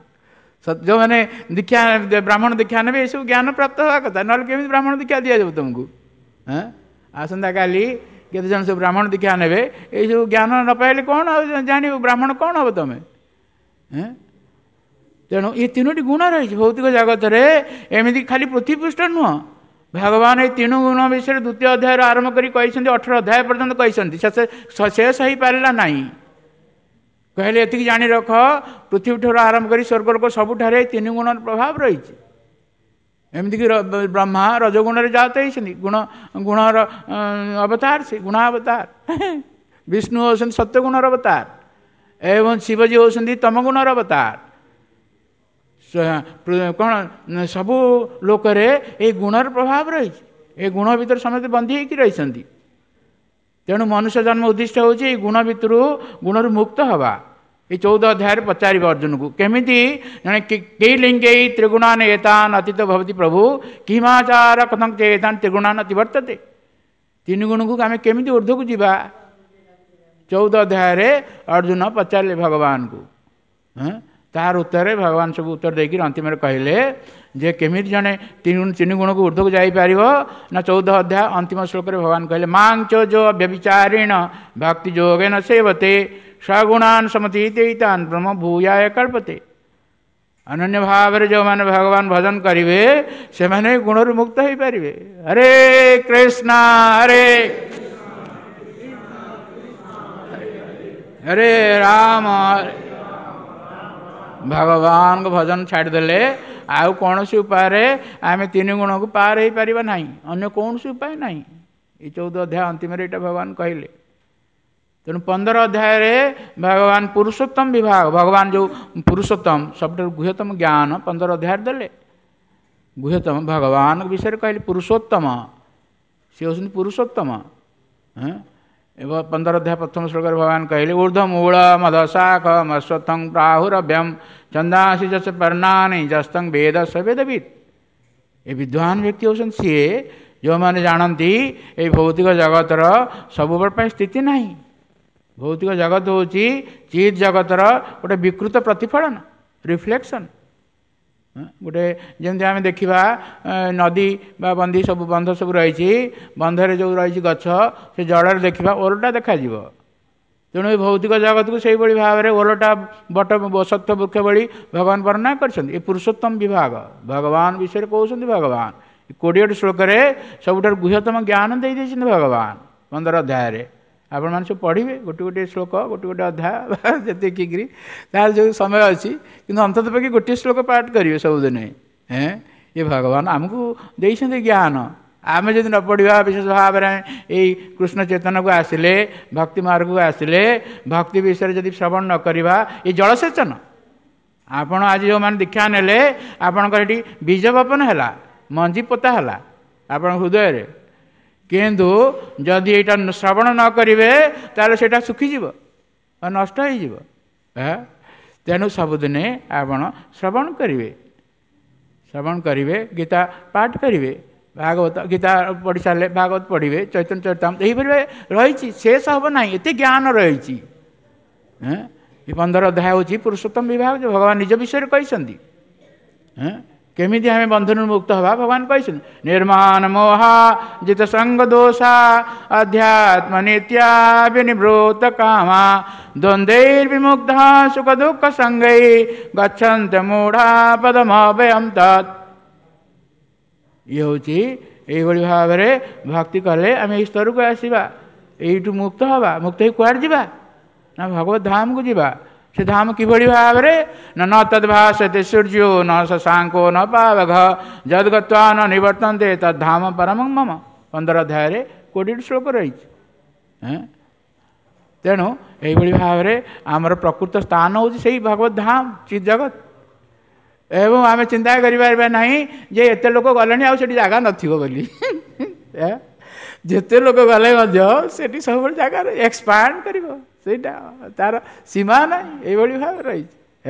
ଯେଉଁମାନେ ଦୀକ୍ଷା, ବ୍ରାହ୍ମଣ ଦୀକ୍ଷା ନେବେ, ଏସବୁ ଜ୍ଞାନ ପ୍ରାପ୍ତ ହେବା କଥା, ନହେଲେ କେମିତି ବ୍ରାହ୍ମଣ ଦୀକ୍ଷା ଦିଆଯିବ ତୁମକୁ? ହଁ, ଆସନ୍ତାକାଲି କେତେ ଜଣ ସବୁ ବ୍ରାହ୍ମଣ ଦୀକ୍ଷା ନେବେ, ଏଇସବୁ ଜ୍ଞାନ ନ ପାଇଲେ କ'ଣ ଆଉ ଜାଣିବ ବ୍ରାହ୍ମଣ କ'ଣ ହେବ ତମେ? ତେଣୁ ଏ ତିନୋଟି ଗୁଣ ରହିଛି ଭୌତିକ ଜଗତରେ। ଏମିତି ଖାଲି ପୃଥିବୀ ପୃଷ୍ଠ ନୁହଁ, ଭଗବାନ ଏଇ ତିନି ଗୁଣ ବିଷୟରେ ଦ୍ୱିତୀୟ ଅଧ୍ୟାୟରୁ ଆରମ୍ଭ କରି କହିଛନ୍ତି, 18 ଅଧ୍ୟାୟ ପର୍ଯ୍ୟନ୍ତ କହିଛନ୍ତି, ଶେଷ ହେଇପାରିଲା ନାହିଁ। କହିଲେ ଏତିକି ଜାଣି ରଖ, ପୃଥିବୀଠାରୁ ଆରମ୍ଭ କରି ସ୍ୱର୍ଗଲୋକ ସବୁଠାରେ ତିନି ଗୁଣର ପ୍ରଭାବ ରହିଛି। ଏମିତିକି ବ୍ରହ୍ମା ରଜଗୁଣରେ ଜାତ ହେଇଛନ୍ତି, ଗୁଣ ଗୁଣର ଅବତାର ସେ, ଗୁଣାବତାର। ବିଷ୍ଣୁ ହେଉଛନ୍ତି ସତ୍ୟଗୁଣର ଅବତାର, ଏବଂ ଶିବଜୀ ହେଉଛନ୍ତି ତମଗୁଣର ଅବତାର। କ'ଣ ସବୁ ଲୋକରେ ଏଇ ଗୁଣର ପ୍ରଭାବ ରହିଛି। ଏ ଗୁଣ ଭିତରେ ସମସ୍ତେ ବନ୍ଧି ହେଇକି ରହିଛନ୍ତି। ତେଣୁ ମନୁଷ୍ୟ ଜନ୍ମ ଉଦ୍ଦିଷ୍ଟ ହେଉଛି ଏଇ ଗୁଣ ଭିତରୁ, ଗୁଣରୁ ମୁକ୍ତ ହେବା। ଏଇ 14 ଅଧ୍ୟାୟରେ ପଚାରିବ ଅର୍ଜୁନକୁ, କେମିତି ଜଣେ କେଇ ଲିଙ୍ଗେଇ ତ୍ରିଗୁଣାନ ଏତାନ ଅତୀତ ଭବତି ପ୍ରଭୁ କିମାଚାର କଥଂ ଚେତାନ ତ୍ରିଗୁଣାନ ଅତିବର୍ତ୍ତତେ। ତିନି ଗୁଣକୁ ଆମେ କେମିତି ଉର୍ଦ୍ଧ୍ୱକୁ ଯିବା? 14 ଅଧ୍ୟାୟରେ ଅର୍ଜୁନ ପଚାରିଲେ ଭଗବାନଙ୍କୁ। ତାର ଉତ୍ତରରେ ଭଗବାନ ସବୁ ଉତ୍ତର ଦେଇକି ଅନ୍ତିମରେ କହିଲେ ଯେ କେମିତି ଜଣେ ତିନି ଗୁଣକୁ ଉର୍ଦ୍ଧ୍ୱକୁ ଯାଇପାରିବ ନା, 14 ଅଧ୍ୟାୟ ଅନ୍ତିମ ଶ୍ଲୋକରେ ଭଗବାନ କହିଲେ, ମାଂଚ ଯୋ ବ୍ୟଭିଚାରିଣ ଭକ୍ତି ଯୋଗେନ ସେବତେ ସଗୁଣାନ ସମତୀତେଇତାନ ବ୍ରହ୍ମ ଭୂୟାୟ କଳ୍ପତେ। ଅନନ୍ୟ ଭାବରେ ଯେଉଁମାନେ ଭଗବାନ ଭଜନ କରିବେ ସେମାନେ ଗୁଣରୁ ମୁକ୍ତ ହେଇପାରିବେ। ହରେ କୃଷ୍ଣ ହରେ ହରେ ରାମ। ଭଗବାନଙ୍କ ଭଜନ ଛାଡ଼ିଦେଲେ ଆଉ କୌଣସି ଉପାୟରେ ଆମେ ତିନି ଗୁଣକୁ ପାର ହେଇପାରିବା ନାହିଁ, ଅନ୍ୟ କୌଣସି ଉପାୟ ନାହିଁ। ଏଇ 14 ଅଧ୍ୟାୟ ଅନ୍ତିମରେ ଏଇଟା ଭଗବାନ କହିଲେ। ତେଣୁ 15 ଅଧ୍ୟାୟରେ ଭଗବାନ ପୁରୁଷୋତ୍ତମ ବିଭାଗ, ଭଗବାନ ଯେଉଁ ପୁରୁଷୋତ୍ତମ ସବୁଠାରୁ ଗୁହ୍ୟତମ ଜ୍ଞାନ 15 ଅଧ୍ୟାୟରେ ଦେଲେ। ଗୁହ୍ୟତମ ଭଗବାନଙ୍କ ବିଷୟରେ କହିଲେ ପୁରୁଷୋତ୍ତମ, ସେ ହେଉଛନ୍ତି ପୁରୁଷୋତ୍ତମ। ଏବଂ 15 ଅଧ୍ୟାୟ ପ୍ରଥମ ଶ୍ଲୋକରେ ଭଗବାନ କହିଲେ, ଊର୍ଦ୍ଧ୍ୱ ମୂଳ ମଦଶାଖ ମଶ୍ୱଥଂ ପ୍ରାହୁରଭ୍ୟମ ଚନ୍ଦାସି ଯଶ ପର୍ଣ୍ଣାନି ଯସ୍ତଂ ବେଦ ସ ବେଦବିତ୍। ଏ ବିଦ୍ୱାନ ବ୍ୟକ୍ତି ହେଉଛନ୍ତି ସିଏ ଯେଉଁମାନେ ଜାଣନ୍ତି ଏଇ ଭୌତିକ ଜଗତର ସବୁବେଳେ ପାଇଁ ସ୍ଥିତି ନାହିଁ। ଭୌତିକ ଜଗତ ହେଉଛି ଚିତ୍ ଜଗତର ଗୋଟେ ବିକୃତ ପ୍ରତିଫଳନ, ରିଫ୍ଲେକ୍ସନ୍। ଗୋଟେ ଯେମିତି ଆମେ ଦେଖିବା ନଦୀ ବା ବନ୍ଧି ସବୁ, ବନ୍ଧ ସବୁ ରହିଛି, ବନ୍ଧରେ ଯେଉଁ ରହିଛି ଗଛ, ସେ ଜଳରେ ଦେଖିବା ଓଲଟା ଦେଖାଯିବ। ତେଣୁ ଏ ଭୌତିକ ଜଗତକୁ ସେଇଭଳି ଭାବରେ ଓଲଟା ବଟ ସତ୍ୟ ବୃକ୍ଷ ଭଳି ଭଗବାନ ବର୍ଣ୍ଣନା କରିଛନ୍ତି। ଏ ପୁରୁଷୋତ୍ତମ ବିଭାଗ ଭଗବାନ ବିଷୟରେ କହୁଛନ୍ତି ଭଗବାନ। 20ଟି ଶ୍ଲୋକରେ ସବୁଠାରୁ ଗୁହ୍ୟତମ ଜ୍ଞାନ ଦେଇ ଦେଇଛନ୍ତି ଭଗବାନ 15 ଅଧ୍ୟାୟରେ। ଆପଣମାନେ ସବୁ ପଢ଼ିବେ ଗୋଟେ ଗୋଟିଏ ଶ୍ଲୋକ, ଗୋଟେ ଗୋଟେ ଅଧ୍ୟାୟ ଯେତିକିରି ତାର ଯେଉଁ ସମୟ ଅଛି, କିନ୍ତୁ ଅନ୍ତତଃ ପକ୍ଷେ ଗୋଟିଏ ଶ୍ଲୋକ ପାଠ କରିବେ ସବୁଦିନେ। ଏ ଭଗବାନ ଆମକୁ ଦେଇଛନ୍ତି ଜ୍ଞାନ, ଆମେ ଯଦି ନ ପଢ଼ିବା, ବିଶେଷ ଭାବରେ ଏଇ କୃଷ୍ଣ ଚେତନକୁ ଆସିଲେ, ଭକ୍ତି ମାର୍ଗକୁ ଆସିଲେ, ଭକ୍ତି ବିଷୟରେ ଯଦି ଶ୍ରବଣ ନ କରିବା, ଏ ଜଳସେଚନ। ଆପଣ ଆଜି ଯେଉଁମାନେ ଦୀକ୍ଷା ନେଲେ, ଆପଣଙ୍କର ଏଠି ବୀଜ ବପନ ହେଲା, ମଞ୍ଜି ପୋତା ହେଲା ଆପଣଙ୍କ ହୃଦୟରେ, କିନ୍ତୁ ଯଦି ଏଇଟା ଶ୍ରବଣ ନ କରିବେ ତାହେଲେ ସେଇଟା ଶୁଖିଯିବ ବା ନଷ୍ଟ ହେଇଯିବ। ତେଣୁ ସବୁଦିନେ ଆପଣ ଶ୍ରବଣ କରିବେ, ଶ୍ରବଣ କରିବେ, ଗୀତା ପାଠ କରିବେ, ଭାଗବତ ଗୀତା ପଢ଼ି ସାରିଲେ ଭାଗବତ ପଢ଼ିବେ, ଚୈତନ୍ୟ ଚରିତାମୃତ ଏହିପରି ରହିଛି, ଶେଷ ହେବ ନାହିଁ, ଏତେ ଜ୍ଞାନ ରହିଛି। ଏ 15 ଅଧ୍ୟାୟ ହେଉଛି ପୁରୁଷୋତ୍ତମ ବିଭାଗ, ଯେଉଁ ଭଗବାନ ନିଜ ବିଷୟରେ କହିଛନ୍ତି। କେମିତି ଆମେ ବନ୍ଧନରୁ ମୁକ୍ତ ହେବା? ଭଗବାନ କହିଛନ୍ତି ନିର୍ମାଣ ମୋହା ଜିତ ସଙ୍ଗ ଦୋଷା ଅଧ୍ୟାତ୍ମ ନିତ୍ୟା ବିନିବୃତ କାମା ଦ୍ୱନ୍ଦ୍ୱୈର୍ବିମୁକ୍ତ ସୁଖ ଦୁଃଖ ସଙ୍ଗೈ ଗଚ୍ଛନ୍ତ ମୂଢ଼ା ପଦମଭୟಂ ତତ୍। ଇଏ ହେଉଛି ଏଇଭଳି ଭାବରେ ଭକ୍ତି କଲେ ଆମେ ଏଇ ସ୍ତରକୁ ଆସିବା, ଏଇଠୁ ମୁକ୍ତ ହେବା। ମୁକ୍ତ ହେଇ କୁଆଡ଼େ ଯିବା? ନା ଭଗବତ ଧାମକୁ ଯିବା। ସେ ଧାମ କିଭଳି ଭାବରେ? ନା ନ ତଦ୍ଭାସତେ ସୂର୍ଯ୍ୟୋ ନ ଶଶାଙ୍କୋ ନ ପାବଘ ଯଦ୍ଗତ୍ୱା ନ ନିବର୍ତ୍ତନ୍ତେ ତଦ୍ଧାମ ପରମଂ ମମ। 15 ଅଧ୍ୟାୟରେ 20ଟି ଶ୍ଲୋକ ରହିଛି। ତେଣୁ ଏଇଭଳି ଭାବରେ ଆମର ପ୍ରକୃତ ସ୍ଥାନ ହେଉଛି ସେଇ ଭଗବତ ଧାମ, ଚିତ୍ ଜଗତ। ଏବଂ ଆମେ ଚିନ୍ତା କରିପାରିବା ନାହିଁ ଯେ ଏତେ ଲୋକ ଗଲେଣି ଆଉ ସେଠି ଜାଗା ନଥିବ ବୋଲି। ଯେତେ ଲୋକ ଗଲେ ମଧ୍ୟ ସେଠି ସବୁବେଳେ ଜାଗା ଏକ୍ସପାଣ୍ଡ କରିବ, ସେଇଟା ତାର ସୀମା ନାହିଁ। ଏଇଭଳି ଭାବରେ ରହିଛି।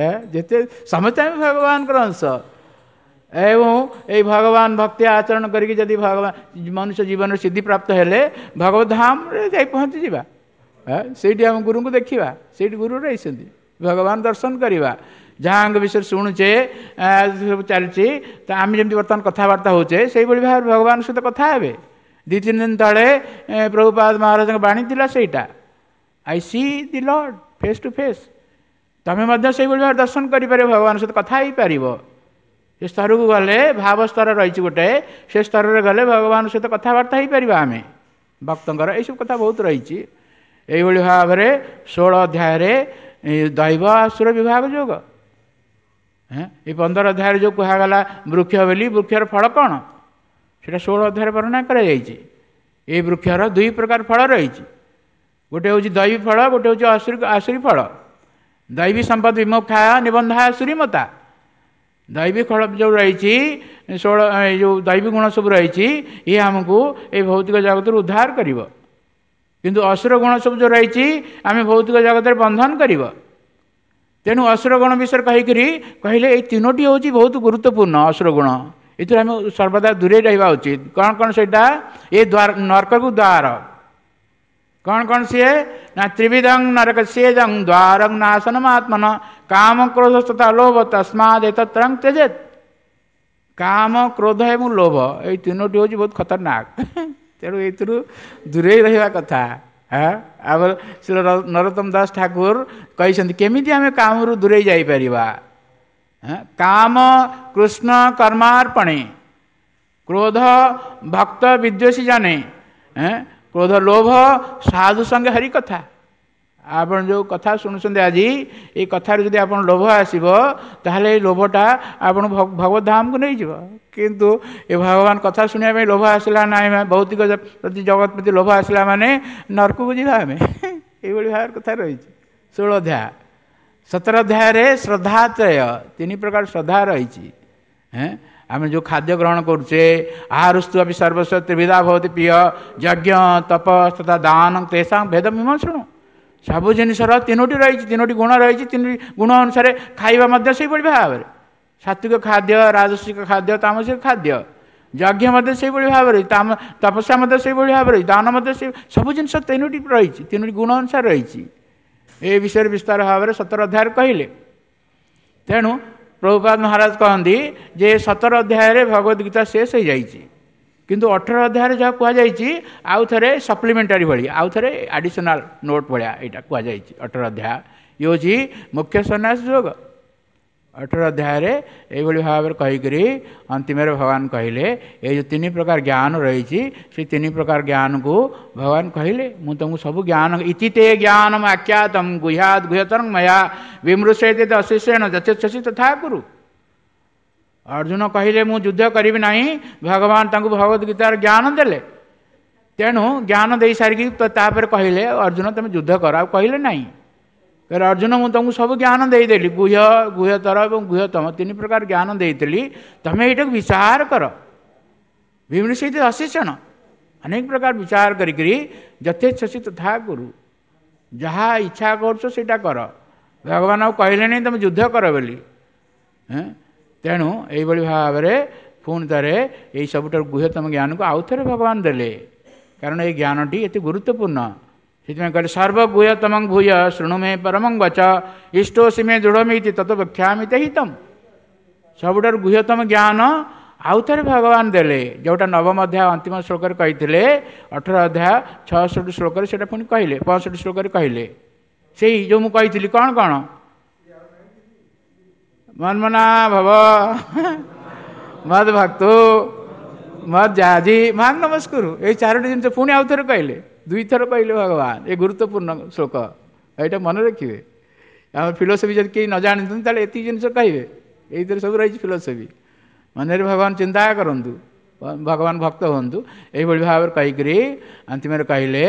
ଯେତେ ସମସ୍ତେ ଆମେ ଭଗବାନଙ୍କର ଅଂଶ। ଏବଂ ଏଇ ଭଗବାନ ଭକ୍ତି ଆଚରଣ କରିକି ଯଦି ଭଗବାନ ମନୁଷ୍ୟ ଜୀବନରେ ସିଦ୍ଧି ପ୍ରାପ୍ତ ହେଲେ ଭଗବତ ଧାମରେ ଯାଇ ପହଞ୍ଚିଯିବା। ସେଇଠି ଆମ ଗୁରୁଙ୍କୁ ଦେଖିବା, ସେଇଠି ଗୁରୁ ରହିଛନ୍ତି, ଭଗବାନ ଦର୍ଶନ କରିବା। ଯାହାଙ୍କ ବିଷୟରେ ଶୁଣୁଛେ ସବୁ ଚାଲିଛି, ତ ଆମେ ଯେମିତି ବର୍ତ୍ତମାନ କଥାବାର୍ତ୍ତା ହେଉଛେ ସେଇଭଳି ଭାବରେ ଭଗବାନଙ୍କ ସହିତ କଥା ହେବେ। 2-3 ଦିନ ତଳେ ପ୍ରଭୁପାଦ ମହାରାଜଙ୍କ ବାଣୀ ଥିଲା ସେଇଟା, I see the lord face to face. ତମେ ମଧ୍ୟ ସେଇଭଳି ଭାବରେ ଦର୍ଶନ କରିପାରିବ, ଭଗବାନଙ୍କ ସହିତ କଥା ହେଇପାରିବ। ସେ ସ୍ତରକୁ ଗଲେ, ଭାବ ସ୍ତର ରହିଛି ଗୋଟେ, ସେ ସ୍ତରରେ ଗଲେ ଭଗବାନଙ୍କ ସହିତ କଥାବାର୍ତ୍ତା ହେଇପାରିବା ଆମେ। ଭକ୍ତଙ୍କର ଏଇସବୁ କଥା ବହୁତ ରହିଛି। ଏଇଭଳି ଭାବରେ 16 ଅଧ୍ୟାୟରେ ଦୈବ ଆସୁର ବିଭାଗ ଯୋଗ। ଏଇ 15 ଅଧ୍ୟାୟରେ ଯେଉଁ କୁହାଗଲା ବୃକ୍ଷ ବୋଲି, ବୃକ୍ଷର ଫଳ କ'ଣ ସେଇଟା 16 ଅଧ୍ୟାୟରେ ବର୍ଣ୍ଣନା କରାଯାଇଛି। ଏଇ ବୃକ୍ଷର 2 ପ୍ରକାର ଫଳ ରହିଛି, ଗୋଟେ ହେଉଛି ଦୈବୀ ଫଳ, ଗୋଟେ ହେଉଛି ଆସୁରୀ ଫଳ। ଦୈବୀ ସମ୍ପଦ ବିମୁଖାୟ ନିବନ୍ଧାୟ ଆସୁରୀମତା। ଦୈବୀ ଫଳ ଯେଉଁ ରହିଛି 16 ଏ ଯେଉଁ ଦୈବୀ ଗୁଣ ସବୁ ରହିଛି, ଇଏ ଆମକୁ ଏଇ ଭୌତିକ ଜଗତରୁ ଉଦ୍ଧାର କରିବ। କିନ୍ତୁ ଅସୁର ଗୁଣ ସବୁ ଯେଉଁ ରହିଛି ଆମେ ଭୌତିକ ଜଗତରେ ବନ୍ଧନ କରିବ। ତେଣୁ ଅସୁର ଗୁଣ ବିଷୟରେ କହିକିରି କହିଲେ ଏଇ 3ଟି ହେଉଛି ବହୁତ ଗୁରୁତ୍ୱପୂର୍ଣ୍ଣ ଅସୁର ଗୁଣ, ଏଥିରୁ ଆମେ ସର୍ବଦା ଦୂରେଇ ରହିବା ଉଚିତ। କ'ଣ କ'ଣ ସେଇଟା? ଏ ଦ୍ୱାର, ନର୍କକୁ ଦ୍ୱାର। କ'ଣ କ'ଣ ସିଏ? ନା ତ୍ରିବିଧଂ ନରକ ସେଜଂ ଦ୍ୱାରଂ ନାଶନମ ଆତ୍ମନ କାମ କ୍ରୋଧ ତଥା ଲୋଭ ତସ୍ମାଦ ଏତତ୍ରଂ ତ୍ୟଜେତ୍। କାମ, କ୍ରୋଧ ଏବଂ ଲୋଭ ଏଇ 3ଟି ହେଉଛି ବହୁତ ଖତରନାକ। ତେଣୁ ଏଇଥିରୁ ଦୂରେଇ ରହିବା କଥା। ଆମର ଶ୍ରୀ ନରୋତ୍ତମ ଦାସ ଠାକୁର କହିଛନ୍ତି କେମିତି ଆମେ କାମରୁ ଦୂରେଇ ଯାଇପାରିବା? କାମ କୃଷ୍ଣ କର୍ମାର୍ପଣେ, କ୍ରୋଧ ଭକ୍ତ ବିଦ୍ୱେଷୀ ଜାନେ, କ୍ରୋଧ ଲୋଭ ସାଧୁ ସଙ୍ଗେ ହରି କଥା। ଆପଣ ଯେଉଁ କଥା ଶୁଣୁଛନ୍ତି ଆଜି, ଏଇ କଥାରେ ଯଦି ଆପଣ ଲୋଭ ଆସିବ ତାହେଲେ ଏଇ ଲୋଭଟା ଆପଣ ଭଗବତ ଧାମକୁ ନେଇଯିବ। କିନ୍ତୁ ଏ ଭଗବାନ କଥା ଶୁଣିବା ପାଇଁ ଲୋଭ ଆସିଲା ନାହିଁ, ଭୌତିକ ପ୍ରତି ଜଗତ ପ୍ରତି ଲୋଭ ଆସିଲା ମାନେ ନର୍କକୁ ଯିବା ଆମେ। ଏଇଭଳି ଭାବରେ କଥା ରହିଛି 16 ଅଧ୍ୟାୟ। 17 ଅଧ୍ୟାୟରେ ଶ୍ରଦ୍ଧାତ୍ରୟ, 3 ପ୍ରକାର ଶ୍ରଦ୍ଧା ରହିଛି। ଆମେ ଯେଉଁ ଖାଦ୍ୟ ଗ୍ରହଣ କରୁଛେ, ଆହାରସ୍ତୁ ଅପି ସର୍ବସ୍ୱ ତ୍ରିବିଧା ଭବତି ପ୍ରିୟ ଯଜ୍ଞ ତପ ତଥା ଦାନ ତେଷାଂ ଭେଦ ମୀମାଂସଣୁ। ସବୁ ଜିନିଷର 3ଟି ରହିଛି, 3ଟି ଗୁଣ ରହିଛି। 3ଟି ଗୁଣ ଅନୁସାରେ ଖାଇବା ମଧ୍ୟ ସେଇଭଳି ଭାବରେ, ସାତ୍ವಿକ ଖାଦ୍ୟ, ରାଜସିକ ଖାଦ୍ୟ, ତାମସିକ ଖାଦ୍ୟ। ଯଜ୍ଞ ମଧ୍ୟ ସେଇଭଳି ଭାବରେ, ତପସ୍ୟା ମଧ୍ୟ ସେଇଭଳି ଭାବରେ, ଦାନ ମଧ୍ୟ ସେଇ, ସବୁ ଜିନିଷ 3ଟି ରହିଛି, 3ଟି ଗୁଣ ଅନୁସାରେ ରହିଛି। ଏ ବିଷୟରେ ବିସ୍ତାର ଭାବରେ 17 ଅଧ୍ୟାୟରେ କହିଲେ। ତେଣୁ ପ୍ରଭୁପାଦ ମହାରାଜ କହନ୍ତି ଯେ 17 ଅଧ୍ୟାୟରେ ଭଗବତ ଗୀତା ଶେଷ ହେଇଯାଇଛି, କିନ୍ତୁ 18 ଅଧ୍ୟାୟରେ ଯାହା କୁହାଯାଇଛି ଆଉ ଥରେ ସପ୍ଲିମେଣ୍ଟାରୀ ଭଳି, ଆଉ ଥରେ ଆଡ଼ିସନାଲ ନୋଟ୍ ଭଳିଆ ଏଇଟା କୁହାଯାଇଛି। 18 ଅଧ୍ୟାୟ ଇଏ ହେଉଛି ମୁଖ୍ୟ ସନ୍ନ୍ୟାସ ଯୋଗ। 18 ଅଧ୍ୟାୟରେ ଏଇଭଳି ଭାବରେ କହିକରି ଅନ୍ତିମରେ ଭଗବାନ କହିଲେ ଏଇ ଯେଉଁ 3 ପ୍ରକାର ଜ୍ଞାନ ରହିଛି, ସେ 3 ପ୍ରକାର ଜ୍ଞାନକୁ ଭଗବାନ କହିଲେ ମୁଁ ତୁମକୁ ସବୁ ଜ୍ଞାନ, ଇତି ତେ ଜ୍ଞାନମ ଆଖ୍ୟାତಂ ଗୁହ୍ୟାଦ୍ ଗୁହ୍ୟତରଂ ମୟା ବିମୃଶେତେ ଅଶେଷେଣ ଯଥେଚ୍ଛସି ତଥା କୁରୁ। ଅର୍ଜୁନ କହିଲେ ମୁଁ ଯୁଦ୍ଧ କରିବି ନାହିଁ, ଭଗବାନ ତାଙ୍କୁ ଭଗବତ ଗୀତାର ଜ୍ଞାନ ଦେଲେ। ତେଣୁ ଜ୍ଞାନ ଦେଇ ସାରିକି ତାପରେ କହିଲେ ଅର୍ଜୁନ ତୁମେ ଯୁଦ୍ଧ କର, ଆଉ କହିଲେ ନାହିଁ। କହିଲେ ଅର୍ଜୁନ ମୁଁ ତୁମକୁ ସବୁ ଜ୍ଞାନ ଦେଇଦେଲି, ଗୁହ୍ୟ, ଗୁହ୍ୟତର ଏବଂ ଗୁହ୍ୟତମ 3 ପ୍ରକାର ଜ୍ଞାନ ଦେଇଥିଲି, ତୁମେ ଏଇଟାକୁ ବିଚାର କର। ବିମୃଶିତ ଅଶେଷଣ, ଅନେକ ପ୍ରକାର ବିଚାର କରିକିରି ଯଥେଚ୍ଛସି ତଥା କୁରୁ, ଯାହା ଇଚ୍ଛା କରୁଛ ସେଇଟା କର। ଭଗବାନ ଆଉ କହିଲେନି ତୁମେ ଯୁଦ୍ଧ କର ବୋଲି। ତେଣୁ ଏଇଭଳି ଭାବରେ ପୁଣି ଥରେ ଏଇ ସବୁଠାରୁ ଗୁହ୍ୟତମ ଜ୍ଞାନକୁ ଆଉ ଥରେ ଭଗବାନ ଦେଲେ, କାରଣ ଏଇ ଜ୍ଞାନଟି ଏତେ ଗୁରୁତ୍ୱପୂର୍ଣ୍ଣ। ସେଥିପାଇଁ କହିଲେ ସର୍ବଗୁହ୍ୟତମଂ ଭୂୟ ଶୃଣୁ ମେ ପରମଂ ବଚ ଇଷ୍ଟୋସି ମେ ଦୃଢ଼ମିତି ତତ ବକ୍ଷ୍ୟାମି ତେ ହିତମ୍। ସବୁଠାରୁ ଗୁହ୍ୟତମ ଜ୍ଞାନ ଆଉ ଥରେ ଭଗବାନ ଦେଲେ, ଯେଉଁଟା ନବମ ଅଧ୍ୟାୟ ଅନ୍ତିମ ଶ୍ଲୋକରେ କହିଥିଲେ, 18 ଅଧ୍ୟାୟ 66 ଶ୍ଲୋକରେ ସେଇଟା ପୁଣି କହିଲେ, 65 ଶ୍ଲୋକରେ କହିଲେ। ସେଇ ଯେଉଁ ମୁଁ କହିଥିଲି କ'ଣ କ'ଣ, ମନ୍ମନା ଭବ ମଦ ଭକ୍ତୁ ମଦ ଯାଜି ମାଂ ନମସ୍କରୁ, ଏଇ 4ଟି ଜିନିଷ ପୁଣି ଆଉ ଥରେ କହିଲେ, 2ଥର କହିଲେ ଭଗବାନ। ଏ ଗୁରୁତ୍ୱପୂର୍ଣ୍ଣ ଶ୍ଲୋକ, ଏଇଟା ମନେ ରଖିବେ। ଆମ ଫିଲୋସଫି ଯଦି କେହି ନ ଜାଣିଛନ୍ତି ତାହେଲେ ଏତିକି ଜିନିଷ କହିବେ, ଏଇଥିରେ ସବୁ ରହିଛି ଫିଲୋସଫି। ମନରେ ଭଗବାନ ଚିନ୍ତା କରନ୍ତୁ, ଭଗବାନ ଭକ୍ତ ହୁଅନ୍ତୁ, ଏଇଭଳି ଭାବରେ କହିକରି ଅନ୍ତିମରେ କହିଲେ,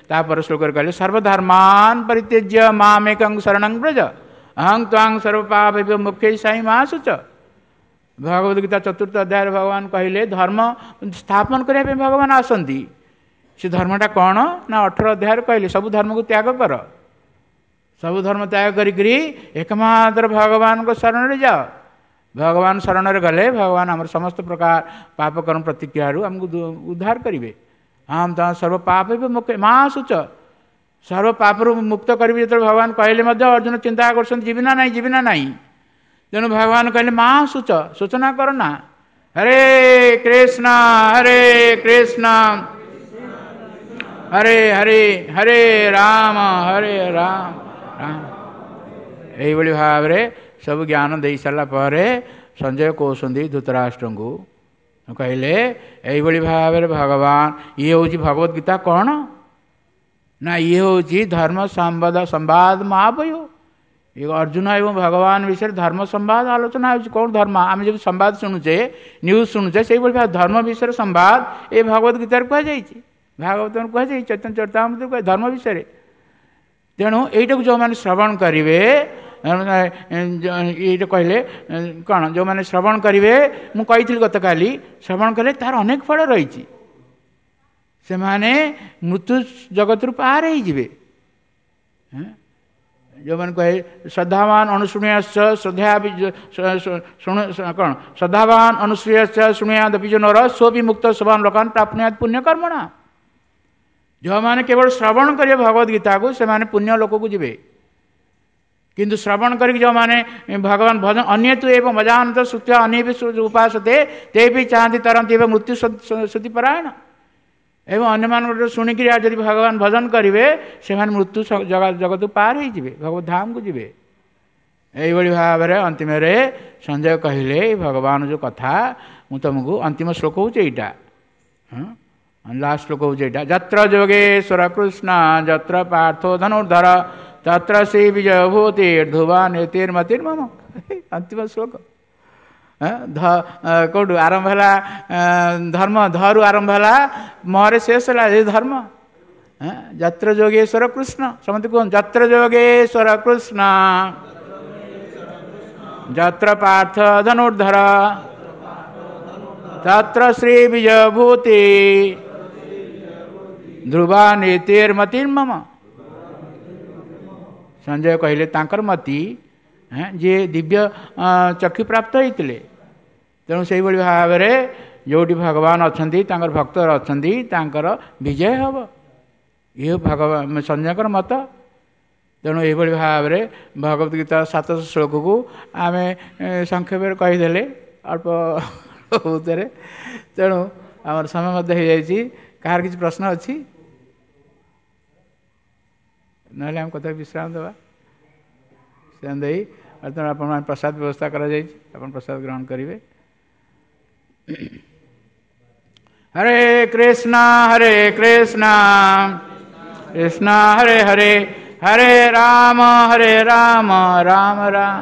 ତାପରେ ଶ୍ଲୋକରେ କହିଲେ ସର୍ବଧର୍ମାନ ପରିତ୍ୟଜ୍ୟ ମାମେକଂ ଶରଣଂ ବ୍ରଜ ଅହଂ ତ୍ୱାଂ ସର୍ବପାପେଭ୍ୟୋ ମୋକ୍ଷୟିଷ୍ୟାମି ମା ଶୁଚ। ଭଗବଦ ଗୀତା 4ର୍ଥ ଅଧ୍ୟାୟରେ ଭଗବାନ କହିଲେ ଧର୍ମ ସ୍ଥାପନ କରିବା ପାଇଁ ଭଗବାନ ଆସନ୍ତି। ସେ ଧର୍ମଟା କ'ଣ ନା 18 ଅଧ୍ୟାୟରେ କହିଲେ ସବୁ ଧର୍ମକୁ ତ୍ୟାଗ କର, ସବୁ ଧର୍ମ ତ୍ୟାଗ କରିକିରି ଏକମାତ୍ର ଭଗବାନଙ୍କ ଶରଣରେ ଯାଅ। ଭଗବାନ ଶରଣରେ ଗଲେ ଭଗବାନ ଆମର ସମସ୍ତ ପ୍ରକାର ପାପ କର୍ମ ପ୍ରତିକ୍ରିୟାରୁ ଆମକୁ ଉଦ୍ଧାର କରିବେ। ହଁ ତ ସର୍ବ ପାପ ମା ଶୁଚ, ସର୍ବ ପାପରୁ ମୁକ୍ତ କରିବି ଯେତେବେଳେ ଭଗବାନ କହିଲେ ମଧ୍ୟ ଅର୍ଜୁନ ଚିନ୍ତା କରୁଛନ୍ତି ଯିବି ନା ନାହିଁ, ଯିବି ନା ନାହିଁ। ତେଣୁ ଭଗବାନ କହିଲେ ମା ଶୁଚ, ସୂଚନା କର ନା। ହରେ କୃଷ୍ଣ ହରେ କୃଷ୍ଣ ହରେ ହରେ ହରେ ରାମ ହରେ ରାମ ରାମ। ଏଇଭଳି ଭାବରେ ସବୁ ଜ୍ଞାନ ଦେଇ ସାରିଲା ପରେ ସଞ୍ଜୟ କହୁଛନ୍ତି ଧୃତରାଷ୍ଟ୍ରଙ୍କୁ, କହିଲେ ଏଇଭଳି ଭାବରେ ଭଗବାନ, ଇଏ ହେଉଛି ଭଗବତ ଗୀତା କ'ଣ ନା ଇଏ ହେଉଛି ଧର୍ମ ସମ୍ବାଦ ସମ୍ବାଦ ମହାବୟ। ଏ ଅର୍ଜୁନ ଏବଂ ଭଗବାନ ବିଷୟରେ ଧର୍ମ ସମ୍ବାଦ ଆଲୋଚନା ହେଉଛି। କ'ଣ ଧର୍ମ? ଆମେ ଯଦି ସମ୍ବାଦ ଶୁଣୁଛେ, ନ୍ୟୁଜ୍ ଶୁଣୁଛେ, ସେଇଭଳି ଭାବେ ଧର୍ମ ବିଷୟରେ ସମ୍ବାଦ ଏ ଭଗବତ ଗୀତାରେ କୁହାଯାଇଛି, ଭାଗବତରେ କୁହାଯାଇଛି, ଚୈତନ୍ୟ ଚରିତାମୃତରେ କୁହାଯାଇଛି ଧର୍ମ ବିଷୟରେ। ତେଣୁ ଏଇଟାକୁ ଯେଉଁମାନେ ଶ୍ରବଣ କରିବେ, ଏଇଟା କହିଲେ କ'ଣ, ଯେଉଁମାନେ ଶ୍ରବଣ କରିବେ, ମୁଁ କହିଥିଲି ଗତକାଲି, ଶ୍ରବଣ କଲେ ତାର ଅନେକ ଫଳ ରହିଛି। ସେମାନେ ମୃତ୍ୟୁ ଜଗତରୁ ପାର ହେଇଯିବେ। ଯେଉଁମାନେ କହେ ଶ୍ରଦ୍ଧାବାନ ଅନୁଶୃଣୁୟାଶ୍ଚ ଶ୍ରଦ୍ଧା କ'ଣ ଶ୍ରଦ୍ଧାବାନ ଅନୁସୂୟାଶ୍ଚ ଶୃଣୁୟାଦପି ଯୋ ନର ସୋପି ମୁକ୍ତ ଶୁଭାନ ଲୋକାନ ପ୍ରାପ୍ନୁୟାତ୍ ପୁଣ୍ୟକର୍ମଣା। ଯେଉଁମାନେ କେବଳ ଶ୍ରବଣ କରିବେ ଭଗବତ ଗୀତାକୁ ସେମାନେ ପୁଣ୍ୟ ଲୋକକୁ ଯିବେ। କିନ୍ତୁ ଶ୍ରବଣ କରିକି ଯେଉଁମାନେ ଭଗବାନ ଭଜନ ଅନ୍ୟ ତୁ ଏବଂ ମଜାନନ୍ତ ଶ୍ରୁତ୍ୱା ଅନ୍ୟ ବି ଉପାସତେ ତେ ବି ଚାହାନ୍ତି ତରନ୍ତି ଏବଂ ମୃତ୍ୟୁ ଶ୍ରୁତି ପରାୟଣ। ଏବଂ ଅନ୍ୟମାନଙ୍କଠାରୁ ଶୁଣିକିରି ଆଉ ଯଦି ଭଗବାନ ଭଜନ କରିବେ ସେମାନେ ମୃତ୍ୟୁ ଜଗତକୁ ପାର ହେଇଯିବେ, ଭଗବତ ଧାମକୁ ଯିବେ। ଏଇଭଳି ଭାବରେ ଅନ୍ତିମରେ ସଞ୍ଜୟ କହିଲେ ଭଗବାନ ଯେଉଁ କଥା ମୁଁ ତୁମକୁ ଅନ୍ତିମ ଶ୍ଲୋକ ହେଉଛି ଏଇଟା, ହଁ ଲାଷ୍ଟ ଶ୍ଲୋକ ହେଉଛି ଏଇଟା, ଯତ୍ର ଯୋଗେଶ୍ୱର କୃଷ୍ଣ ଯତ୍ର ପାର୍ଥୋ ଧନୁର୍ଧର ତତ୍ର ଶ୍ରୀ ବିଜୟ ଭୂତି ଧ୍ରୁବା ନୀତିର୍ମତିର୍ମମ। ଅନ୍ତିମ ଶ୍ଲୋକ କେଉଁଠୁ ଆରମ୍ଭ ହେଲା? ଧର୍ମ ଧରୁ ଆରମ୍ଭ ହେଲା, ମରେ ଶେଷ ହେଲା ଏ ଧର୍ମ। ଯତ୍ର ଯୋଗେଶ୍ୱର କୃଷ୍ଣ, ସମସ୍ତେ କୁହନ୍ତୁ ଯତ୍ର ଯୋଗେଶ୍ୱର କୃଷ୍ଣ ଯତ୍ର ପାର୍ଥ ଧନୁର୍ଧର ତତ୍ର ଶ୍ରୀ ବିଜୟ ଭୂତି ଧ୍ରୁବା ନୀତିର୍ମତିର୍ମମ। ସଞ୍ଜୟ କହିଲେ ତାଙ୍କର ମତି ଯିଏ ଦିବ୍ୟ ଚକ୍ଷୁ ପ୍ରାପ୍ତ ହେଇଥିଲେ। ତେଣୁ ସେଇଭଳି ଭାବରେ ଯେଉଁଠି ଭଗବାନ ଅଛନ୍ତି, ତାଙ୍କର ଭକ୍ତ ଅଛନ୍ତି, ତାଙ୍କର ବିଜୟ ହେବ। ଇଏ ଭଗବାନ ସଞ୍ଜୟଙ୍କର ମତ। ତେଣୁ ଏଇଭଳି ଭାବରେ ଭଗବତ ଗୀତା 700 ଶ୍ଲୋକକୁ ଆମେ ସଂକ୍ଷେପରେ କହିଦେଲେ ଅଳ୍ପ ବହୁତରେ। ତେଣୁ ଆମର ସମୟ ମଧ୍ୟ ହେଇଯାଇଛି। କାହାର କିଛି ପ୍ରଶ୍ନ ଅଛି? ନହେଲେ ଆମେ କଥା ବିଶ୍ରାମ ଦେବା। ବିଶ୍ରାମ ଦେଇ ବର୍ତ୍ତମାନ ଆପଣମାନେ ପ୍ରସାଦ ବ୍ୟବସ୍ଥା କରାଯାଇଛି, ଆପଣ ପ୍ରସାଦ ଗ୍ରହଣ କରିବେ। ହରେ କୃଷ୍ଣ ହରେ କୃଷ୍ଣ କୃଷ୍ଣ ହରେ ହରେ ହରେ ରାମ ହରେ ରାମ ରାମ ରାମ।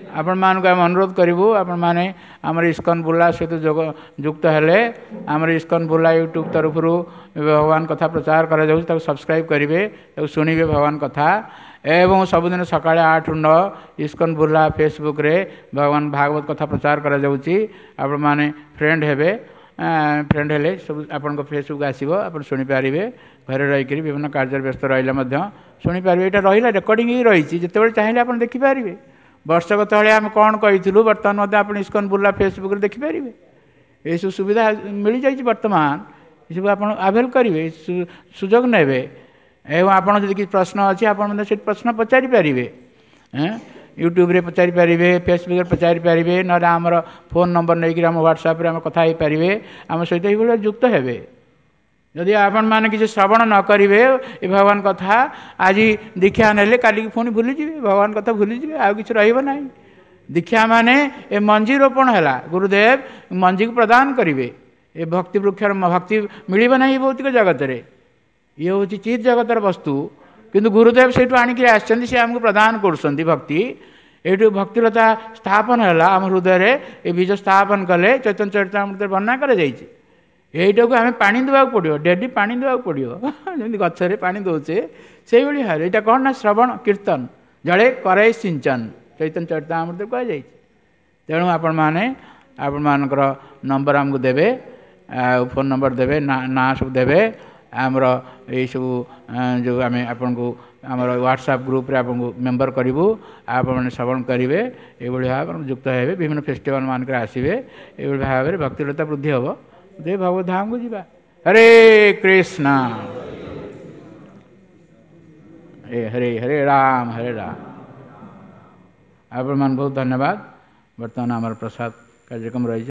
ଆପଣମାନଙ୍କୁ ଆମେ ଅନୁରୋଧ କରିବୁ, ଆପଣମାନେ ଆମର ଇସ୍କନ ବୁର୍ଲା ସହିତ ଯୁକ୍ତ ହେଲେ ଆମର ଇସ୍କନ ବୁର୍ଲା ୟୁଟ୍ୟୁବ୍ ତରଫରୁ ଭଗବାନ କଥା ପ୍ରଚାର କରାଯାଉଛି, ତାକୁ ସବସ୍କ୍ରାଇବ୍ କରିବେ, ତାକୁ ଶୁଣିବେ ଭଗବାନ କଥା। ଏବଂ ସବୁଦିନ ସକାଳେ 8ରୁ 9 ଇସ୍କନ ବୁର୍ଲା ଫେସବୁକ୍ରେ ଭଗବାନ ଭାଗବତ କଥା ପ୍ରଚାର କରାଯାଉଛି। ଆପଣମାନେ ଫ୍ରେଣ୍ଡ ହେବେ, ଫ୍ରେଣ୍ଡ ହେଲେ ସବୁ ଆପଣଙ୍କ ଫେସବୁକ୍ ଆସିବ, ଆପଣ ଶୁଣିପାରିବେ। ଘରେ ରହିକରି ବିଭିନ୍ନ କାର୍ଯ୍ୟରେ ବ୍ୟସ୍ତ ରହିଲେ ମଧ୍ୟ ଶୁଣିପାରିବେ। ଏଇଟା ରହିଲା ରେକର୍ଡ଼ିଂ ହେଇ ରହିଛି, ଯେତେବେଳେ ଚାହିଁଲେ ଆପଣ ଦେଖିପାରିବେ। ବର୍ଷକ ତଳେ ଆମେ କ'ଣ କହିଥିଲୁ ବର୍ତ୍ତମାନ ମଧ୍ୟ ଆପଣ ଇସ୍କନ ବୁର୍ଲା ଫେସବୁକ୍ରେ ଦେଖିପାରିବେ। ଏସବୁ ସୁବିଧା ମିଳିଯାଇଛି ବର୍ତ୍ତମାନ, ଏସବୁ ଆପଣ ଆଭେଲ୍ କରିବେ, ସୁଯୋଗ ନେବେ। ଏବଂ ଆପଣ ଯଦି କିଛି ପ୍ରଶ୍ନ ଅଛି ଆପଣ ମଧ୍ୟ ସେଠି ପ୍ରଶ୍ନ ପଚାରିପାରିବେ। ୟୁଟ୍ୟୁବରେ ପଚାରିପାରିବେ, ଫେସବୁକ୍ରେ ପଚାରିପାରିବେ, ନହେଲେ ଆମର ଫୋନ୍ ନମ୍ବର ନେଇକରି ଆମ ହ୍ୱାଟ୍ସଆପ୍ରେ ଆମେ କଥା ହେଇପାରିବେ, ଆମ ସହିତ ଏଇଭଳିଆ ଯୁକ୍ତ ହେବେ। ଯଦି ଆପଣମାନେ କିଛି ଶ୍ରବଣ ନ କରିବେ ଏ ଭଗବାନ କଥା, ଆଜି ଦୀକ୍ଷା ନେଲେ କାଲିକି ପୁଣି ଭୁଲିଯିବେ, ଭଗବାନ କଥା ଭୁଲିଯିବେ, ଆଉ କିଛି ରହିବ ନାହିଁ। ଦୀକ୍ଷା ମାନେ ଏ ମଞ୍ଜି ରୋପଣ ହେଲା, ଗୁରୁଦେବ ମଞ୍ଜିକୁ ପ୍ରଦାନ କରିବେ। ଏ ଭକ୍ତି ବୃକ୍ଷର ଭକ୍ତି ମିଳିବ ନାହିଁ ଭୌତିକ ଜଗତରେ, ଇଏ ହେଉଛି ଚିତ୍ ଜଗତର ବସ୍ତୁ। କିନ୍ତୁ ଗୁରୁଦେବ ସେଇଠୁ ଆଣିକି ଆସିଛନ୍ତି, ସେ ଆମକୁ ପ୍ରଦାନ କରୁଛନ୍ତି ଭକ୍ତି। ଏଇଠୁ ଭକ୍ତିଲତା ସ୍ଥାପନ ହେଲା ଆମ ହୃଦୟରେ, ଏ ବୀଜ ସ୍ଥାପନ କଲେ ଚୈତନ୍ୟ ଚରିତାମୃତରେ ବର୍ଣ୍ଣନା କରାଯାଇଛି। ଏଇଟାକୁ ଆମେ ପାଣି ଦେବାକୁ ପଡ଼ିବ, ଡେଲି ପାଣି ଦେବାକୁ ପଡ଼ିବ, ଯେମିତି ଗଛରେ ପାଣି ଦେଉଛେ ସେଇଭଳି ଭାବରେ। ଏଇଟା କ'ଣ ନା ଶ୍ରବଣ କୀର୍ତ୍ତନ ଜଳେ କରେ ସିଞ୍ଚନ, ଚୈତନ୍ୟ ଚରିତାମୃତରେ କୁହାଯାଇଛି। ତେଣୁ ଆପଣମାନେ ଆପଣମାନଙ୍କର ନମ୍ବର ଆମକୁ ଦେବେ, ଆଉ ଫୋନ୍ ନମ୍ବର ଦେବେ, ନାଁ ସବୁ ଦେବେ। ଆମର ଏଇସବୁ ଯେଉଁ ଆମେ ଆପଣଙ୍କୁ ଆମର ହ୍ୱାଟ୍ସଆପ୍ ଗ୍ରୁପ୍ରେ ଆପଣଙ୍କୁ ମେମ୍ବର କରିବୁ, ଆପଣମାନେ ଶ୍ରବଣ କରିବେ, ଏଇଭଳି ଭାବରେ ଯୁକ୍ତ ହେବେ, ବିଭିନ୍ନ ଫେଷ୍ଟିଭାଲ୍ ମାନଙ୍କରେ ଆସିବେ। ଏଇଭଳି ଭାବରେ ଭକ୍ତିଲତା ବୃଦ୍ଧି ହେବ, ଦେ ଭଗବତ ଧାମକୁ ଯିବା। ହରେ କୃଷ୍ଣ ହରେ ହରେ, ହରେ ରାମ ହରେ ରାମ। ଆପଣମାନଙ୍କୁ ବହୁତ ଧନ୍ୟବାଦ। ବର୍ତ୍ତମାନ ଆମର ପ୍ରସାଦ କାର୍ଯ୍ୟକ୍ରମ ରହିଛି।